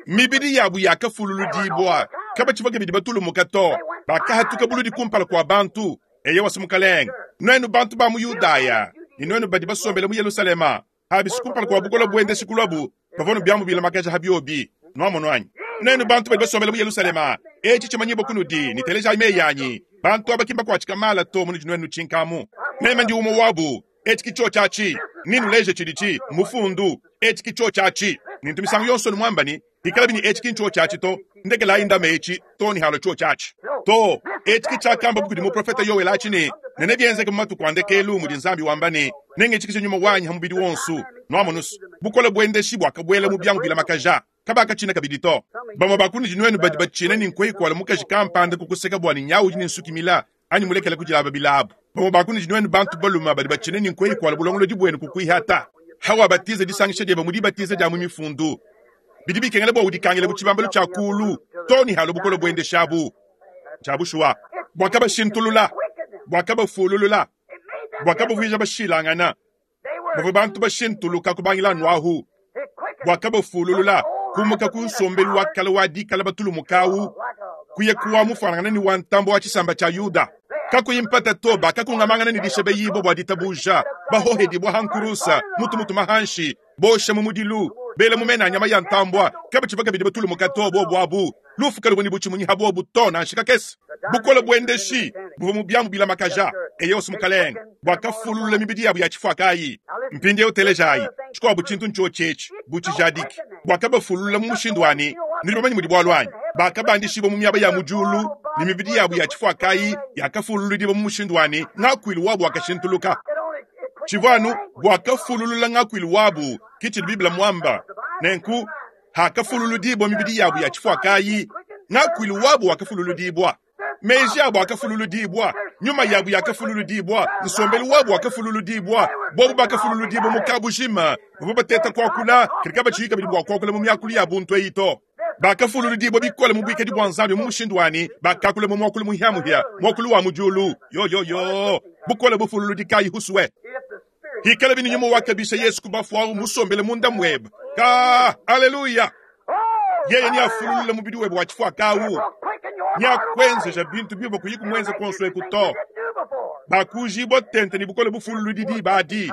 Mibidi yabu yakafululudibua, kabatshivua kabidi batulumuka to, bakahatuka buludi kumpala kua bantu. Eyowa, Mukalenge, nuenu bantu ba mu Yudaya ne nuenu badi basombele mu Yelushalema, habisi kumpala kua bukole buendeshi kuluabu, bavua ne biamu bilamakaja ha biobi. Nuamonu anyi? Nuenu bantu badi basombele mu Yelushalema, etshi tshimanyibua kunudi, ne telejayi meyi anyi. Bantu aba ki mbakuatshika mala to munudi nuenu nutshinkamu. Meme ndi umue wabu. Etshi ki tshiotshi atshi. Nenuleje tshiditshi mufundu. Etshi ki tshiotshi atshi. Nintu misangu yonso numuamba ne, Ikalabi ne etshi ki ntshiotshi atshi to. Ndekelayi ndame etshi to ne halua tshiotshi atshi. To, etshi ki tshiakambabu kudi muprofete Yoele atshi ne, Ne nebienzeke mu matuku a ndekelu, mudi Nzambi wamba ne, Nengitshikije nyuma wanyi ha mubidi wonso. Nuamonu's, bukole buendeshi buakabuela mu biamu bilamakaja. Kabakatshina kabidi to. Bamue ba kunudi nuenu badi batshina ne nkueyi kuala mukaji kampanda kukuseka bua ne nyawu udi ne nsuki mila anyi mulekela kudilaba bilabu. Bamue ba kunudi nuenu bantu balume badi batshina ne nkueyi kuala bulongolodi buenu kukuihata. Hawabatiza disangisha diebe mu dibatiza dia mu mifundu, bidi bikengela bua udikangile bu tshibambalu tshia kulu to ne halua bukole buendeshabu. Tshia bushuwa, buakabashintulula, buakabafululula, buakabavuija bashilangana. Bavua bantu bashintuluka kubangila anu ahu. Buakabafululula kumuka ku nsombelu wa kale wa dikala batulumuka au kuya ku wa mufuanangana ne wa ntambue wa tshisamba tshia Yuda. Kakuyi mpata to, bakakungamangana ne dishebeyibua bua ditabuja, bahohedibua ha nkurusa, mutu mutuma hanshi, bosha mu mudilu, bela mu mena a nyama ya ntambua. Kabatshivua kabidi batulumuka to, bobu abu lufu kaluvua ne butshimunyi ha bobu to, nansha kakese. Bukole buendeshi buvua mu biamu bilamakaja, eyowa, Mukalenge, buakafululula mibidi yabu ya tshifuakayi. Mpindieu telejayi, tshikuabu tshintu ntshiotshi etshi, bu tshijadiki, buakabafululula mu mushindu wa ne, nudi bamanye mudi bualu anyi? Bakabandishibua mu miaba ya mu diulu, ne mibidi yabu ya tshifuakayi yakafululudibua mu mushindu wa ne, ngakuilu wabu wakashintuluka. Tshivua anu buakafululula ngakuilu wabu, ke tshidi Bible muamba. Nenku, hakafululudibua mibidi yabu ya tshifuakayi, ngakuilu wabu wakafululudibua, meji abu akafululudibua, nyuma yabu yakafululudibua, nsombelu wabu wakafululudibua. Bobu bakafululudibua mu kabujima, bavua bateta kuakula, kadi kabatshiyi kabidi bua kuakula mu miakulu ya buntu eyi to. Bakafululudibua bikole mu buikadi bua Nzambi mu mushindu wa ne, bakakula mu muakulu muhiamuhia, muakulu wa mu diulu. Yoyoyo, bukole bufululudi kayi husue! Hikalabi ne nyuma wakabisha Yesu ku bafue au musombele munda muebe. Ka, aleluya! Yeye neafululule mubidi webe wa tshifuaka au, neakuenzeja bintu biuvua kuyi kumuenza kuonso eku to. Bakujibua tente ne bukole bufululudi diba adi.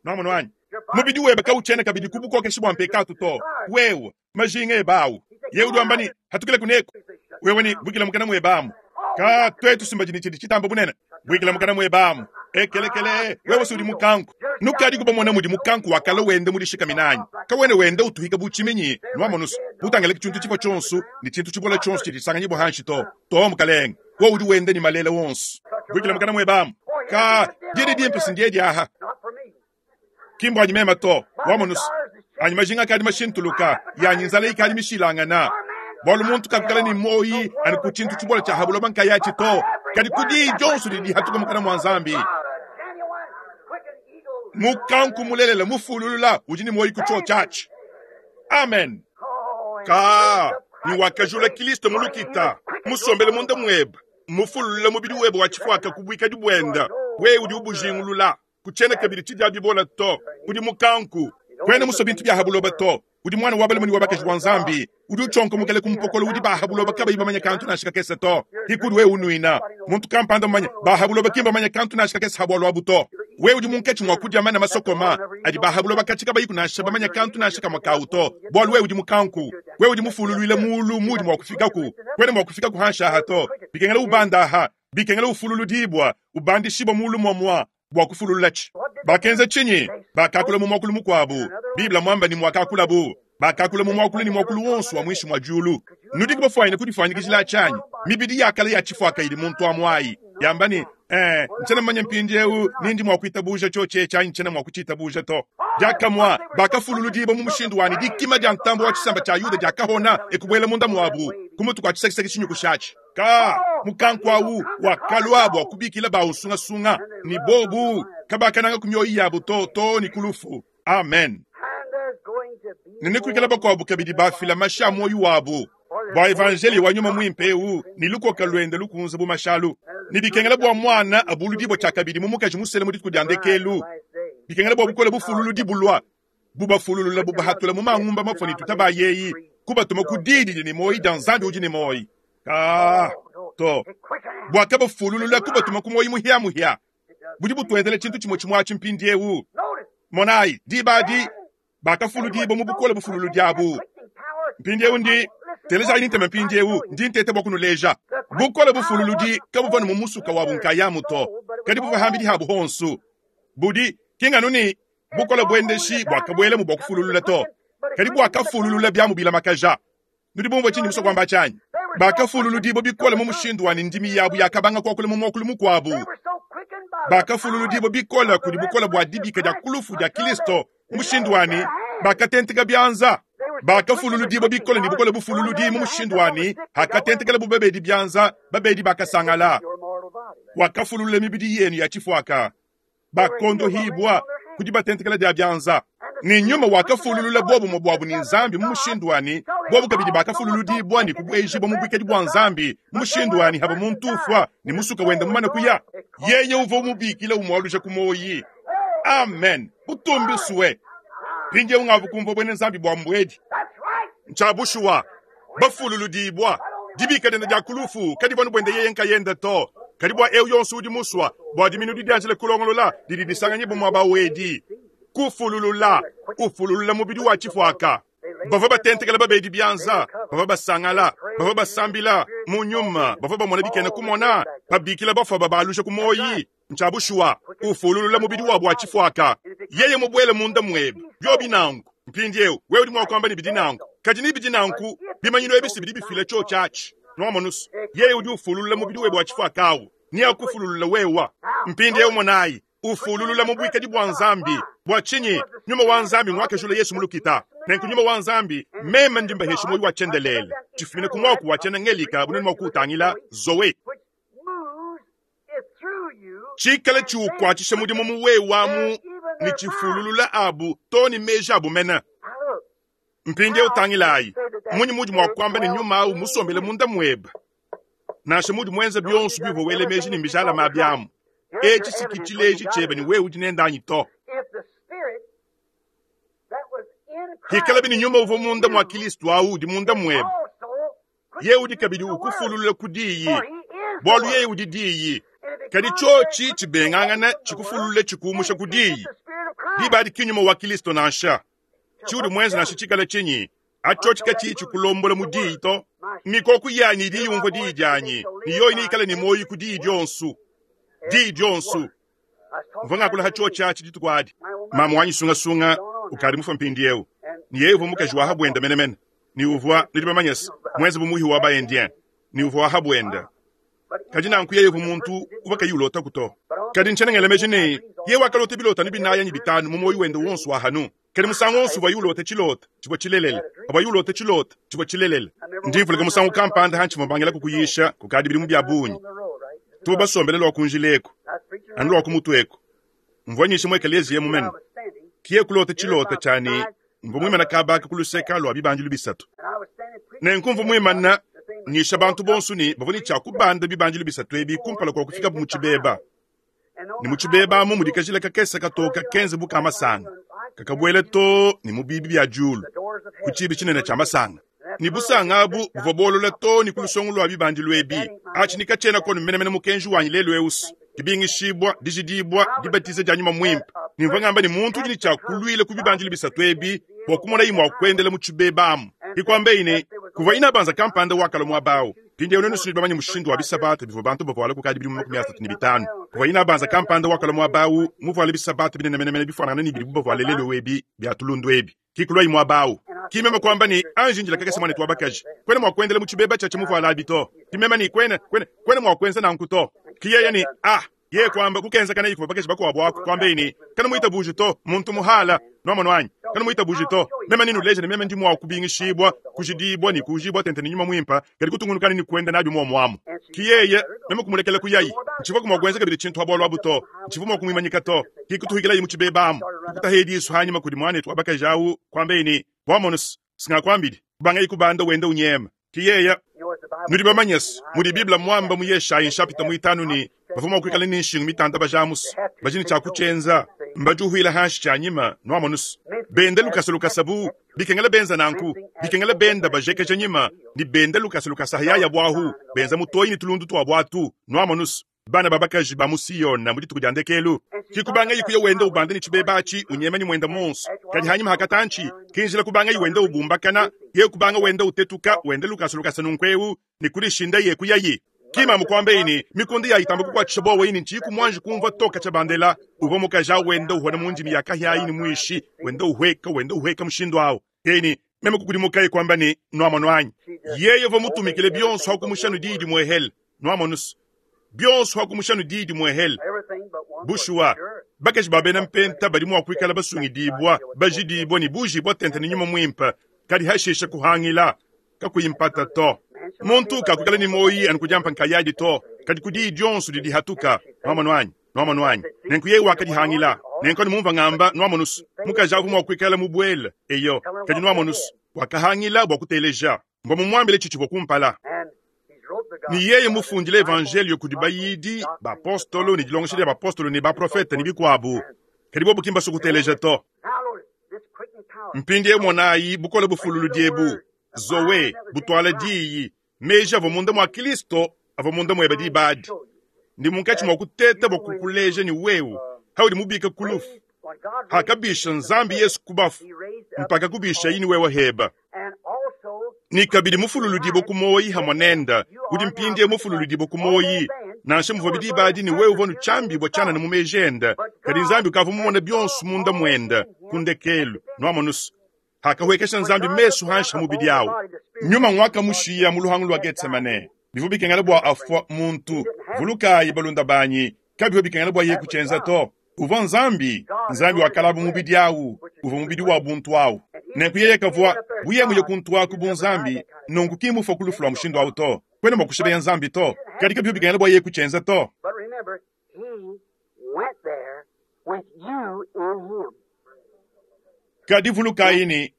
Nuamonu anyi? Mubidi webe kawutshiena kabidi ku bukokeshi bua mpekatu to. Wewe, majinga ebe au. Yeye udi wamba ne, hatukile kuneku. Wewe ne, buikila mukana muebe amu. Ka, tuetu simbadi ne tshidi tshitamba bunene. Buikila mukana muebe amu. Ekelekele, wewe si udi mukanku. Nukadi kubamona mudi mukanku wa kale wenda mudishikamina anyi? Kawena wenda utuhika bu tshiminyi, nuamonusu. Mutangile tshintu tshifua tshionso ne tshintu tshibola tshionso tshidi tshisanganyibua hanshi to. To, mukalenge, wewe udi wenda ne malele wonso. Buikila mukana muebe amu. Ka, didi dimpe si ndiedi aha. Ki mbuanyi meme to, wamonusu. Anyi majinga akadi mashintuluka, yanyi nzala ikadi mishilangana. Bualu muntu kakukala ne muoyi anu ku tshintu tshibola tshia ha buloba nkayatshi to. Kadi ku diyi dionso didi dihatuka mukana mua Nzambi. Mukanku mulelela mufululula udi ne muoyo ku tshiotshi atshi. Amen. Ka ne wakajula Kilisto mu lukita, musombele munda muebe, mufululula mubidi webe wa tshifuaka ku buikadi buenda, wewe udi ubujingulula. Kutshiena kabidi tshidia bibola to, udi mukanku. Kuena musue bintu bia ha buloba to, udi muana wa balume ne wa bakaji wa Nzambi, udi utshionkomokela ku mpokolo udi ba ha buloba kabayi bamanye kantu nansha kakese to. Hikudi wewe unuina muntu kampanda mumanye, ba ha buloba ki mbamanye kantu nansha kakese ha bualu abu to. Wewe udi munkatshi mua kudia mana masokoma adi ba ha buloba katshi kabayiku nansha bamanye kantu nansha kamue kawu to, bualu wewe udi mukanku. Wewe udi mufululuile mulu muudi mua kufikaku, kuena mua kufikaku hanshi aha to. Bikengela ubanda aha, bikengela ufululudibua, ubandishibua mulu muamua bua kufululatshi. Bakenza tshinyi? Bakakula mu muakulu mukuabu. Bible muamba ne muakakulabu. Bakakula mu muakulu ne muakulu wonso wa muinshi mua diulu. Nudiku bafuanyine kudifuanyikijila atshi anyi? Mibidi ya kale ya tshifuaka idi muntu amu ayi yamba ne, Eh, ntshiena mumanye mpindieu ni ndi mua kuitabuja tshiotshi etshi anyi ntshiena mua kutshitabuja to. Diakamue bakafululudibua mu mushindu wa ne dikima dia ntambue wa tshisamba tshia Yuda diakahona e kubuela munda muabu ku mutu kua tshisekiseki tshinyukushatshi. Ka mukanku au wakalua bua kubikila baunsungasunga, ne bobu kabakananga ku mioyo yabu to too ne ku lufu. Amen. Ne nekuikala bakuabu kabidi bafila mashi a muoyo wabu bua evanjeliyo wa nyuma muimpe eu ne lukoka luende lukunze bu mashalu. Ne bikengela bua muana abuludibua tshiakabidi mu mukaji musele mu dituku dia ndekelu. Bikengela bua bukole bufululudi bulua bubafululula bubahatula mu mangumba mafua ne tutabayeyi kubatuma ku diyi didi ne muoyo dia Nzambi udi ne muoyo. Ka to bua kabafululula kubatuma ku muoyo muhia-muhia. Budi butuenzela tshintu tshimue tshimue atshi mpindieu. Monayi, diba adi bakafuludibua mu bukole bufululudi abu. Mpindieu ndi telejayi ne ntema mpindieu ndi nteta bua kunuleja bukole bufululudi kabuvua ne mu musuka wabu nkayamu to, kadi buvua hambidi habu honsu. Budi ki nganu ne bukole buendeshi buakabuelamu bua kufululula to, kadi buakafululula biamu bilamakaja. Nudi bumvue tshindi musue kuamba tshianyi? Bakafululudibua bikole mu mushindu wa ne ndimi yabu yakabanga kuakula mu muakulu mukuabu. Bakafululudibua bikole kudi bukole bua dibika dia ku lufu dia Kristo mu mushindu wa ne bakatenteka bianza. Bakafululudibua bikole ne bukole bufululudi mu mushindu wa ne hakatentekelabu babedi bianza, babedi bakasangala. Wakafululula mibidi yenu ya tshifuaka. Bakondohibua ku dibatentekela dia bianza, ne nyuma wakafululula buobumue buabu ne Nzambi mu mushindu wa ne buobu kabidi bakafululudibua ne kubuejibua mu buikadi bua Nzambi mu mushindu wa ne haba muntu ufua ne musuka wende mumane kuya, yeye uvua umubikila umualuja ku muoyi. Amen. Butumbi sue. Mpindieu ngavu kumvua buena Nzambi bua mbuedi. Ntshia bushuwa. Bafululudibua. Dibika diende dia ku lufu kadivua anu buende yeye nkayende to, kadi bua eu yonso udi musua bua diminu didianjila kulongolola didi disanganyibua muaba wedi. Kufululula, ufululula mubidi wa tshifuaka. Bavua batentekela babedi bianza, bavua basangala, bavua basambila mu nyuma, bavua bamona bikena kumona, babikila bafua babaluja ku muoyi. Ntshia bushuwa, ufululula mubidi wabu wa tshifuaka. Yeye mubuele munda muebe, biobi nanku. Mpindieu, wewe udi mua kuamba ne bidi nanku, kadi ni bidi nanku, bimanyinu ebi si bidi bifila tshiotshi atshi. Nuamonu's, yeye udi ufululula mubidi webe wa tshifuaka awu, neakufululula wewa. Mpindieu monayi, ufululula mu buikadi bua Nzambi. Bua tshinyi? Nyuma wa Nzambi nguakajula Yesu mu lukita. Nenku nyuma wa Nzambi, meme ndi mbahesha muoyo wa tshiendelele, tshifumina ku muaku wa tshiena-Ngelika bunene mua kuutangila, Zoe. Tshikale tshiukuatshisha mudimu mu wewe amu ne tshifululula abu too ne meji abu mene. Mpindieu tangilayi, mmunyi muudi mua kuamba ne nyuma au musombele munda muebe, nansha muudi muenze bionso biuvua wela meji ne mbijalame abi amu? Etshi si ki tshileji tshiebe ne wewe udi nende anyi to. Pikalabi ne nyuma uvua munda mua Kristo au udi munda muebe, yeye udi kabidi ukufululula ku diyi, bualu yeye udi diyi. Kadi tshiotshi tshibengangana tshikufululule tshikumusha ku diyi, diba adi ki nyuma wa Kristo nansha. Tshiudi muenze nansha tshikale tshinyi, atshiotshi katshiyi tshikulombola mu diyi to. Mikoko yanyi idi yumvua diyi dianyi, ne yoyi neikale ne muoyo ku diyi dionso. Diyi dionso. Mvua ngakula ha tshiotshi atshi dituku adi. Mamu wanyi sungasunga ukadi mufue mpindieu, ne yeye uvua mukaji wa ha buende menemene. Ne uvua, nudi bamanye se, muenze bu muhi wa ba-Indien, ne uvua wa ha buende. Kadi nanku yeye uvua muntu uvua kayi ulotaku to. Kadi ntshiena ngela meji ne, yeye wakalota bilota anu binayi anyi bitanu mu muoyo wende wonso wa hanu. Kadi musangu wonso uvuaye ulota tshilota, tshivua tshilelela. Pavuaye ulota tshilota, tshivua tshilelela. Ndi mvuluka musangu kampanda hantshivua mbangilaku kuyisha kukadi bidimu bia bungi. Tuvua basombele lua ku njila eku, anu lua ku mutu eku. Mvua nyisha mu ekeleziya emu mene. Kiye kulota tshilota tshia ne, mvua muimana kaba aka ku luseka lua bibandilu bisatu. Nenku mvua muimana nyisha bantu bonso ne bavua ne tshia kubanda bibandilu bisatu ebi kumpala kua kufikabu mu tshibeba. Ne mu tshibeba amu mudi kajila kakese katoka kenze bu ka masanga, kakabuela too ne mu biibi bia diulu, ku tshiibi tshinene tshia masanga. Ne busanga abu buvua buolola too ne ku lusongo lua bibandilu ebi. Atshi ni katshiena konu menemene mukenji wanyi lelu eu, dibingishibua, dijidibua, dibatiza dia Nyuma Muimpe. Ne mvua ngamba ne muntu udi ne tshia kuluila ku bibandilu bisatu ebi bua kumonayi mua kuendela mu tshibeba amu. Ke kuambayi ne, kuvua inabanza kampanda wakalua muaba au. Mpindieu nuenu nudi bamanye mushindu wa bisabata bivua bantu bavuala kukadi bidimu 35. Kuvua inabanza kampanda wakalua muaba au muvuale bisabata binene menemene bifuanangane ne bidibu bavuale lelu ebi bia tulundu ebi. Ki kuluayi muaba au. Ki meme kuamba ne, Anji indila kakese muanetu wa bakaji. Kuena mua kuendela mu tshibeba tshia tshimuvuala abi to. Ki meme ne, Kuena, kuena, kuena mua kuenza nanku to. Ki yeye ne, Ah! Yeye kuamba, kukenzakanayi kuvua bakaji bakuabu aku, kuambaye ne, Kanumuitabuji to, muntu muhala. Nwamonu anyi? Kanumuitabuji to. Meme nenuleje ne meme ndi mua kubingishibua, kujidibua ne kuujibua tente ne Nyuma Muimpe, kadi kutungunukani ne kuenda nabi muomu amu. Ki yeye, meme kumulekela kuyayi. Ntshivuaku mua kuenza kabidi tshintu ha bualu abu to. Ntshivua mua kumuimanyika to. Ki kutuhikilayi mu tshibeba amu, kukutaye disu hanyima kudi muanetu wa bakaji awu, kuambaye ne, Wamonu's, singakuambidi. Kubangaye kubanda wenda unyema. Ki yeye. Nudi bamanye's mudi Bible muamba mu Yeshayi nshapita muitanu ne, bavua mua kuikala ne nshingu mitanda bajamu's, badi ne tshia kutshienza, mbadiuhuila hanshi tshianyima, nwamonu's, benda lukasa lukasa bu bikengela benza nanku, bikengela benda bajekeja nyima ne benda lukasa lukasa hayaya buahu, benza mutoyi ne tulundu tuabu atu, nwamonu's. Bana ba bakaji ba mu Siona mu dituku dia ndekelu, ki kubangayi kuya wenda ubanda ne tshibeba atshi, unyema ne muenda muonso. Kadi hanyima ha katantshi, ki njila kubangayi wenda ubumbakana, yeye kubanga wenda utetuka, wenda lukasa lukasa nunku'eu, ne kudishindaye kuyayi. Ki mamu kuambaye ne, Mikunda yayi itamba kukuatshisha buowa ini ntshiyiku muanji kumvua to katshia bandela. Uvua mukaji au wenda uhona mu ndimi ya kahia ayi ne muishi, wenda uhueka, wenda uhueka mushindu au. Yeye ne, Meme kukudimukaye kuamba ne, Nuamonu anyi? Yeye uvua mutumikile bionso ha kumusha nu diyi dimuehele. Nuamonu's, bionso ha kumusha nu diyi dimuehele. Bushuwa, bakaji ba bena mpenta badi mua kuikala basungidibua, bajidibua ne bujibua tente ne Nyuma Muimpe, kadi hashishe kuhangila, kakuyi mpata to. Muntu kakuikala ne muoyi anu ku diampa nkayadi to, kadi ku diyi dionso didi dihatuka. Nuamonu anyi? Nuamonu anyi? Nenku yeye wakadihangila. Nenku anu mumvua ngamba, nuamonu's, mukaji awu uvua mua kuikala mubuele, eyo, kadi nuamonu's, wakahangila bua kuteleja. Mvua mumuambile tshitshivua kumpala. Ne yeye mufundile Evanjeliyo kudi bayidi, bapostolo, ne dilongesha dia bapostolo ne baprofete ne bikuabu, kadi bobu ki mbasue kuteleja to. Mpindieu monayi bukole bufululudi ebu, Zoe, butuala diyi, meji avua munda mua Kristo avua munda muebe diba adi. Ndi munkatshi mua kuteta bua kukuleja ne wewe, haudi mubike ku lufu, hakabisha Nzambi Yesu ku bafu, mpaka kubishayi ne wewe heba. Ne kabidi mufululudibue ku muoyi hamue nende, udi mpindieu mufululudibue ku muoyi, nansha muvuabi diba adi ne wewe uvua nutshiambibua tshianana mu meji ende, kadi Nzambi ukavua mumone bionso munda muende ku ndekelu. Nuamonu's, hakahuekesha Nzambi mesu hanshi ha mubidi au, Nyuma nguakamushiya mu luhangu lua Getsemane. Bivua bikengela bua afua muntu. Vulukayi, balunda banyi, kabivua bikengela bua yeye kutshienza to. Uvua Nzambi. Nzambi wakalaba mubidi au, uvua mubidi wa buntu au. Nenku yeye kavua, bu yeye muye kuntu aku bu Nzambi, nunku ki mmufua ku lufu lua mushindu au to. Kuena mua kushibeya Nzambi to. Kadi kabivua bikengela bua yeye kutshienza to. Kadi vulukayi ne,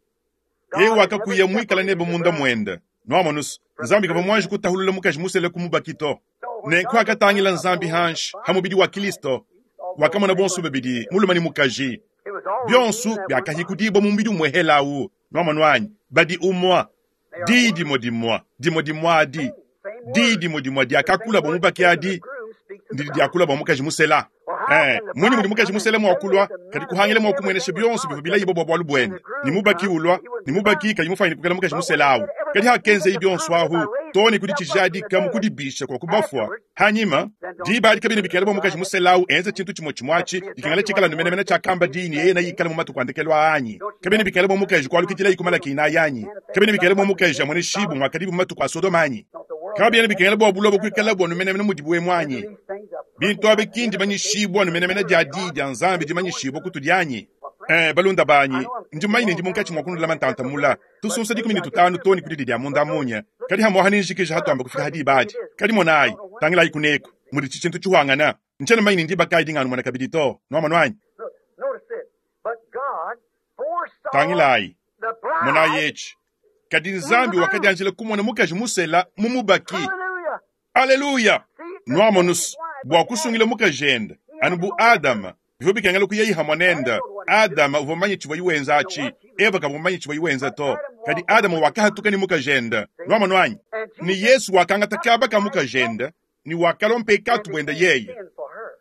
yeye wakakuya muikale nebe munda muende. Nuamonu's, Nzambi kavua muanji kutahulula mukaji musele ku mubaki to. Nenku hakatangila Nzambi hanshi ha mubidi wa Kilisto, wakamona bonso babidi, mulume ne mukaji, bionso biakahikudibua mu mubidi umuehele au. Nuamonu anyi? Badi umua. Diyi dimue dimue, dimue dimue adi, diyi dimue dimue diakakula bua mubaki adi, ndidi diakula bua mukaji musela. Eh, mmunyi mudi mukaji musela mua kulua, kadi kuhangila mua kumuenesha bionso bivua bilayibua bua bualu buende, ne mubaki ulua, ne mubaki kayi mufanyine kuikala mukaji musela awu? Kadi hakenzeyi bionso ahu, too ne ku ditshijadika mu kudibisha kua ku bafua, hanyima, diba adi kabiena bikengela bua mukaji musela awu enze tshintu tshimue tshimue atshi, dikengela tshikala anu menemene tshiakamba diyi ne yeye neikale mu matuku a ndekelu aa anyi? Kabiena bikengela bua mukaji kualukidilayi ku Malaki inayi anyi? Kabiena bikengela bua mukaji amueneshibue muakadibu mu matuku a Sodoma anyi? Kabiena bikengela bua buloba kuikalabu anu menemene mudibu emu anyi? Bintu abi ki ndimanyishibua anu menemene dia diyi dia Nzambi dimanyishibua kutudi anyi? Eh, balunda banyi, ndi mumanye ne ndi munkatshi mua kunulama ntanta mula, tusunsa 15 too ne ku didi dia munda munya, kadi hamuaha nenjikije hatuamba kufika ha diba adi. Kadi monayi, tangilayi kuneku. mudi tshintu tshihuangana. Ntshiena mumanye ne ndiba kayi dinganumona kabidi to. Nuamonu anyi? Tangilayi, monayi etshi. Kadi Nzambi wakadianjila kumona mukaji musela mu mubaki. Aleluya! Nuamonus, bua kusungila mukajende, anu bu Adama, bivua bikengela kuyayi hamue nende. Adama uvua mumanye tshivuaye wenza atshi, Eva kavua mumanye tshivuaye wenza to. Kadi Adama wakahatuka ne mukajende. Nuamonu anyi? Ne Yesu wakangata kaba ka mukajende ne wakalua mpekatu buende yeye.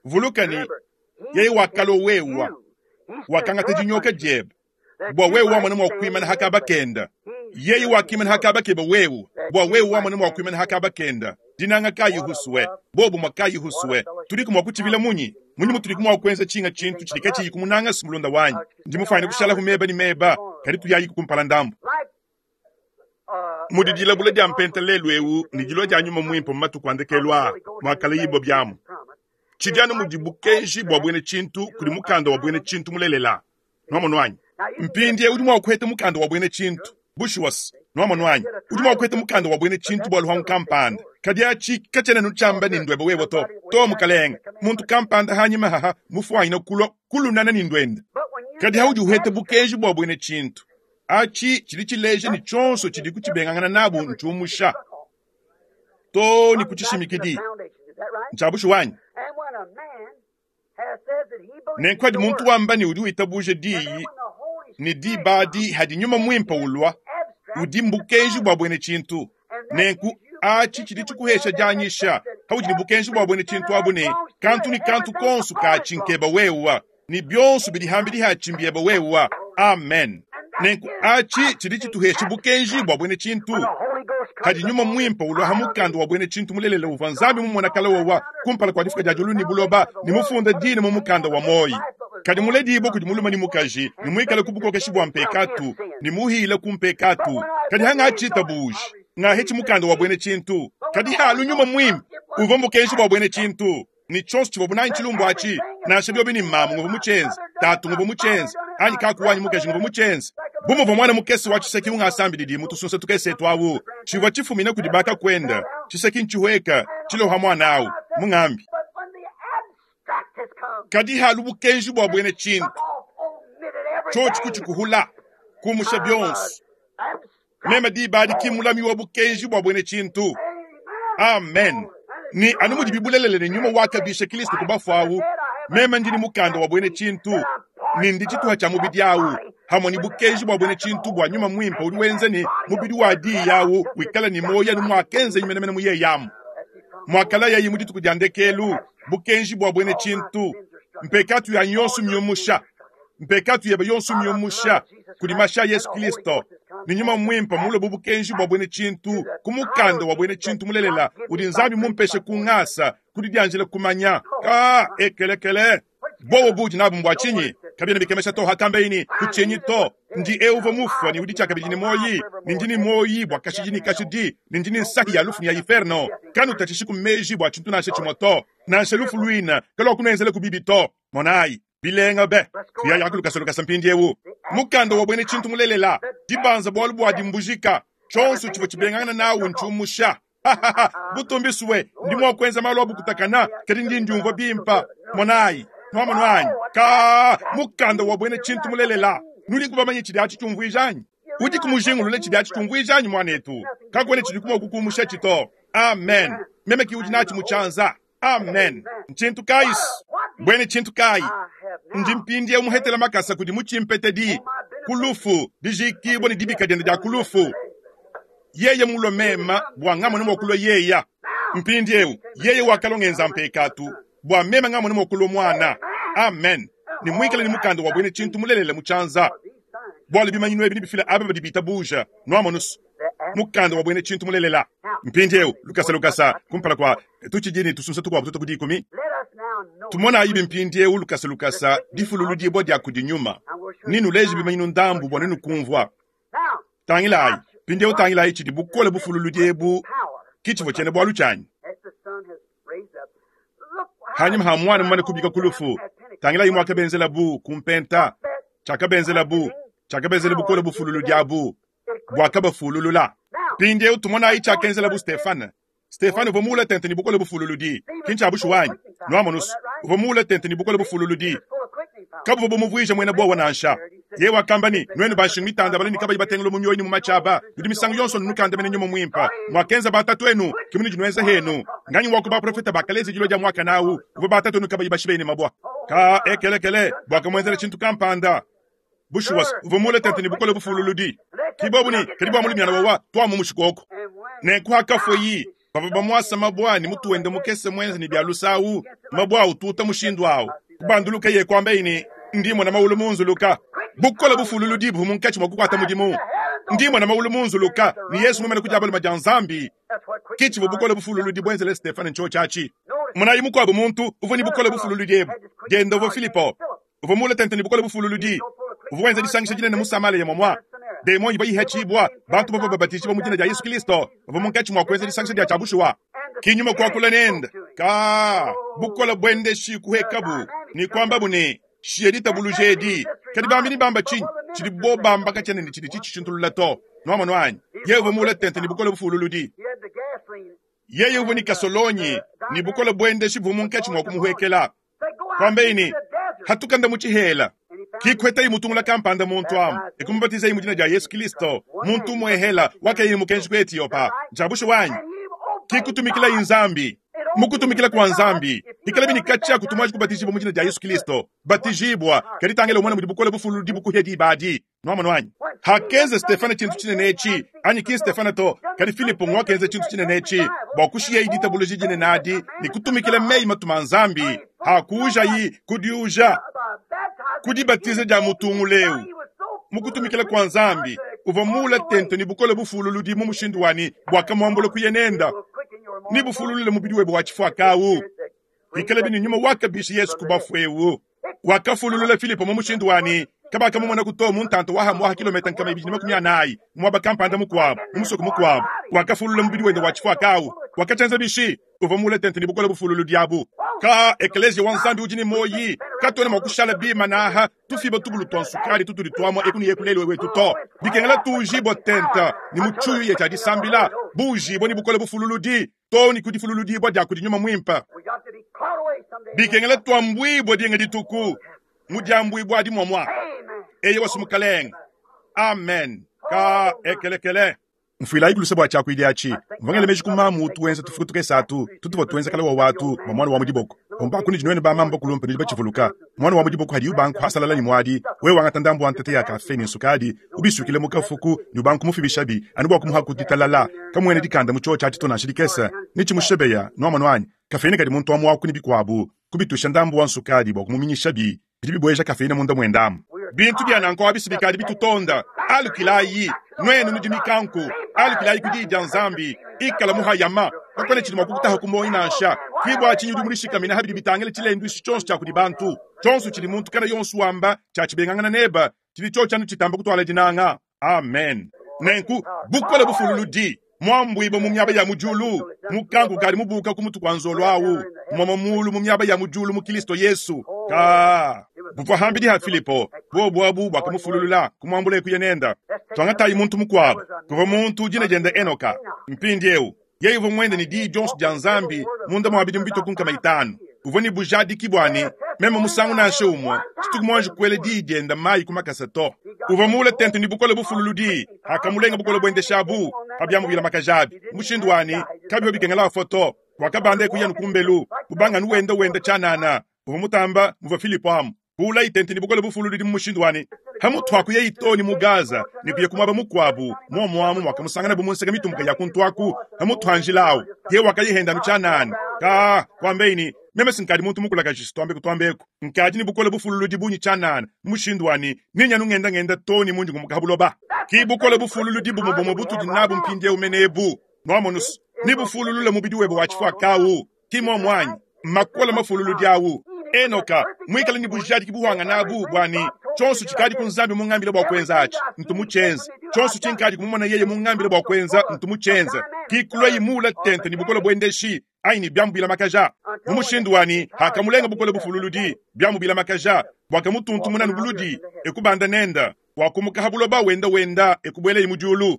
Vuluka ne, yeye wakalua wewa, wakangata dinyoka diebe bua wewe wamona mua kuimana ha kaba kenda. Yeye wakimana ha kaba kebe wewe bua wewe wamona mua kuimana ha kaba kenda. Dinanga kayi huswe, bobumue kayi huswe. Tudiku mua kutshibila munyi? Munyi mutudiku mua kuenza tshinga tshintu tshidi katshiyi kumunanga si mulunda wanyi? Ndi mufuane kushalaku meba ne meba, kadi tuyayiku kumpala ndambu. Mudi dilabula dia mpenta lelu eu ne dilua dia nyuma muimpe mu matuku a ndekelu aa muakalayibua biamu. Tshidi anu mudi bukenji bua buena tshintu kudi mukanda wa buena tshintu mulelela. Nuamonu anyi? Mpindieu udi mua kuheta mukanda wa buena tshintu. Bushuwa se, nuamonu anyi? Udi mua kuheta mukanda wa buena tshintu bua luhangu kampanda. Kadi atshi katshiena anu tshiamba ne nduebe wewe to. To, mukalenge. Muntu kampanda hanyima haha mufuanyine kulua kulunana ne nduende. Kadi haudi uheta bukenji bua buena tshintu, atshi tshidi tshileja ne tshionso tshidi kutshibengangana nabu ntshiumusha too ne ku tshishimikidi. Ntshia bushuwa anyi? Nenku hadi muntu wamba ne udi witabuja diyi, ne diba adi hadi Nyuma Muimpe ulua, udi mbukenji bua buena tshintu. Nenku atshi tshidi tshikuhesha dianyisha haudi ne bukenji bua buena tshintu abu ne kantu ne kantu konso katshi nkeba wewa, ne bionso bidi hambidi hatshi mbieba wewa. Amen. Nenku atshi tshidi tshituhesha bukenji bua buena tshintu. Hadi Nyuma Muimpe ulua ha mukanda wa buena tshintu mulelela uvua Nzambi mumona kale wowa kumpala kua difuka dia diulu ne buloba, ne mufunda dina mu mukanda wa muoyi. Kadi muledibue kudi mulume ne mukaji, ne muikale ku bukokeshi bua mpekatu, ne muhile ku mpekatu. Kadi hangatshitabuji, ngahetshi mukanda wa buena tshintu. Kadi halu Nyuma Muimpe uvua mbukenji bua buena tshintu, ne tshionso tshivua bunanyi tshilumbu atshi, nansha biobi ne mamu nguvua mutshienze, tatu nguvua mutshienze, anyi kaku wanyi mukaji nguvua mutshienze. Bu muvua muana mukese wa tshiseki ungasambididi mu tusunsa tukese etu awu, tshivua tshifumina kudi bakakuende, tshiseki ntshihueka, tshiloha muana awu, mungambi. Kadi halu bukenji bua buena tshintu, tshiotshi kutshikuhula, kumusha bionso. Meme diba adi ki mulami wa bukenji bua buena tshintu. Amen. Ne anu mudibi bulelela ne nyuma wakabisha Kristo ku bafue awu, meme ndi ne mukanda wa buena tshintu, ne ndi tshituha tshia mubidi awu, hamue ne bukenji bua buena tshintu bua nyuma muimpe udi wenza ne mubidi wa diyi awu wikala ne muoyo anu muakenzayi menemene mu yeye amu. Muakalayayi mu dituku dia ndekelu, bukenji bua buena tshintu, mpekatu yanyi yonso miumusha, mpekatu yebe yonso miumusha kudi mashi a Yesu Kristo, ne nyuma muimpe mulue bu bukenji bua buena tshintu ku mukanda wa buena tshintu mulelela udi Nzambi mumpeshe ku ngasa ku didianjila kumanya. Ka ekelekele bobo budi nabu mbua tshinyi? Kabiena bikemesha to hakambeyi ne kutshinyi to, ndi eu uvua mufue ne udi tshiakabidi ne muoyi, ne ndi ne muoyi bua kashidi ne kashidi, ne ndi ne nsahi ya lufu ne ya inferno. Kanutatshishi ku meji bua tshintu nansha tshimue to, nansha lufu luine kaluakunuenzelaku bibi to. Monayi, bilenga be! Tuyayaku lukasa lukasa mpindieu. Mukanda wa buena tshintu mulelela, dibanza bualu bua dimbujika, tshionso tshivua tshibengangana nawu ntshiumusha. Butumbi sue, ndi mua kuenza malu a bukutakana, kadi ndi ndiumvua bimpe. Monayi, nuamonu anyi? Ka mukanda wa buena tshintu mulelela. Nudiku bamanye tshidi atshi tshiumvuija anyi? Udiku mujingulule tshidi atshi tshiumvuija anyi, muanetu? Kakuena tshidi mua kukumusha tshi to. Amen. Meme ki udi natshi mu tshianza. Amen. Ntshintu kayi? Buena tshintu kayi? Ndi mpindieu muhetela makasa kudi mutshimpetedi ku lufu, dijikibua ne dibika diende dia ku lufu. Yeye mulue mema bua ngamone mua kulua yeya. Mpindieu yeye wakalua ngenza mpekatu bua meme ngamone mua kulua muana. Amen. Ne muikale ne mukanda wa buena tshintu mulelela mu tshianza, bualu bimanyinu ebi nebifile aba badi bitabuja. Nuamonusu mukanda wa buena tshintu mulelela. Mpindieu lukasa lukasa kumpala kua tutshidi ne tusunsa tukuabu tuta ku dikumi, tumonayi mpindieu lukasa lukasa difululudibua dia kudi nyuma, ne nuleje bimanyinu ndambu bua nuenu kumvua. Tangilayi mpindieu, tangilayi tshidi bukole bufululudi ebu ki tshivua tshiena bualu tshianyi. Hanyima ha muana mumane kubika ku lufu, tangilayi muakabenzelabu ku mpenta, tshiakabenzelabu, tshiakabenzela bukole bufululudi abu buakabafululula. Mpindieu tumonayi tshiakenzelabu Stefane. Stefane uvua muule tente ne bukole bufululudi. Ki ntshia bushuwa anyi? Nwamonu's, uvua muule tente ne bukole bufululudi. Kabuvua bumuvuije muena buowa nansha. Yeye wakamba ne, Nuenu ba nshingu mitandabale ne kabayi batengula mu mioyo ne mu matshi aba, nudi misangu yonso nukandamena nyuma muimpe. Muakenza batatuenu, ke munudi nuenza henu. Nganyi wa ku baprofete bakaleza dilua dia muakane au, uvua batatuenu kabayi bashibe ne mabua? Ka ekelekele, buakamuenzela tshintu kampanda. Bushuwa, uvua muule tente ne bukole bufululudi. Ki bobu ne, kadi bua mulumiana wawa, tuamumushi koko. Nenku hakafueyi, bavua bamuasa mabua ne mutu wende mukese muenza ne bia lusa au, mabua ututa mushindu au. Kubandulukeye kuambaye ne, Ndi mmona mawulu munzuluka. Bukole bufululudi buvua munkatshi mua kukuata mudimu. Ndi mmona mawulu munzuluka, ne Yezu mumane ku dia balume dia Nzambi. Ke tshivua bukole bufululudi buenzele Stefane ntshiotshi atshi. Monayi mukuabu muntu uvua ne bukole bufululudi ebu, diende uvua Filipo. Uvua muule tente ne bukole bufululudi. Uvua wenza disangisha dinene mu Samalea muamua demon ivua ihatshibua, bantu bavua babatijibua mu dina dia Yesu Kristo bavua munkatshi mua kuenza disangisha dia tshia bushuwa. Ki nyuma kuakula nende, ka bukole buendeshi kuhekabu ne kuambabu ne, Shiya ditabuluja edi. Kadi bambi nebamba tshinyi? Tshidi bo bamba katshiena ne tshidi tshitshishintulula to. Nuamonu anyi? Yeye uvua muule tente ne bukole bufululudi. Yeye uvua ne kasolonyi ne bukole buendeshi buvua munkatshi mua kumuhuekela. Kuambaye ne, Hatuka nda mu tshihela. Kikuetayi mutungula kampanda muntu amu, ekumubatizayi mu dina dia Yesu Kristo, muntu umuehela wakayi ne mukenji ku Etiopa. Ntshia bushuwa anyi? Kikutumikilayi Nzambi. Mu kutumikila kua Nzambi, ikalabi ne katshia kutu muanji kubatijibua mu dina dia Yesu Kristo. Batijibua, kadi tangila umone mudi bukole bufululudi bukuhia diba adi. Nuamonu anyi? Hakenza Stefane tshintu tshinene etshi, anyi ki Stefane to, kadi Filipo nguakenza tshintu tshinene etshi, bua kushiyayi ditabuluja dinene adi ne kutumikila meyi matuma a Nzambi, hakuujayi kudiuja ku dibatiza dia mutungula eu. Mu kutumikila kua Nzambi, uvua muule tente ne bukole bufululudi mu mushindu wa ne buakamuambula kuya nenda ne bufululule mubidi webe wa tshifuaka au. Bikalabi ne nyuma wakabisha Yesu ku bafue eu, wakafululula Filipo mu mushindu wa ne kabakamumona to mu ntanta wa hamuaha kilometa 240 muaba kampanda mukuabu, mu musoko mukuabu. Wakafululula mubidi wende wa tshifuaka au. Wakatshienza bishi? Uvua muule tente ne bukole bufululudi abu. Ka ekeleziya wa Nzambi udi ne muoyi, katuena mua kushala bimana aha tufiba tubulu tua nsukadi tutudi tuamua eku ne eku lelu wetu to. Bikengela tuujibua tente ne mu tshiuyuya tshia disambila, buujibua ne bukole bufululudi too ne ku difululudibua dia kudi Nyuma Muimpe. Bikengela tuambuibua dinga dituku mu diambuibua adi muamua. Eyowa su Mukalenge. Amen. Ka ekelekele. Mfuilayi luse bua tshiakuidi atshi. Mvua ngela meji ku mamu utu wenza tufuku tukese atu tutuvua tuenza kale wawa atu bua muana wa mu diboko. Omba kunudi nuenu ba mamu bakulumpe nudi batshivuluka. Muana wa mu diboko hadi ubanga kuhasalala ne muadi, wewe wangata ndambu wa ntete ya kafe ne nsukadi, ubisuikile mu kafuku ne ubanga kumufibishabi anu bua kumuha ditalala. Kamuena dikanda mu tshiotshi atshi to nansha dikese. Ne tshimushebeya, nuamonu anyi? Kafeine kadi muntu wa muaku ne bikuabu, kubituisha ndambu wa nsukadi bua kumuminyishabi bidi bibueja kafeine munda muende amu. Bintu bia nanku abi si bikadi bitutonda. Alukilayi, nuenu nudi mikanku, alukilayi ku diyi dia Nzambi. Ikala muhayama, kakuena tshidi mua kukutaha ku muoyo nansha. Ki bua tshinyi udi mudishikamine ha bidi bitangila tshilenduishi tshionso tshia kudi bantu. Tshionso tshidi muntu kana yonso wamba tshia tshibengangana nebe, tshidi tshiotshi anu tshitamba kutuala dinanga. Amen. Nenku, bukole bufululudi, muambuibue mu miaba ya mu diulu, mukanku ukadi mubuka ku mutu kua nzolo au, muamua mulu mu miaba ya mu diulu mu Kilisto Yesu. Ka buvua hambidi ha Filipo, buobu abu buakamufululula, kumuambula kuya nenda. Tuangatayi muntu mukuabu, kuvua muntu dina diende Enoka. Mpindieu, yeye uvua muende ne diyi dionso dia Nzambi munda mua bidimu bitue ku 500. Uvua ne bujadiki bua ne, meme musangu nansha umue tshituku muanji kuela diyi diende mayi ku makasa to. Uvua muule tente ne bukole bufululudi, akamulenga bukole buendeshabu pa biamu bilamakajabi mushindu wa ne, kabivua bikengela afua to. Wakabanda e kuya nu kumbelu, kubanga anu wenda wenda tshianana. Uvua mutamba muvua Filipo amu kuulayi tente ne bukole bufululudi mu mushindu wa ne, pamutu pa kuyayi too ne mu Gaza ne kuya ku muaba mukuabu, muomu amu muakamusanganabu mu nseke mitumbuke ya kuntu aku, pamutu pa njila au, yeye wakayihenda anu tshianana. Ka kuambaye ne, Meme si nkadi muntu mukulakaje, si tuambeku tuambeku, nkadi ne bukole bufululudi bungi tshianana, mu mushindu wa ne, nenye anu ngenda ngenda too ne mundi ngumuka ha buloba. Ki bukole bufululudi bumue bumue butudi nabu mpindieu mene ebu. Nuamonu's, nebufululule mubidi webe wa tshifuaka au. Ki muomu anyi? Makole mafululudi au. Enoka, muikale ne bujadiki buhangane abu bua ne, tshionso tshikadi ku Nzambi mungambile bua kuenza atshi, ntu mutshienze. Tshionso tshinkadi kumumona yeye mungambile bua kuenza, ntu mutshienze. Ki kulua muule tente ne bukole buendeshi anyi ne biamu bilamakaja. Mu mushindu wa ne, hakamulenga bukole bufululudi, biamu bilamakaja, buakamutuntumuna nu buludi, e kubanda nenda, wakumuka ha buloba wenda wenda e kubuelaye mu diulu.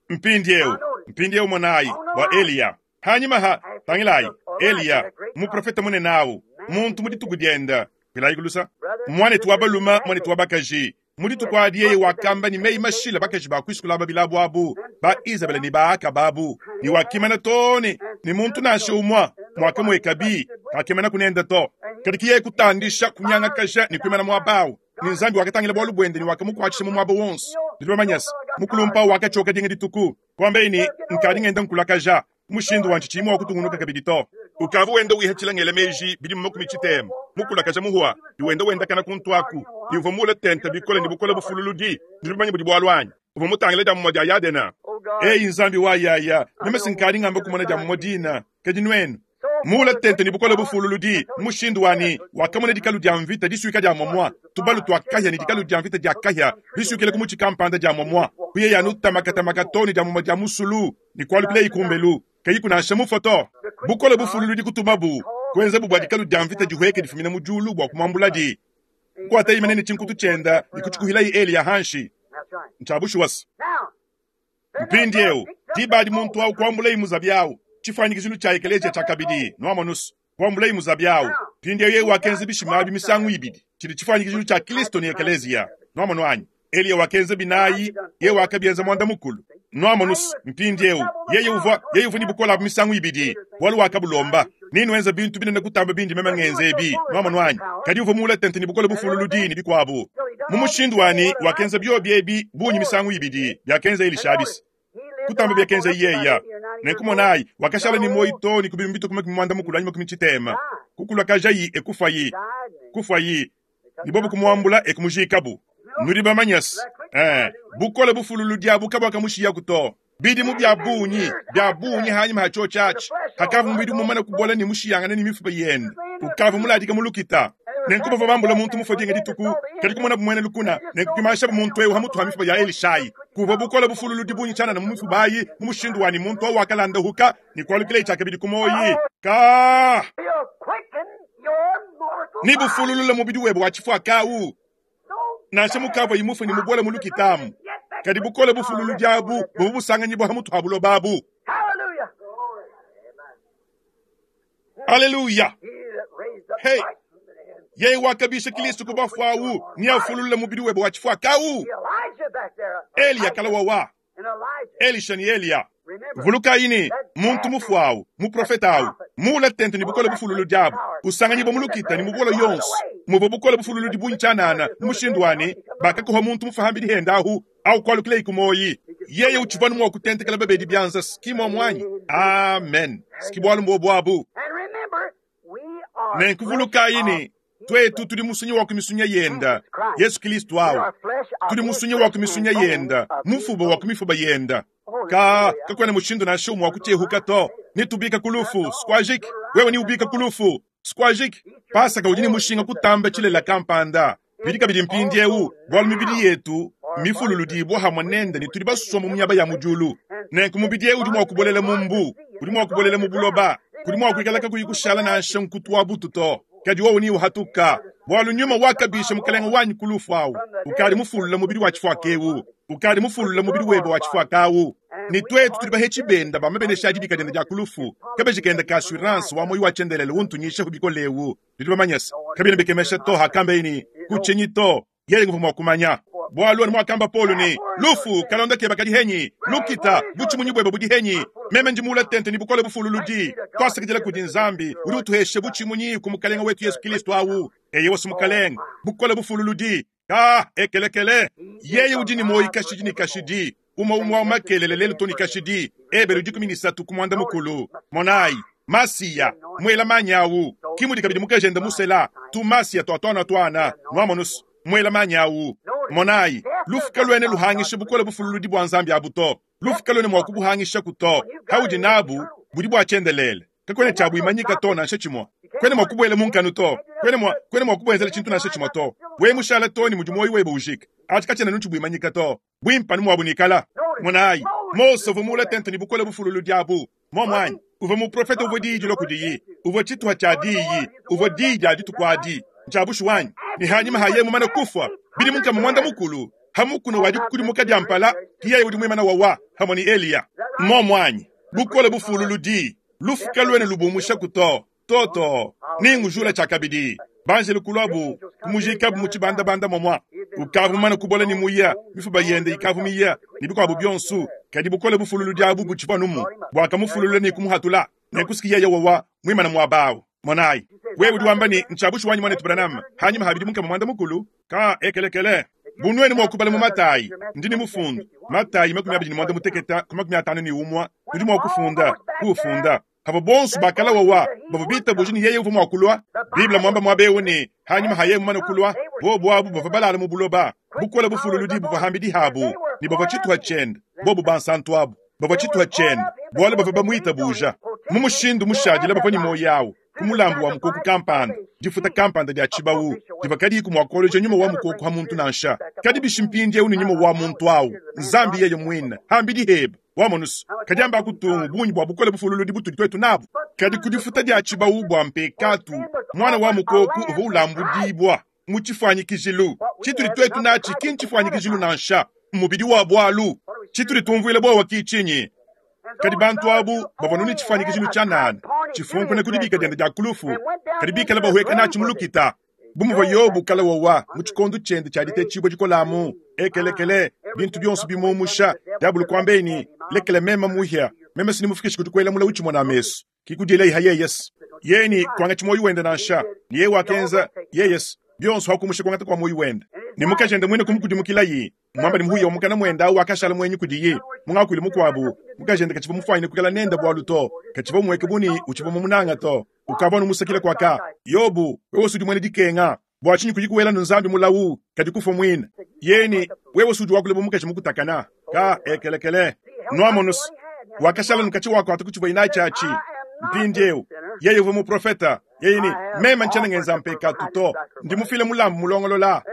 Mpindieu, mpindieu monayi, bua Eliya. Hanyima ha, tangilayi, Eliya, muprofete munene awu, muntu mu dituku diende, Mfilayi ku lusa. Muanetu wa balume, muanetu wa bakaji, mu dituku adi yeye wakamba ne meyi mashile bakaji ba kuisukula babilabu abu, ba Izabele ne ba Akaba abu, ne wakimana too ne ne muntu nansha umue muakamuekabi kakimana kunende to. Kadi ki yeye kutandisha, kunyangakaja ne kuimana muaba au. Ne Nzambi wakatangila bualu buende ne wakamukuatshisha mu muaba wonso. Nudi bamanye se, mukulumpe au wakatshioka dinga dituku, kuambaye ne, Nkadi ngenda nkulakaja. Mushindu wa ntshiyi mua kutungunuka kabidi to. Ukavua wenda wihatshila ngela meji bidimu makumi tshitema, mukulakaja muhua, ne wenda wendakana kuntu aku, ne uvua muule tente bikole ne bukole bufululudi. Nudi bamanye budi bualu anyi? Uvua mutangile dia mumue dia Yadena. Eyi Nzambi wa yaya, meme si nkadi ngamba kumona dia mumue dina, kadi nuenu? Muule tente ne bukole bufululudi, mushindu wa ne, wakamona dikalu dia mvita disuika dia muamua, tubalu tua kahia ne dikalu dia mvita dia kahia bisuikila ku mutshi kampanda dia muamua, kuyeya anu tamakatamaka too ne dia mumue dia musulu, ne kualukilayi kumbelu, kayiku nansha mufue to. Bukole bufululudi kutumabu, kuenzabu bua dikalu dia mvita dihueke difumina mu diulu bua kumuambuladi. Kukuatayi mene ne tshinkutu tshienda ne kutshikuhilayi Eliya hanshi. Ntshia bushuwa se. Mpindieu, diba adi muntu au kuambulayi muzabi au, tshifuanyikijilu tshia ekeleziya tshiakabidi, nuamonus, kuambulayi muzabi au. Mpindieu yeye wakenza bishima abi misangu ibidi, tshidi tshifuanyikijilu tshia Kristo ne ekeleziya. Nuamonu anyi? Eliya wakenza binayi, yeye wakabienza muanda mukulu. Nuamonus, mpindieu, yeye uvua, yeye uvua ne bukole abu misangu ibidi, bualu wakabulomba. Nenuenze bintu binene kutamba bindi meme ngenza ebi. Nuamonu anyi? Kadi uvua muule tente ne bukole bufululudi ne bikuabu. Mu mushindu wanyi, wakenza biobi ebi bungi misangu ibidi biakenza Elisha abisi kutamba biakenza yeya. Nenku monayi, wakashala ne muoyo too ne ku bidimu bitue ku makumi muanda mukulu anyi makumi tshitema. Kukulakajayi e kufuayi, kufuayi, ne bobu kumuambula e kumujiikabu. Nudi bamanye se, ee, bukole bufululudi abu kabuakamushiyaku to. Bidimu bia bungi, bia bungi hanyima ha tshiotshi atshi, hakavua mubidi mumane kubola ne mushiyangane ne mifuba yende, ukavua muladika mu lukita. Nenku bavua bambula muntu mufue dinga dituku, kadi kumonabu muena lukuna, nenku kuimanshabu muntu eu ha mutu ha mifuba ya Elishai. Kuvua bukole bufululudi bungi tshianana mu mifuba ayi, mu mushindu wa ne muntu au wakalandahuka ne kualukilaye tshiakabidi ku muoyi. Ka! Ne bufululula mubidi webe wa tshifuaka au. Nansha mukavuaye mufue ne mubuele mu lukita amu, kadi bukole bufululudi abu buvua busanganyibua ha mutu ha buloba abu. Aleluya! Hey! Yeye wakabisha Kilisto ku bafue awu neafululule mubidi webe wa tshifuaka awu. Eliya kala wawa. Elisha ne Eliya. Vulukayi ne, muntu mufue awu, muprofete awu, muule tente ne bukole bufululudi abu, usanganyibua mu lukita ne mu bukole yonso, muvua bukole bufululudi bungi tshianana mu mushindu wa ne, bakakuha muntu mufue hambidi hende ahu, awu kualukileyi ku muoyi. Yeye utshivua anu mua kutentekela babedi bianza, s'ki muomu anyi? Amen. S'ki bualu mbuobu abu. Nenku vulukayi ne, tuetu tudi musunyi wa ku misunya yenda, Yesu Kilisto awu. Tudi musunyi wa ku misunya yenda, mufuba wa ku mifuba yenda. Ka, kakuena mushindu nansha umue wa kutiehuka to. Netubika ku lufu, squajik. Wewe neubika ku lufu, squajik. Pasaka udi ne mushinga kutamba tshilela kampanda. Bidi kabidi mpindieu, bualu mibidi yetu mmifululudibua hamue nende ne tudi basombe mu miaba ya mu diulu. Nenku mubidi eu udi mua kubolela mu mbu, udi mua kubolela mu buloba, kudi mua kuikala kakuyi kushala nansha nkutu wa butu to, kadi wowu neuhatuka, bualu nyuma wakabisha Mukelenge wanyi ku lufu au ukadi mufulula mubidi wa tshifuaka eu, ukadi mufulula mubidi webe wa tshifuaka au. Ne tuetu tudi bahetshi benda ba mabenesha a dibika diende dia ku lufu, kabeji kende ka assurance wa muoyo wa tshiendelele untunyishahu bikole eu. Nudi bamanye se, kabiena bikemesha to hakambeye ne, Kutshinyi to, yeye nguvua mua kumanya. Bualu anu muakamba Paulo ne, Lufu, kalonda kebe kadi henyi? Lukita, butshimunyi buebe budi henyi? Meme ndi muule tente ne bukole bufululudi. Tuasakidila kudi Nzambi udi utuhesha butshimunyi ku Mukelenge wetu Yesu Kilisto awu. Eyewa, si Mukelenge, bukole bufululudi. Ka ekelekele, yeye udi ne muoyi kashidi ne kashidi, umue umue wa makelele lelu to ne kashidi. Ebelu 13 ku muanda mukulu. Monayi, Masiya, muela manyi awu, ki mudi kabidi mukajende musela, tu Masiya tua tuana tuana, nuamonus, muela manyi awu. Monayi, lufu kaluena luhangisha bukole bufululudi bua Nzambi abu to. Lufu kaluena mua kubuhangishaku to. Haudi nabu, budi bua tshiendelele. Kakuena tshia buimanyika to nansha tshimue. Kuena mua kubuela mu nkanu to. Kuena mua, kuena mua kubuenzela tshintu nansha tshimue to. Wewe mushala to ne mudi muoyo webe ujika, atshi katshiena anu tshibuimanyika to. Buimpe anu muabu nikala. Monayi, Mose uvua muule tente ne bukole bufululudi abu. Muomu anyi? Uvua muprofete uvua diyi dilua kudiyi. Uvua tshituha tshia diyi. Uvua diyi dia dituku adi. Ntshia bushuwa anyi? Ne hanyima ha yeye mumane kufua bidimu nkama muanda mukulu, ha mukuna wa dikudimuka dia mpala, ki yeye udi muimana wawa hamue ne Eliya. Muomu anyi? Bukole bufululudi. Lufu kaluena lubumushaku to. To, to. Nengujula tshiakabidi. Banjelu kuluabu kumujikabu mu tshibandabanda muamua. Ukavua mumane kubola ne muya, mifuba yende ikavua miya, ne bikuabu bionso, kadi bukole bufululudi abu butshivua anumu buakamufululula ne kumuhatula. Nenku si yeye wawa muimane muaba au. Monayi, wewe udi wamba ne, Ntshia bushuwa anyi, muanetu Branham, hanyima ha bidimu 360? Ka ekelekele. Bu nuenu mua kubala mu Matayi, ndi ne mufundu, Matayi 28 ku 51, nudi mua kufunda, kuufunda. Pavua bonso bakala wawa, bavua bitabuje ne yeye uvua mua kulua. Bible muamba muaba eu ne, hanyima ha yeye mumane kulua, bobu abu bavua balala mu buloba, bukole bufululudi buvua hambidi habu, ne bavua tshituha tshiende, bobu bansantu abu bavua tshituha tshiende, bualu bavua bamuitabuja. Mu mushindu mushadile bavua ne muoyo au ku mulambu wa mukoko kampanda, difuta kampanda dia tshibawu divua kadiyiku mua kuoloja nyuma wa mukoko ha muntu nansha. Kadi bishi mpindieu ne nyuma wa muntu au, Nzambi yeye muine, hambidi hebe, wamonusu, kadi amba kutungu bungi bua bukole bufululudi butudi tuetu nabu. Kadi ku difuta dia tshibawu bua mpekatu, muana wa mukoko uvua ulambudibua mu tshifuanyikijilu. Tshitudi tuetu natshi ki ntshifuanyikijilu nansha, mmubidi wa bualu. Tshitudi tumvuila buowa ki tshinyi? Kadi bantu abu bavua nu ne tshifuanyikijilu tshianana tshifunkuna ku dibika diende dia ku lufu, kadi bikale bahueka natshi mu lukita. Bu muvua Yobo kale wawa mu tshikondo tshiende tshia ditetshibua dikole amu, ekelekele, bintu bionso bimuumusha, diabolo kuambaye ne, Lekela meme muhia, meme si nimufikishe kudi kuela mulawu tshimona mesu, ki kudielayi ha yeyes. Yeye ne kuangatshi muoyo wende nansha, ne yeye wakenza, yeyes, bionso ha kumusha kuangata kua muoyo wende. Ne mukajende muine kumukudimukilayi, muamba ne muhuya wa mukana muende au wakashala muenyi kudiye. Mu ngakuilu mukuabu, mukajende katshivua mufuanyine kuikala nende bualu to, katshivua umueke bu ne utshivua mumunanga to. Ukavua anu musakile kuaka. Yobo, wewe udi muena dikenga, bua tshinyi kuyi kuela nu Nzambi mulawu, kadi kufua muine? Yeye ne, wewe udi wakula bu mukaji mukutakana. Ka ekelekele. Nuamonus, wakashala nu katshi wakuata ku tshivua natshi atshi. Mpindieu, yeye uvua muprofeta. Yeye ne, meme ntshiena ngenza mpekatu to, ndi mufile mulambu mulongolola.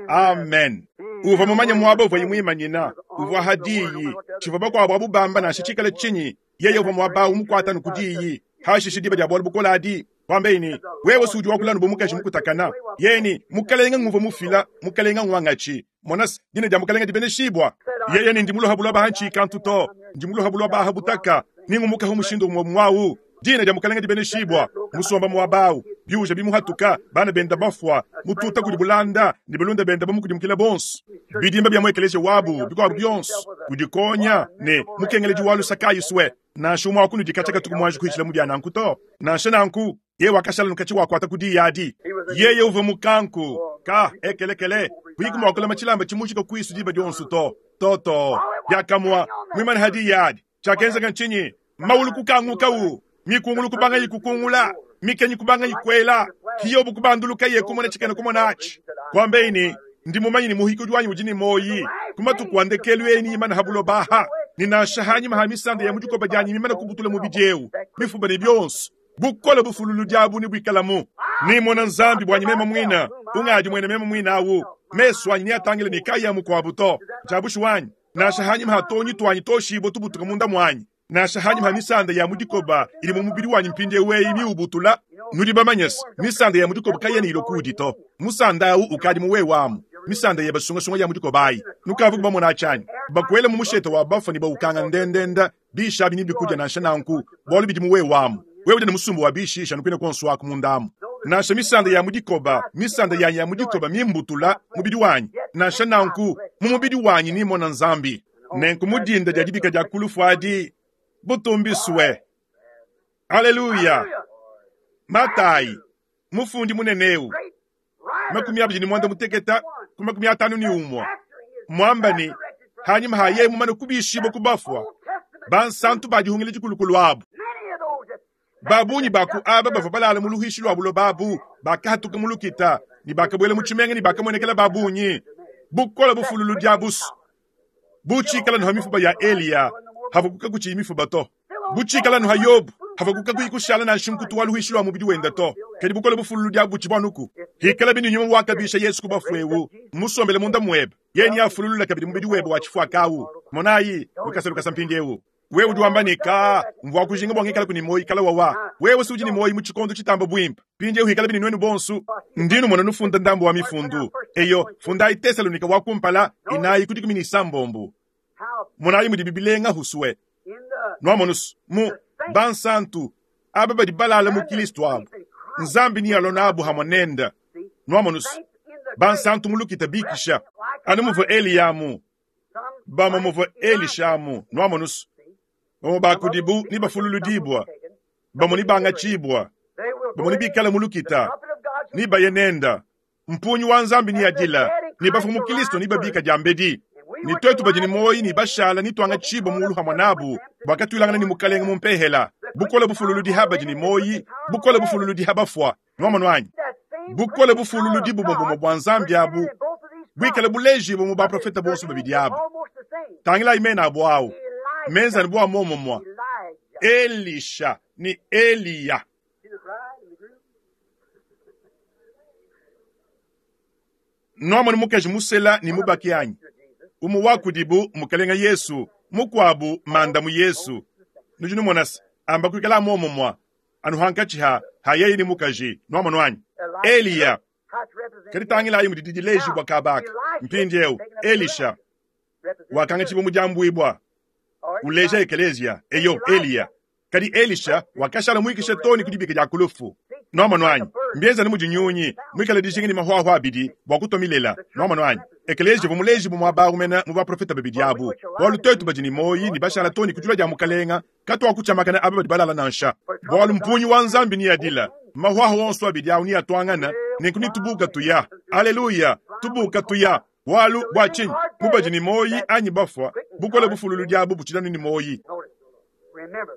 Amen. Uvua mumanye muaba uvuaye muimanyina, uvua ha diyi, tshivua bakuabu abu bamba nansha tshikale tshinyi, yeye uvua muaba au mukuata nu ku diyi. Hashishe diba dia bualu bukole adi, kuambaye ne, wewe si udi wakula anu bu mukaji mukutakana. Yeye ne, mukalenge nguvua mufila, mukalenge nguangatshi. Mona se, dina dia mukalenge dibeneshibua. Yeye ne, ndi muloha buloba ha ntshikantu to, ndi muloha buloba ha butaka, ningumukaho mushindu umue muawu. Dina dia mukalenge dibeneshibua. Musomba muaba au, biuja bimuhatuka, bana benda bafua, mututa kudi bulanda, ne balunda benda bamukudimukila bonso. Bidimba bia mu ekeleziya wabu, bikuabu bionso, udikonya ne mukengeledi wa lusa kayi sue. Nansha umue wa kunudi katshia katuku muanji kuhitshila mu bia nanku to. Nansha nanku, yeye wakashala nukatshi wakuata ku diyi adi. Yeye uvua mukanku, ka ekelekele, kuyiku mua kulama tshilamba tshimujika kuisu diba dionso to. To to. Diakamua, muimane ha diyi adi. Tshiakenzeka ntshinyi? Maulu kukangukawu, mikungulu kubangayi kukungula, mikenyi kubangayi kuela, Hiyobu kubandulukaye kumona tshikena kumona atshi. Kuambaye ne, ndi mumanye ne muhikudi wanyi udi ne muoyi, ku matuku a ndekelu eni imana ha buloba aha, ne nansha hanyima ha misanda ya mu dikoba dianyi mimane kubutula mubidi eu, mifuba ne bionso, bukole bufululudi abu nebuikalamu. Nimona Nzambi buanyi meme muine, ungadi muene meme muine awu, mesu anyi neatangile ne kayi a mukuabu to. Ntshia bushuwa anyi? Nansha hanyima ha tuonyi tuanyi toshibue tubutuka munda muanyi, nansha hanyima ha misanda ya mu dikoba idi mu mubidi wanyi mpindieu eyi miubutula, nudi bamanye se, misanda ya mu dikoba kayena ilua kuudi to. Musanda au ukadi mu wewe amu, misanda yebe sungasunga ya mu dikoba ayi. Nukavuku bamona atshi anyi? Bakuela mu mushete wa bafua ne baukanga ndendenda, bishi abi nebikudia nansha nanku, bualu bidi mu wewe amu. Wewe udi ne musumba wa bishi anu kuine kuonso aku munda amu. Nansha misanda ya mu dikoba, misanda yanyi ya mu dikoba mimbutula mubidi wanyi, nansha nanku, mu mubidi wanyi nimona Nzambi. Nenku mu dinda dia dibika dia ku lufu adi, butumbisue. Aleluya! Matayi, mufundi munene eu, 25 ku 51, muamba ne, hanyima ha yeye mumane kubishibua ku bafua, bansantu ba dihungila dikulukulu abu, ba bungi ba ku aba bavua balala mu luhishi lua buloba abu, bakahatuka mu lukita ne bakabuela mu tshimenga ne bakamuenekela ba bungi. Bukole bufululudi abusu bu tshikala nuha mifuba ya Eliya, havua kakutshiyi mifuba to. Bu tshikala nuha Yobu, havua kakuyi kushala nansha nkutu wa luhishi lua mubidi wende to. Kadi bukole bufululudi abu butshivua anuku. Hikala binu nyuma wakabisha Yesu ku bafue eu, mmusombele munda muebe, yeye neafululule kabidi mubidi webe wa tshifuaka au. Monayi, lukasa lukasa mpindieu. Wewe udi wamba ne, Ka, mvua kujinga bua ngikalaku ne muoyo kala wawa. Wewe si udi ne muoyo mu tshikondo tshitamba buimpe. Mpindieu hikala bini nuenu bonso. Ndi numona nufunda ndambu wa mifundu. Eyo, fundayi Tesalonika wa kumpala, 4 ku 16. Monayi mudibi bilenga husue. Nuamonusu, mu bansantu, Aba badi balala mu Kilisto abu, Nzambi nealua nabu hamue nende. Nwamonu's, bansantu mu lukita bikisha, anu muvua Eliya amu, bamue muvua Elisha amu. Nwamonu's, bamue ba kudibu nebafululudibua, bamue nebangatshibua, bamue nebikale mu lukita, nebaye nende. Mpungi wa Nzambi neadila, ne bafue mu Kilisto nebabika diambedi. Ne tuetu badi ne muoyo ne bashala netuangatshibue mulu hamue nabu, bua katuilangana ne Mukalenge mu mpehela. Bukole bufululudi ha badi ne muoyo, bukole bufululudi ha bafua. Nuamonu anyi? Bukole bufululudi bumue bumue bua Nzambi abu buikale bulejibue mu baprofete bonso babidi abu. Tangilayi mena abu au, menza anu bua muomumue, Elisha ne Eliya. Nuamonu mukaji musela ne mubaki anyi? Umue wa kudibu Mukalenga Yesu, mukuabu Mandamu Yesu. Nudi numona se, amba kuikala muomumue anu hankatshi ha ha yeye ne mukaji. Nuamonu anyi? Eliya. Kadi tangilayi mudi didilejibua kaba aka. Mpindieu, Elisha wakangatshibua mu diambuibua, uleja ekeleziya. Eyo, Eliya. Kadi Elisha wakashala muikishe too ne ku dibika dia ku lufu. Nuamonu anyi? Mbienza anu mudi nyunyi muikale dijinga ne mahuahua abidi bua kutua milela. Nuamonu anyi? Ekeleziya uvua mulejibue muaba au mene mu baprofete babidi abu. Bualu tuetu badi ne muoyo ne bashala too ne ku dilua dia Mukalenga, katuakutshiamakana aba badi balala nansha. Bualu mpungi wa Nzambi neadila, mahuahua onso abidi au neatuangane, nenku netubuka tuya. Aleluya! Tubuka tuya! Bualu bua tshinyi? Bu badi ne muoyo anyi bafua, bukole bufululudi abu butshidi anu ne muoyo.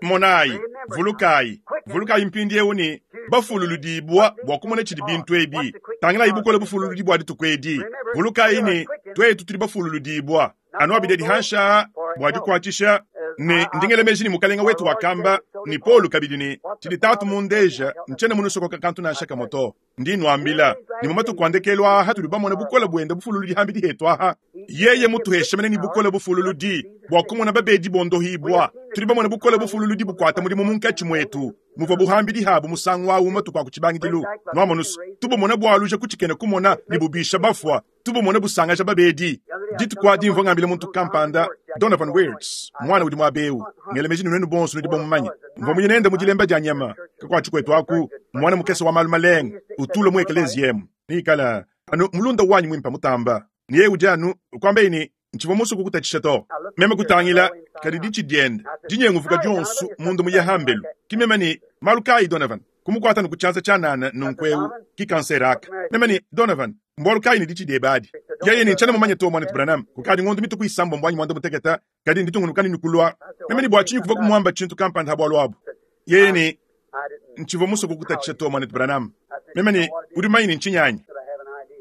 Monayi, vulukayi, vulukayi mpindieu ne, bafululudibua bua kumona tshidi bintu ebi. Tangilayi bukole bufululudi bua dituku edi. Vulukayi ne, tuetu tudi bafululudibua. Anu abidi adi hanshi aa bua dikuatshisha, ne ndi ngela meji ne Mukalenga wetu wakamba, ne Paulo kabidi ne, tshidi Tatu mundeja, ntshiena munusokoka kantu nansha kamue to. Ndi nnuambila ne, mu matuku a ndekelu aa hatudi bamone bukole buende bufululudi hambidi hetu aha, yeye mutuheshe mene ne bukole bufululudi bua kumona babedi bondohibua. Tudi bamone bukole bufululudi bukuata mudimu munkatshi muetu, muvua buhambidi habu musangu au matuku a ku tshibangidilu. Nuamonus, tubumone bualuja ku tshikena kumona ne bubisha bafua, tubumone busangaja babedi. Dituku adi mvua ngambila muntu kampanda, Donovan Weerts, muana udi muaba eu, ngela meji ne nuenu bonso nudi bamumanye. Mvua muye nende mu dilemba dia nyama, kakuatshi kuetu aku, muana mukese wa malu malenga, utula mu ekeleziya emu. Neikala anu mulunda wanyi muimpe mutamba. Ne yeye udi anu kuambaye ne, Ntshivua musue kukutatshisha to. Meme kutangila, kadi ditshi diende dinyenguvuka dionso munda muye hambelu. Ki meme ne, Malu kayi, Donovan? Kumukuata ne ku tshianza tshianana nunku eu, ki kansere aka. Meme ne, Donovan, mbualu kayi ne ditshi diebe adi? Yeye ne, Ntshiena mumanye to, Muanetu Branham. Kukadi ngondo mitue ku isambombo anyi muanda-mutekete, kadi nditungunuka ne kulua. Meme ne, Bua tshinyi kuvua kumuamba tshintu kampanda ha bualu abu? Yeye ne, Ntshivua musue kukutatshisha to, Muanetu Branham. Meme ne, Udi mumanye ne ntshinyi anyi?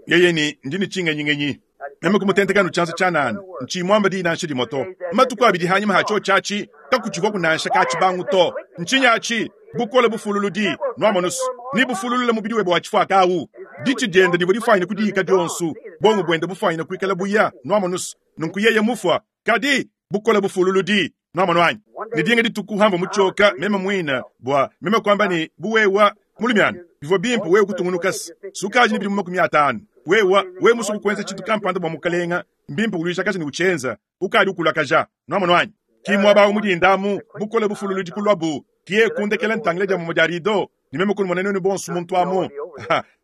Yeye ne, Ndi ne tshingenyingenyi. Meme kumutenteka anu tshianza tshianana, ntshiyi muamba diyi nansha dimue to. Matuku abidi hanyima ha tshiotshi atshi, kakutshivuaku nansha ka-tshibangu to. Ntshinyi atshi? Bukole bufululudi, nuamonus, nebufululule mubidi webe wa tshifuaka au. Ditshi diende divua difuanyine kudiika dionso, buongo buende bufuanyine kuikala buya, nuamonus, nunku yeye mufua. Kadi, bukole bufululudi, nuamonu anyi? Ne dinga dituku hamvua mutshioka meme muine bua meme kuamba ne, bu wewa mulumiana, bivua bimpe wewe kutungunuka sukadi ne bidimu 50. Wewa, wewe musue kuenza tshintu kampanda bua Mukalenga, mbimpe uluijakaja ne utshienza. Ukadi ukulakaja, nuamonu anyi? Ki muaba awu mu dinda amu, bukole bufululudi kuluabu, ki yeye kundekela ntangila dia mumue dia rido, ne meme kunumona nuenu bonso muntu amu.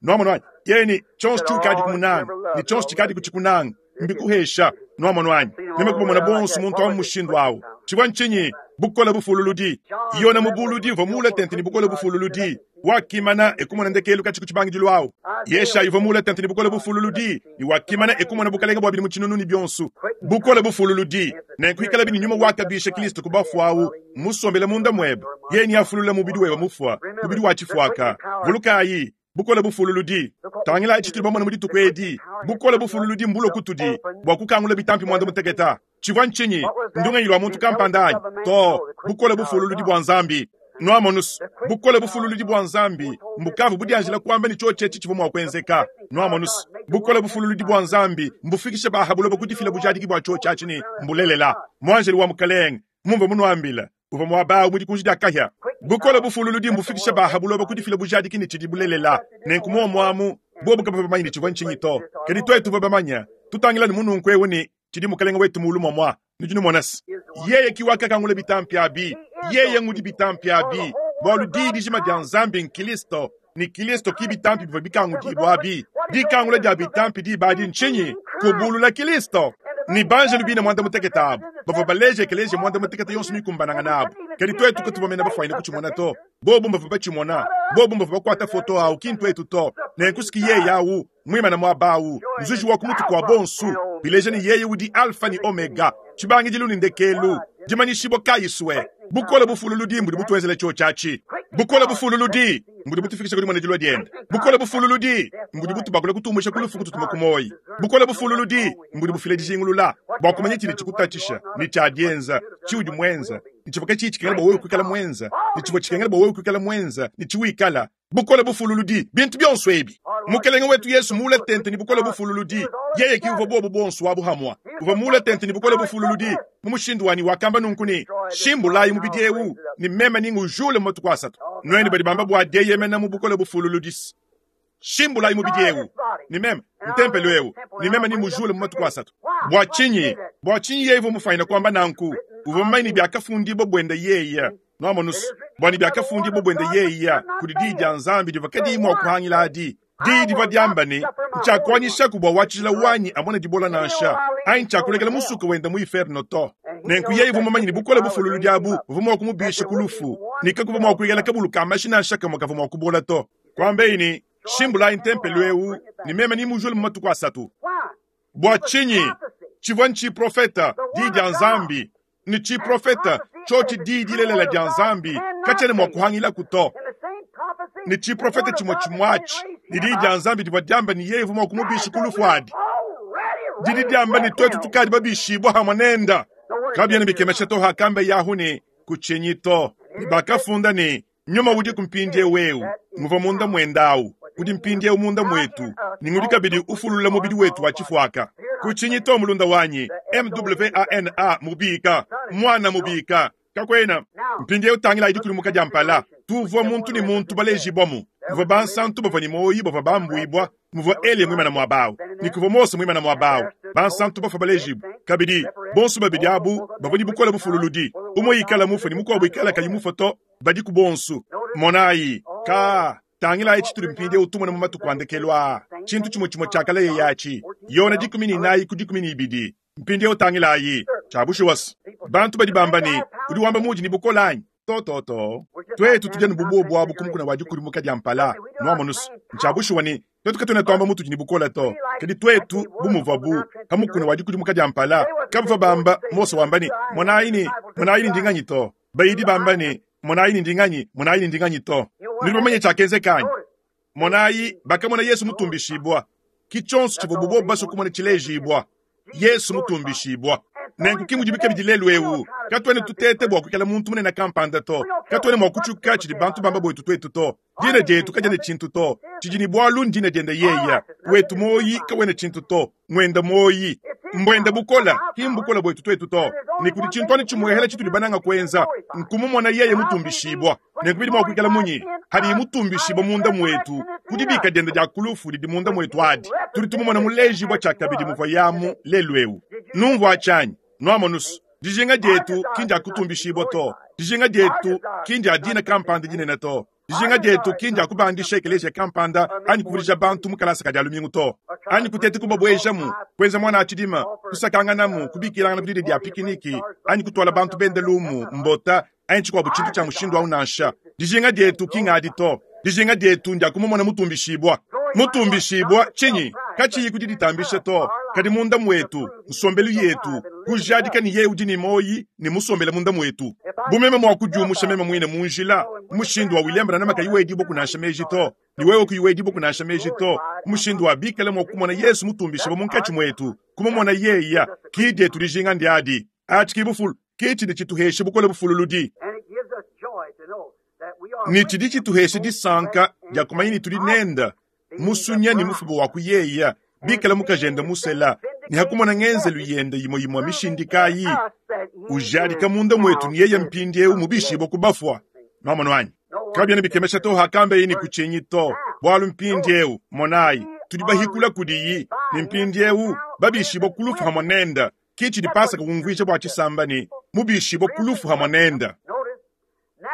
Nuamonu anyi? Yeye ne, tshionso tshiukadi kumunanga, ne tshionso tshikadi kutshikunanga, mbikuhesha. Nuamonu anyi? Meme kubamona bonso muntu amu mushindu awu. Tshivua ntshinyi? Bukole bufululudi. Yona mubuludi uvua muule tente ne bukole bufululudi. Wakimana e kumona ndekelu katshi ku tshibangidilu awu. Yeshayi uvua muule tente ne bukole bufululudi, ne wakimana e kumona bukalenge bua bidimu tshinunu ne bionso. Bukole bufululudi. Nenku ikalabi ne nyuma wakabisha Kristo ku bafua awu musombele munda muebe, yeye neafulule mubidi webe mufua, mubidi wa tshifuaka. Vulukayi, bukole bufululudi. Tangilayi tshitudi bamone mu dituku edi. Bukole bufululudi mbulue kutudi bua kukangula bitampi muanda-mutekete. Tshivua ntshinyi? Ndungenyi lua muntu kampanda anyi? Too, bukole bufululudi bua Nzambi. Nuamonus, bukole bufululudi bua Nzambi mbukavua budianjila kuamba ne tshiotshi etshi tshivua mua kuenzeka. Nuamonus, bukole bufululudi bua Nzambi mbufikishe ba ha buloba ku difila bujadiki bua tshiotshi atshi ne mbulelela. Muanjelu wa Mukalenge, mumvua munuambila, uvua muaba au mu dikunji dia kahia. Bukole bufululudi mbufikishe ba ha buloba ku difila bujadiki ne tshidi bulelela. Nenku muomu amu, bobu kabavua bamanye ne tshivua ntshinyi to, kadi tuetu tuvua bamanye. Tutangila ne mununku eu ne tshidi Mukalenge wetu muulu muamua. Nudi numona se, yeye ki wakakangula bitampi abi, yeye ngudi bitampi abi. Bualu Diyi dijima dia Nzambi n'Kilisto, ne Kilisto ki bitampi bivua bikangudibua abi. Dikangula dia bitampi diba adi ntshinyi? Kubulula Kilisto. Ne banjelu bine muanda-mutekete abu bavua baleja ekeleziya muanda-mutekete yonso mikumbanangane abu. Kadi tuetu katuvua mene bafuanyine kutshimona to. Bobu mbavua batshimona. Bobu mbavua bakuata foto au, ki ntuetu to. Nenku si ki yeye au, muimane muaba au, nzuji wa ku mutu kua bonso, bileja ne, yeye udi Alfa ne Omega, tshibangidilu ne ndekelu. Dimanyishibua kayi sue! Bukole bufululudi mbudi butuenzela tshiotshi atshi. Bukole bufululudi mbudi butufikisha ku dimona dilua diende. Bukole bufululudi mbudi butubakula kutumbusha ku lufu kututuma ku muoyo. Bukole bufululudi mbudi bufila dijingulula bua kumanya tshidi tshikutatshisha ne tshia dienza, tshiudi muenza ne tshivua katshiyi tshikengela bua wewe kuikala muenza ne tshivua tshikengela bua wewe kuikala muenza ne tshiwikala. Bukole bufululudi, bintu bionso ebi. Mukelenge wetu Yesu muule tente ne bukole bufululudi, yeye ki uvua buobu buonso abu hamua. Uvua muule tente ne bukole bufululudi mu mushindu wa ne wakamba nunku ne, Shimbulayi mubidi eu, ne meme ningujule mu matuku asatu. Nuenu badi bamba bua dieyemena mu bukole bufululudi, shimbulayi mubidi eu, ne meme, ntempelo eu, ne meme ningujule mu matuku asatu. Bua tshinyi? Bua tshinyi yeye uvua mufuanyine kuamba nanku? Uvua mumanye ne biakafundibua buende yeye. Nuamonus, bua ne biakafundibua buende yeya kudi diyi dia Nzambi divua kadiyi mua kuhangila adi. Diyi divua diamba ne, Ntshiakuanyishaku bua wa tshijila wanyi amone dibola nansha, anyi ntshiakulekela musuke wenda mu iferno to. Nenku yeye uvua mumanye ne bukole bufululudi abu buvua mua kumubisha ku lufu, ne kakuvua mua kuikala kabulu ka mashi nansha kamue kavua mua kubola to. Kuambeyi ne, Shimbulayi ntempelo eu, ne meme nemujule mu matuku asatu. Bua tshinyi? Tshivua ntshiprofeta, diyi dia Nzambi. Ne tshiprofeta, tshiotshi diyi dilelela dia Nzambi, katshiena mua kuhangilaku to. Ne tshiprofeta tshimue tshimue atshi, ne diyi dia Nzambi divua diamba ne yeye uvua mua kumubisha ku lufu adi, didi diamba ne tuetu tukadi babishibua hamue nenda. Kabiena bikemesha to hakamba Yahu ne, Kutshinyi to. Ne bakafunda ne, Nyuma udiku mpindieu eu nguvua munda muende au udi mpindieu munda muetu ne ngudi kabidi ufulula mubidi wetu wa tshifuaka. Kutshinyi to mulunda wanyi, MWANA mubika, muana mubika, kakuena. Mpindieu tangilayi dikudimuka dia mpala. Tuvua muntu ne muntu balejibuamu. Muvua bansantu bavua ne muoyo bavua bambuibua muvua Eliya muimane muaba au, ne kuvua Mose muimane muaba au, bansantu bafua balejibue. Kabidi, bonso babidi abu bavua ne bukole bufululudi, umue ikala mufue ne mukuabu ikala kayi mufue to, badiku bonso. Monayi, ka tangilayi tshitudi mpindieu tumona mu matuku a ndekelu aa, tshintu tshimue tshimue tshiakalaye atshi, Yona 14 ku 12. Mpindieu tangilayi, tshia bushuwa, bantu badi bamba ne, udi wamba muudi ne bukole anyi? To, to, to. Tuetu tudi anu bu buobu abu ku mukuna wa dikudimuka dia mpala. Nuamonus, ntshia bushuwa ne, tuetu katuena tuamba mutudi ne bukole to. Kadi tuetu, bu muvuabu pa mukuna wa dikudimuka dia mpala, kabavua bamba Mose wamba ne, Monayi ne, monayi ne ndi nganyi to. Bayidi bamba ne, Monayi ne ndi nganyi, monayi ne ndi nganyi to. Nudi bamanye tshiakenzeka anyi? Monayi, bakamona Yesu mutumbishibua. Ki tshionso tshivuabu bobu basue kumona tshilejibua. Yesu mutumbishibua. Nenku ki mudibi kabidi lelu eu. Katuena tuteta bua kuikala muntu munene kampanda to. Katuena mua kutshiuka tshidi bantu bamba buetu tuetu to. Dina dietu kadiena tshintu to. Tshidi ne bualu ndina diende yeya. Wetu muoyi kawena tshintu to. Nguenda muoyi. Mbuenda bukola, ki mbukola buetu tuetu to. Ne kudi tshintu anu tshimuehela tshitudi bananga kuenza, nkumumona yeye mutumbishibua. Nenku bidi mua kuikala munyi hadiye mutumbishibua munda muetu ku dibika diende dia ku lufu didi munda muetu adi? Tudi tumumona mulejibua tshiakabidi muvua yamu lelu eu. Numvua tshianyi, nuamonus, dijinga dietu ki ndia kutumbishibua to. Dijinga dietu ki ndia dina kampanda dinene to. Dijinga dietu ki ndia kubandisha ekeleziya kampanda anyi kuvudija bantu mu kalasa ka dia lumingu to, anyi kuteta kubabuejamu, kuenza muana a tshidima, kusakanganamu, kubikilangana ku didia dia pikiniki, anyi kutuala bantu bende lumu, mbota, anyi tshikuabu tshintu tshia mushindu au nansha. Dijinga dietu ki ngadi to. Dijinga dietu ndia kumumona mutumbishibua. Mutumbishibua tshinyi? Katshiyi ku diditambisha to, kadi munda muetu, nsombelu yetu, kujadika ne yeye udi ne muoyi ne musombele munda muetu. Bu meme mua kudiumusha meme muine mu njila, mushindu wa William Branham kayi wedibua kunansha meji to, ne wewe kuyi wedibua kunansha meji to, mushindu wa bikale mua kumona Yesu mutumbishibua munkatshi muetu, kumumona yeya, ki dietu dijinga ndiadi. Atshi ki bufulu, ki tshidi tshituhesha bukole bufululudi. Ne tshidi tshituhesha disanka dia kumanya ne tudi nenda musunya ne mufuba wa kuyeya, bikala mukajende musela, ne hakumona ngenzelu yende imue imue mishindikayi, ujadika munda muetu ne yeye mpindieu mubishibue ku bafua. Nuamonu anyi? Kabiena bikemesha to hakambeye ne kutshinyi to, bualu mpindieu, monayi, tudi bahikula kudiyi, ne mpindieu babishibue ku lufu hamue nende. Ki tshidi Pasaka umvuija bua tshisamba ne, mubishibue ku lufu hamue nende.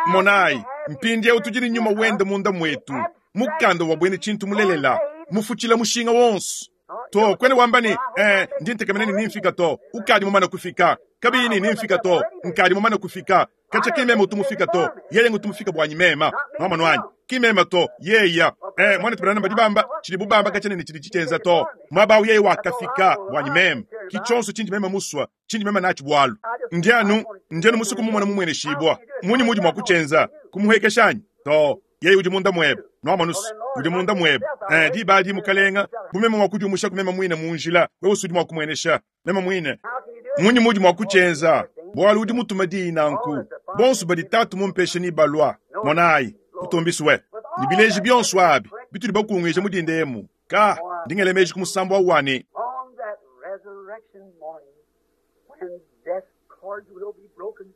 Monayi, Mpindieu tudi ne nyuma wende munda muetu, mukanda wa bwena tshintu mulelela, mufutshila mushinga wonso. To, kwena wamba ne, eh, ndi ntekemena ne nimfika to, ukadi mumane kufika. Kabiyi ne nimfika to, nkadi mumane kufika. Katshia ki meme utu mufika to, yeye ngutu mufika buanyi mema. Nwamonu anyi? Ki meme to, yeya. Eh, mwanetu Branham badi bamba, tshidibu bamba katshiena ne tshidi tshitshienza to. Muaba awu yeye wakafika buanyi meme. Ki tshionso tshindi meme musua, tshindi meme natshi bualu. Ndi anu, ndi anu musue kumumona mumueneshibua. Munyi muudi mua kutshienza? Kumuhuekesha anyi? To. Yeye udi munda muebe. Nwamonu's, udi munda muebe. Eh, diba adi, Mukalenga, bu meme mua kudiumushaku meme muine mu njila, wewe udi mua kumuenesha meme muine. Munyi muudi mua kutshienza? Bualu udi mutuma diyi nanku. Bonso badi Tatu mumpeshe nebalua. Monayi, kutumbisue. Ne bileji bionso abi bitudi bakunguija mu dinda emu, ka, ndi ngela meji ku musambu au wa ne. On that resurrection morning, when death's cords will be broken,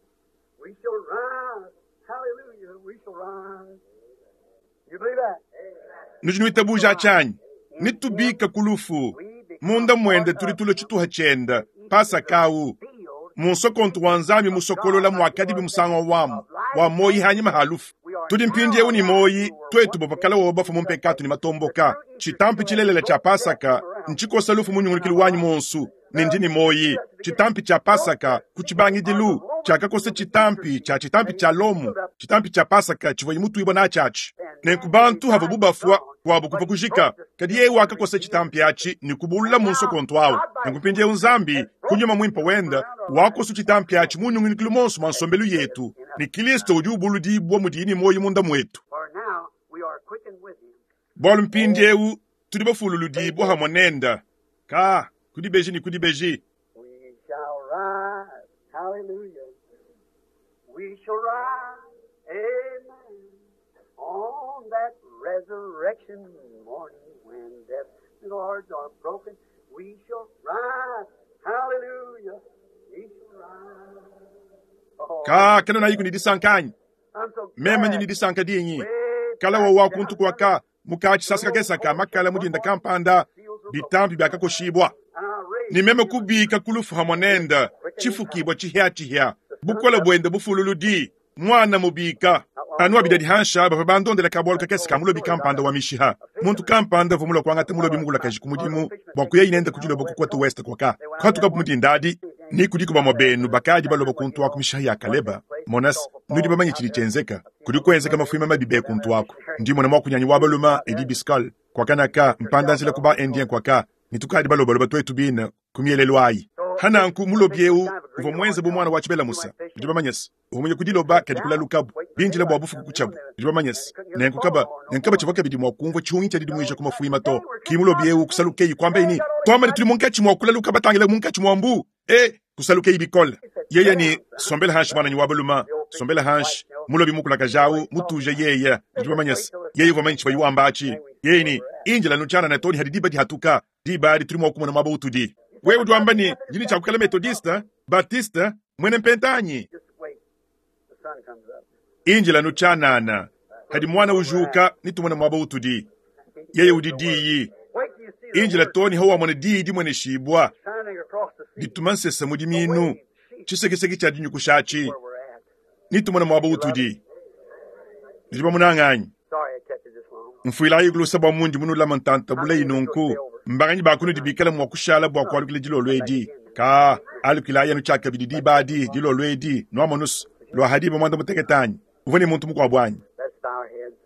we shall rise. Hallelujah, we shall rise. You believe that? Nudi nuitabuja tshianyi? Netubika ku lufu. Munda muende tudi tulua tshituha tshiende, Pasaka au. Mu nsokontu wa Nzambi musokolola muakadibi musangu wamu wa muoyi hanyima ha lufu. Tudi mpindieu ne muoyi, tuetu bavua kale wowo bafua mu mpekatu ne matomboka. Tshitampi tshilelela tshia Pasaka ntshikosa lufu mu nyungulukilu wanyi muonso, ne ndi ne muoyi. Tshitampi tshia Pasaka ku tshibangidilu tshiakakosa tshitampi tshia tshitampi tshia Lomo, tshitampi tshia Pasaka tshivuaye mutuibua natshi atshi. Nenku bantu havuabu bafua, kuabu kuvua kujika. Kadi yeye wakakosa tshitampi atshi ne kubulula mu nsokontu au. Nenku mpindieu Nzambi, ku Nyuma Muimpe wende, wakosu tshitampi atshi mu nyungulukilu muonso mua nsombelu yetu, ne Kilisto udi ubuludibua mudiye ne muoyo munda muetu. For now we are quickened with him. Bualu mpindieu tudi bafululudibua hamue nende, ka ku dibeji ne ku dibeji. We shall rise. Hallelujah. We shall rise. Amen. On that resurrection morning when death's cords are broken, we shall rise. Hallelujah. We shall rise. Oh, Ka kena nayiku ne disanka anyi? I'm so Meme ndi glad. ne disanka dinyi. Way Kala back wa down kuntu kuaka muka tshisasa kakesa ka makala mu dinda kampanda bitampi biakakoshibua. and I raised Ne meme kubika ku lufu hamue nende, tshifukibua tshihiatshihia, bukole buende bufululudi, muana mubika. Anu abidi hansha bavua bandondela kabualu kakese ka mulobi kampanda wa mishiha. Muntu kampanda uvua mulue kuangata mulobi mukulakaji ku mudimu bua kuya inende ku dilobo ku Côte Ouest kuaka. Kuhatukabu mu dinda adi, ni kudiku bamue benu bakadi baloba kuntu aku mishiha ya Kaleba. Monas, nudi bamanye tshidi tshienzeka. Kudi kuenzeka mafuima mabi be kuntu aku. Ndi mona muakunyanyi wa baluma Edi Biscol, kuakanaka mpandanzila ku ba Indien kuaka, ne tukadi balobaloba tuetu bine ku mielelu ayi. Hananku mulobi eu uvua muenze bu muana wa tshibela musa. Nudi bamanye se, uvua muye ku diloba kadi kulalukabu, bindila bua bufuku kutshiabu. Nudi bamanye se, nenku kaba, nenku kaba tshivua kabidi mua kumvua tshihungi tshia didimuija ku mafuima to. Ki mulobi eu kusalukeyi kuambaye ne, tuamba ne tudi munkatshi mua kulaluka batangila munkatshi mua mbu. E, kusalukeyi bikole. Yeye ne, sombela hanshi muananyi wa baluma, sombela hanshi. Mulobi mukulakaja au mutuje yeye. Nudi bamanye se, yeye uvua mumanye tshivuaye wamba atshi. Yeye ne, indila nutshianana too ne hadi diba dihatuka. Diba adi tudi mua kumona muaba utudi. Wewe udi wamba ne, ndi ne tshia kuikala Methodiste, Baptiste, muena mpenta anyi? Just wait. The sun comes up. Indila nutshianana. Hadi muana ujuka, nitumone muaba utudi. Yeye udi diyi. Wait till you see the Indila word too ne hawamona diyi dimueneshibua, shining across the sea. dituma nsese mu diminu, tshisekiseki tshia dinyukusha atshi. Where we're at. Nitumone muaba utudi. Nudi bamunanga anyi? Sorry I kept you this long. Mfuilayi kulusa bua mundi munulama ntanta buleyi nunku. Mbanganyi ba kunudi bikale mua kushala bua kualukila dilolo edi. Ka alukilayi anu tshiakabidi diba adi dilolo edi nuamonusu lua hadiba muanda mutekete anyi? Uvua ne muntu mukuabu anyi? Let's bow our heads.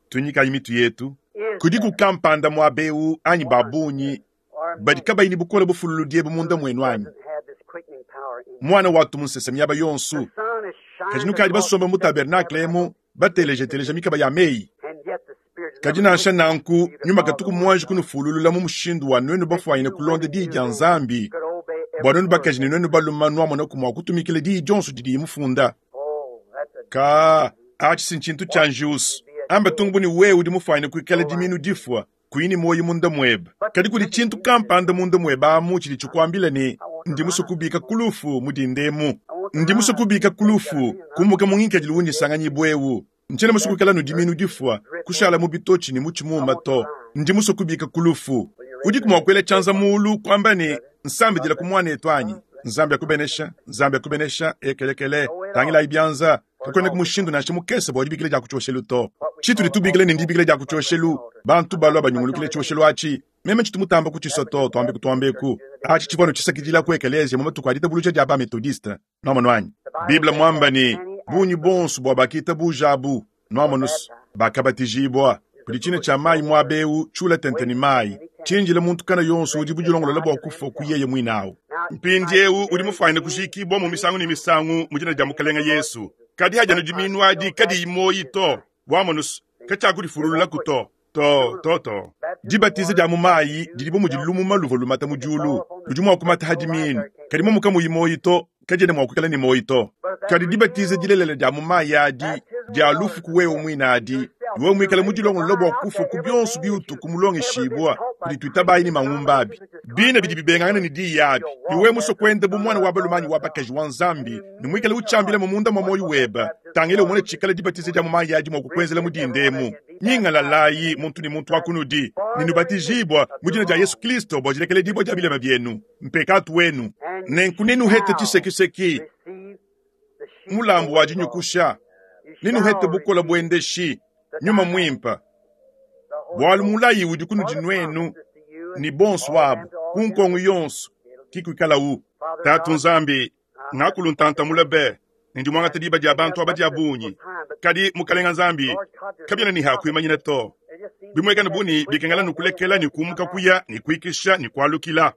Tunyikayi mitu yetu. Is Kudiku kampanda muaba eu anyi ba bungi or badi kabayi ne bukole bufululudi ebu munda muenu anyi? doesn't have this quickening power in you. Muana watu mu nsese miaba yonso. The sun is Kadi shining nukadi across basomba mu the tabernakle emu batelejeteleja mikaba ya meyi. and yet the Spirit Kadi nansha nanku nyuma katuku muanji kunufululula mu mushindu wa nuenu bafuanyine kulonda diyi dia Nzambi, could obey every bua nuenu word. bakaji ne nuenu baluma nuamonaku mua kutumikila diyi dionso didiye mufunda. Oh, that's a Ka atshi si ntshintu tshia njiusu. Amba tungu ne wewe udi mufuanyine kuikala diminu difua, kuyi ne muoyo munda muebe. Kadi kudi tshintu kampanda munda muebe amu tshidi tshikuambila ne, ndi musue kubika ku lufu mu dinda emu. Ndi musue kubika ku lufu, kumuka mu ngikadilu wundi nsanganyibua eu. Ntshiena musue kuikala ne diminu difua, kushala mu bitotshi ne mu tshimuma to. Ndi musue kubika ku lufu. Udiku mua kuela tshianza muulu kuamba ne, nsambidila ku muanetu anyi? Nzambi akubenesha, Nzambi akubenesha, ekelekele. Tangilayi byanza. Kakwenaku mushindu nansha mukese bwa dibikila dya ku cyoshelu to. Citudi tubikila ne ndibikila dya ku cyoshelu, bantu balwa banyungulukile cyoshelu aci. Meme ncitu mutamba kuciswa to, twambeku twambeku. Aci civwa anu cisakidila ku ekeleeziya mu matuku a ditabuluja dya ba-Methodiste. Nwamonu anyi? Bible mwamba ne, Bungi bonso bwa bakiitabuuja abu, nwamonu's, bakabatijiibwa. Kudi cina cya mayi mwaba ewu, cyula tente ne mayi, cindila muntu kana yonso udi budilongolola bwa kufwa ku yeye mwine awu. Mpindyewu udi mufwanyine kujiikiibwamu misangu ne misangu mu Dina dya Mukalenge Yesu, kadi hadi anu dimiinu adi kadiyi mwoyi to. Wamonu's, kacyakudifulululaku to. To, to, to. Dibatiza dya mu mayi didi bu mudi lumuma luvwa lumata mu dyulu. Ludi mwa kumata ha dimiinu, kadi momu kamuyi mwoyi to, kadyena mwa kwikala ne mwoyi to. Kadi dibatiza dilelela dya mu mayi adi, dya lufu ku wewe mwine adi, ne wewe mwikale mudilongolole bwa kufwa ku byonso biutuku mulongeshibwa kudi twitabayi ne mangumba abi, bine bidi bibengangana ne Diyi abi, ne wewe muswe kwenda bu mwana wa balume anyi wa bakaji wa Nzambi, ne mwikale ucyambilamu munda mwa mwoyi webe, tangila umone cikala dibatiza dya mu mayi adi mwa kukwenzela mu dinda emu. Nyingalalayi, muntu ne muntu wa kunudi, ne nubatijibua mu dina dia Yesu Kilisto bua dilekeledibua dia bilema bienu, mpekatu wenu. Nenku nenuhete tshisekiseki, mulambu wa dinyukusha, nenuhete bukole buendeshi, Nyuma Muimpe, bualu mulayi udi kunudi nuenu ne bonso abu ku nkongo yonso ki kuikalawu. Tatu Nzambi, ngakulu ntanta mule be, ne ndi muangate diba dia bantu aba dia bungi. Kadi, Mukalenga Nzambi, kabiena ne ha kuimanyina to. Bimuekane bu ne bikengela nukulekela ne kumuka kuya ne kuikisha ne kualukila.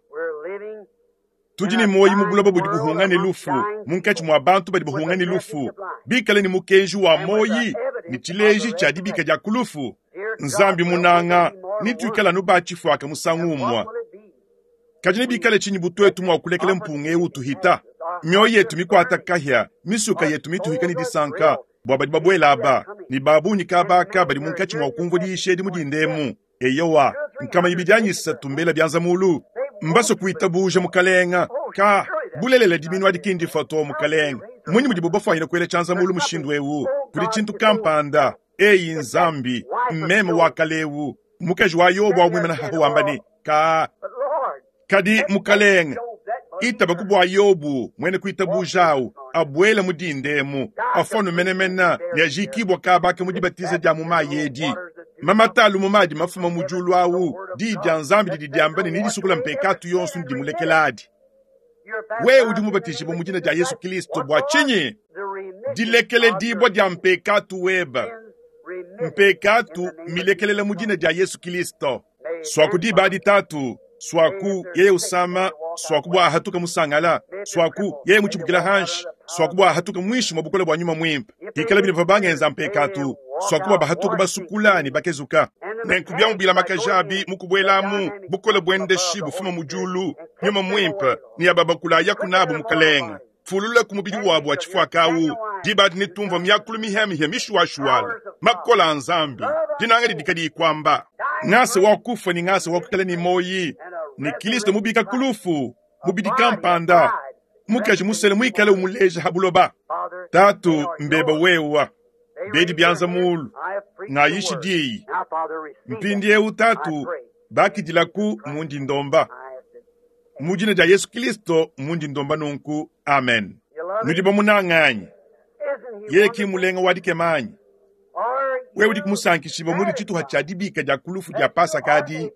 Tudi ne muoyo mu buloba budi buhunga ne lufu, munkatshi mua bantu badi bahunga ne lufu, bikale ne mukenji wa muoyi ne tshileji tshia dibika dia ku lufu. Nzambi munanga, netuikale anu ba tshifuaka musangu umue. Kadi nebikale tshinyi bu tuetu mua kulekela mpunga eu utuhita? Mioyo yetu mikuata kahia, misuka yetu mituhika ne disanka bua badi babuela aba, ne ba bungi kaba aka badi munkatshi mua kumvua diyisha edi mu dinda emu. Eyowa, 200 anyi 300 mbela bianza mulu. Mbasue kuitabuja, Mukalenge. Ka, bulelela diminu adi ki ndifua to, Mukalenge. Mmunyi mudibo bafuanyine kuela tshianza mulu mushindu eu? Kudi tshintu kampanda. Eyi Nzambi, mmeme wa kale eu, mukaji wa Yobo wa muimana haha wamba ne, Ka, kadi Mukalenge, itabaku bua Yobo muena kuitabuja au abuele mu dinda emu, afuanu menemene ne ajikibua kaba aka mu dibatiza dia mu mayi edi. Mamata a lumuma adi mafuma mu diulu au, diyi dia Nzambi didi diamba ne nedisukula mpekatu yonso ne dimulekeladi. Wewe udi mubatijibue mu dina dia Yesu Kristo bua tshinyi? Dilekeledibua dia mpekatu webe. Mpekatu milekelela mu dina dia Yesu Kristo. Suaku diba adi Tatu, suaku yeye usama, suaku bua ahatuka musangala, suaku yeye mutshibukila hanshi, suaku bua ahatuka muinshi mua bukole bua Nyuma Muimpe. Hikala bine bavua bangenza mpekatu, suaku bua bahatuka basukula ne bakezuka. Nenku biamu bilamakaja abi mu kubuelamu, bukole buendeshi bufuma mu diulu, Nyuma Muimpe, ne ababakula ayaku nabu Mukalenge. Fulula ku mubidi wabu wa tshifuaka au, diba adi netumvua miakulu mihiamihia mishuashuala, makole a Nzambi, dinanga didi kadiyi kuamba. Ngasa wa kufua ne ngasa wa kuikala ne muoyi, ne Kilisto mubika ku lufu, mubidi kampanda, mukaji musele muikale umuleja ha buloba. Tatu, mbeba wewa, bedi bianza mulu, ngayishi diyi. Mpindiewu Tatu, bakidilaku mundi ndomba. Mu dina dia Yesu Kilisto mundi ndomba nunku. Amen. Nudi bamunanga anyi? Yeye ki mulenga wa dikema anyi? Wewe udi kumusankishibua mudi tshituha tshia dibika dia ku lufu dia Pasaka adi,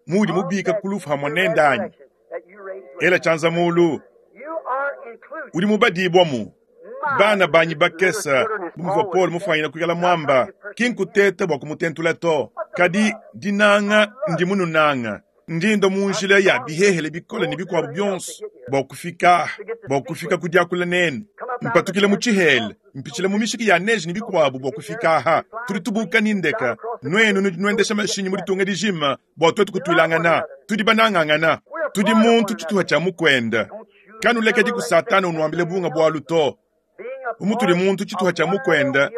muudi mubika ku lufu hamue nende anyi? Ela tshianza mulu. Udi mubadibua mu bana banyi bakese, bu muvua Paulo mufuanyine kuikala muamba, ki nkuteta bua kumutentula to, kadi dinanga ndi mununanga. Ndi nda mu njila ya bihehele bikole ne bikuabu bionso bua kufika bua kufika ku diakula nenu. Mpatukila mu tshihela, mpitshila mu mishiki ya neige ne bikuabu bua kufika aha. Tudi tubuka ne ndeka, nuenu nudi nuendesha mashinyi mu ditunga dijima bua tuetu kutuilangana. Tudi banangangana. Tudi muntu tshituha tshia mukuende. Kanulekedi ku Satana unuambila bunga bualu to. Bu mutudi muntu tshituha tshia mukuende,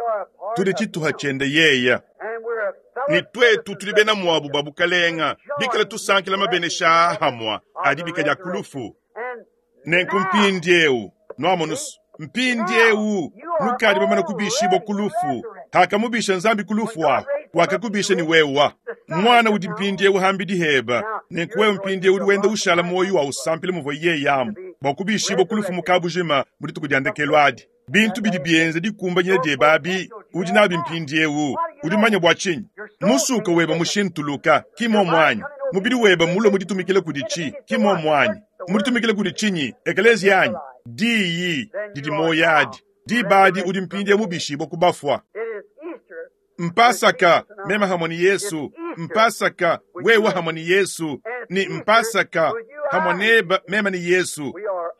tudi tshituha tshiende yeye. Ne tuetu tudi bena muabu ba bukalenga, bikale tusankila mabenesha aa hamua a dibika dia ku lufu. Nenku mpindiewu, nuamonu's, mpindiewu nukadi bamane kubishibua ku lufu. Hakamubisha Nzambi ku lufu ahu, wakakubisha ne wewa. Muana udi mpindiewu hambidi heba, nenku wewe mpindiewu udi wenda ushala muoyo wa usampila muvua yeye amu bua kubishibua ku lufu mu kabujima mu dituku dia ndekelu adi. Bintu bidi bienza dikumbanyina diebe abi, udi nabi mpindiewu. Udi mumanye bua tshinyi? Musuka webe mushintuluka, ki mmuomu anyi? Mubidi webe mmulue mu ditumikila kudi tshi, ki mmuomu anyi? Mu ditumikila kudi tshinyi? Ekeleziya anyi? Diyi didi muoyo adi. Diba adi udi mpindieu mubishibue ku bafua. Mpasaka, meme hamwe ne Yesu, Mpasaka, wewe hamwe ne Yesu, ne Mpasaka, hamwe nebe meme ne Yesu.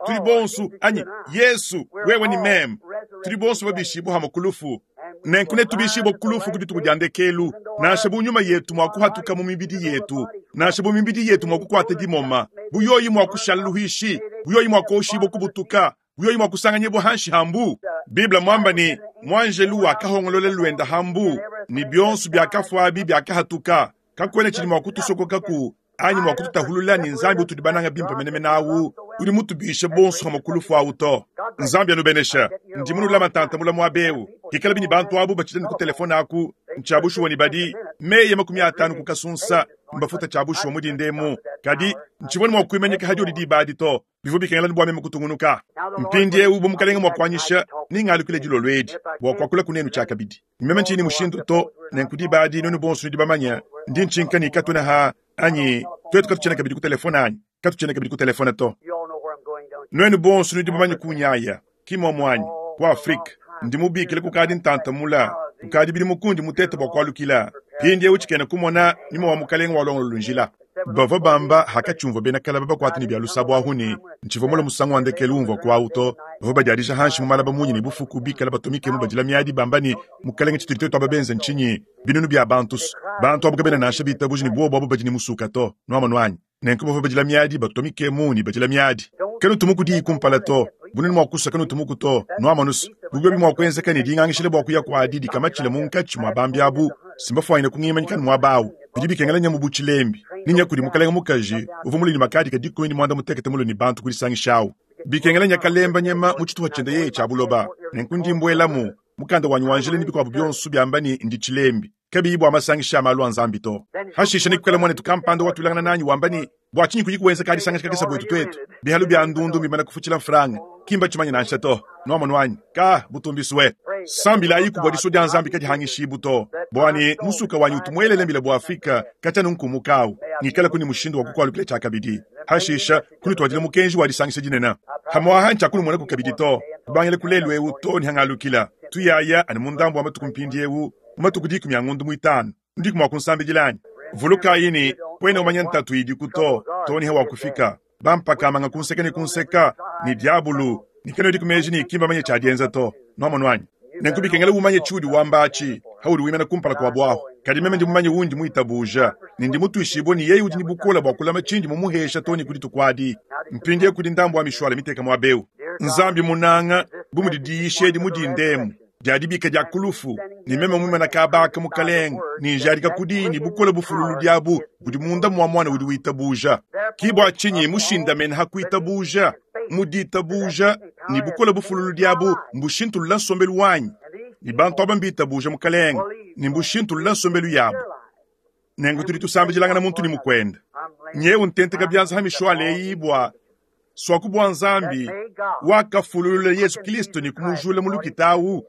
Tudi bonso, anyi Yesu, wewe ne meme, tudi bonso babishibue hamwe ku lufu. Nenku netubishibue ku lufu ku dituku dia ndekelu, nansha bu nyuma yetu mua kuhatuka mu mibidi yetu, nansha bu mibidi yetu mua kukuata dimoma, bu yoyi mua kushala luhuishi, bu yoyi mua kuoshibua kubutuka, bu yoyi mua kusanganyibua hanshi ha mbu. Bible muamba ne, Muanjelu wakahongolola luenda ha mbu, ne bionso biakafuabi biakahatuka. Kakuena tshidi mua kutusokokaku anyi mua kututahulula ne Nzambi utudi bananga bimpe menemene au, udi mutubishe bonso hamue ku lufu au to. Nzambi anubenesha. Ndi munulama ntanta mula muaba eu. Hikalabi ne bantu abu batshidi ne ku telefone aku, ntshia bushuwa ne badi meyi 50 ku kasunsa mbafuta tshia bushuwa mu dinda emu. Kadi ntshivua ne mua kuimanyika ha diodi diba adi to. Bivua bikengela bua meme kutungunuka. Mpindieu bu Mukalenge mua kuanyisha, nengalukile dilolo edi bua kuakula kunenu tshiakabidi. Meme ntshiyi ne mushindu to, nenku diba adi nuenu bonso nudi bamanye, ndi ntshinka ne katuena ha anyi tuetu katutshiena kabidi ku telefone anyi katutshiena kabidi ku telefone to. Nuenu bonso nudi bamanye kunyaya, ki muomu anyi? Ku Afrike, ndi mubikile kukadi ntanta mula, kukadi bidimu kundi mutete bua kualukila. Mpindieu tshikena kumona nyuma wa Mukalenge walongololu njila. Bavua bamba hakatshiumvua bena kalaba bakuate ne bia lusabu ahu ne, Ntshivua mule musangu wa ndekelu umvua kuawu to. Bavua badiadija hanshi mu malaba munyi ne bufuku, bikale batumikemu badila miadi bamba ne, Mukalenge, tshitudi tuetu aba benze ntshinyi? Binunu bia bantu. Bantu abu kabena nansha bitabuja ne buobu abu badi ne musuka to. Nuamonu anyi? Nenku bavua badila miadi, batumikemu ne badila miadi. Kanutumuku diyi kumpala to. Bunene mua kusua kanutumuku to. Nuamonu's, bu biobi mua kuenzeka ne dingangishile bua kuya kuadi dikamatshile munkatshi mua bambi abu, simbafuanyine kungimanyika ne muaba awu. Bidi bikengela nya mu bu tshilembi, ne nya kudi mukalenge mukaji uvua mulue ne makadika 18 mulue ne bantu kudisangisha awu. Bikengela nya kalemba nyema mu tshitupa tshiende yeye tshia buloba. Nenku ndi mbuelamu, mukanda wanyi wa njila ne bikuabu bionso biamba ne ndi tshilembi, kabiyi bua masangisha a malu a Nzambi to. Hashishe nekuikale muanetu kampanda watuilangana nanyi wamba ne, Bua tshinyi kuyi kuenza kadisangisha kakese buetu tuetu? Bihalu bia ndundu mbimane kufutshila mfranga, ki mbatshimanye nansha to. Nuamonu anyi? Ka, butumbisue. Sambilayiku bua disua dia Nzambi kadihangishibu to, bua ne musuka wanyi utu muelele mbila bua Afrika katshia nunkumukawu, ngikalaku ne mushindu wa kukualukila tshiakabidi. Hashisha kunutuadila mukenji wa disangisha dinene. Hamuaha ntshiakunumonaku kabidi to, kubangila ku lelu eu to ne hangalukila. Tuyaya anu mu ndambu wa matuku mpindiewu, mu matuku 10 a ngondu muitanu. Nudiku mua kunsambidila anyi? Vulukayi ne, kuena umanya ntatu idiku to, to ne hawakufika. Bampakamanga ku nseke ne ku nseka, ne diabulu, ne kanuediku meji ne ki mbamanye tshia dienza to. Nuamonu anyi? Nenku bikengela umanye tshiudi wamba atshi, haudi wimana kumpala kuabu ahu. Kadi meme ndi mumanye undi muitabuja, ne ndi mutuishibue ne yeye udi ne bukole bua kulama tshindi mumuhesha to ne ku dituku adi. Mpindieu kudi ndambu wa mishuala miteka muaba eu. Nzambi munanga, bu mudi diyisha edi mu dinda emu, dia dibika dia ku lufu, ne meme muimana kaba aka, Mukalenge, ne njadika ku diyi ne bukole bufululudi abu budi munda mua muana udi witabuja. Ki bua tshinyi mushindamene ha kuitabuja, mu ditabuja, ne bukole bufululudi abu mbushintulula nsombelu wanyi, ne bantu aba mbitabuja, Mukalenge, ne mbushintulula nsombelu yabu. Nenku tudi tusambidilangana muntu ne mukuende. Nyewu ntenteka bianza ha mishuala eyi bua Suaku bua Nzambi wakafululula Yesu Kristo ne kumujula mu lukita awu,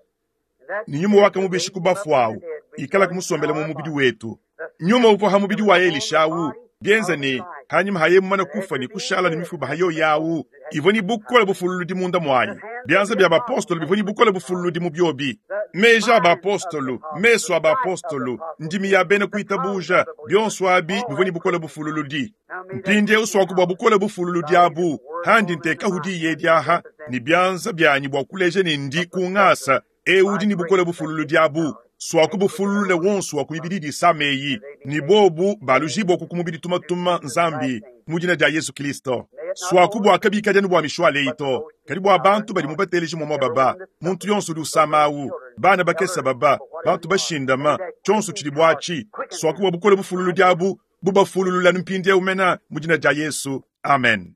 ne nyuma wakamubisha ku bafu awu, ikalaku musombele mu mubidi wetu. Nyuma uvua ha mubidi wa Elisha awu, bienza ne hanyima ha yeye mumane kufua ne kushala ne mifuba ha yoyi awu, ivua ne bukole bufululudi munda muayi. Bianza bia bapostolo bivua ne bukole bufululudi mu biobi. Meji a bapostolo, mesu a bapostolo, ndimi ya bena kuitabuja, bionso abi bivua ne bukole bufululudi. Mpindieu suaku bua bukole bufululudi abu, handi ntekahu diyi edi aha ne bianza bianyi bua kuleja ne ndi ku ngasa eu udi ne bukole bufululudi abu, suaku bufululule wonso wa ku mibidi idi isama eyi, ne bobu balujibua ku mubidi tumatuma Nzambi mu dina dia Yesu Kristo. Suaku bua kabikadi anu bua mishuala eyi to, kadi bua bantu badi mubateleji muamua baba, muntu yonso udi usama awu, bana bakese baba, bantu bashindama, tshionso tshidi buatshi, suaku bua bukole bufululudi abu bubafululula mpindieu mena mu dina dia Yesu. Amen.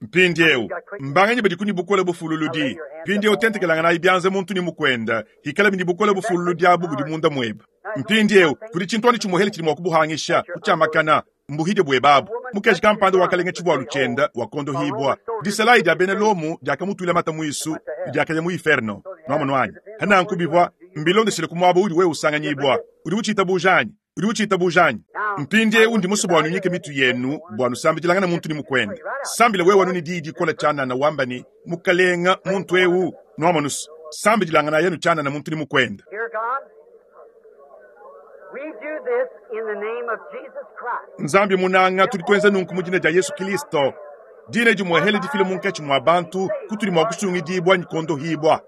Mpindieu mbanganyi badi ne bukole bufululudi? Mpindieu tentekelanganayi bianza muntu ne mukuenda, ikalabi ne bukole bufululudi abu budi munda muebe. Mpindieu kudi tshintu anu tshimuehele tshidi mua kubuhangisha, kutshiamakana mbuhide buebe abu. Mukaji kampanda wakalenga tshivualu tshienda, wakondohibua. Disalayi dia bena Lomo diakamutuila mata muisu ne diakaya mu iferno. Nwamonu anyi? Pa nanku bivua mbilondeshile ku muaba udi wewe usanganyibua. Udi utshiitabuja anyi? Udi utshiitabuja anyi? Mpindiewu ndi musue bua nuinyike mitu yenu bua nusambidilangane muntu ne mukuende. Sambila wewe anu ne diyi dikole tshianana wamba ne, Mukalenga, muntu ewu, nwamonu's, sambidilanganayi anu tshianana muntu ne mukuende. Nzambi munanga, tudi tuenza nunku mu dina dia Yesu Kilisto, dina dimuehele difila munkatshi mua bantu kutudi mua kusungidibua ne kuondohibua.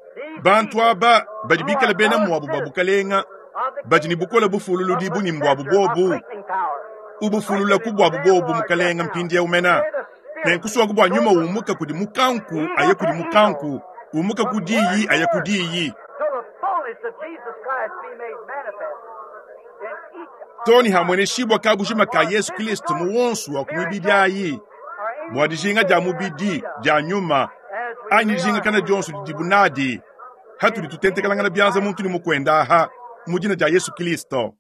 Bantu aba badi bikale bena muabu ba bukalenga badi ne bukole bufululudi bu ne mbuabu bobu. Ubufulula ku buabu bobu, Mukalenga, mpindiewu mena. Nenkusuaku bua nyuma umuka kudi mukanku aye kudi mukanku, umuka ku diyi aye ku diyi. Too ne hamueneshibua kabujima ka Yesu Kilisto mu wonso wa ku mibidi ayi, bua dijinga dia mubidi, dia nyuma, anyi dijingakana dionso didibu nadi, hatudi tutentekelangana bianza muntu ne mukuende aha, mu dina dia Yesu Kilisto.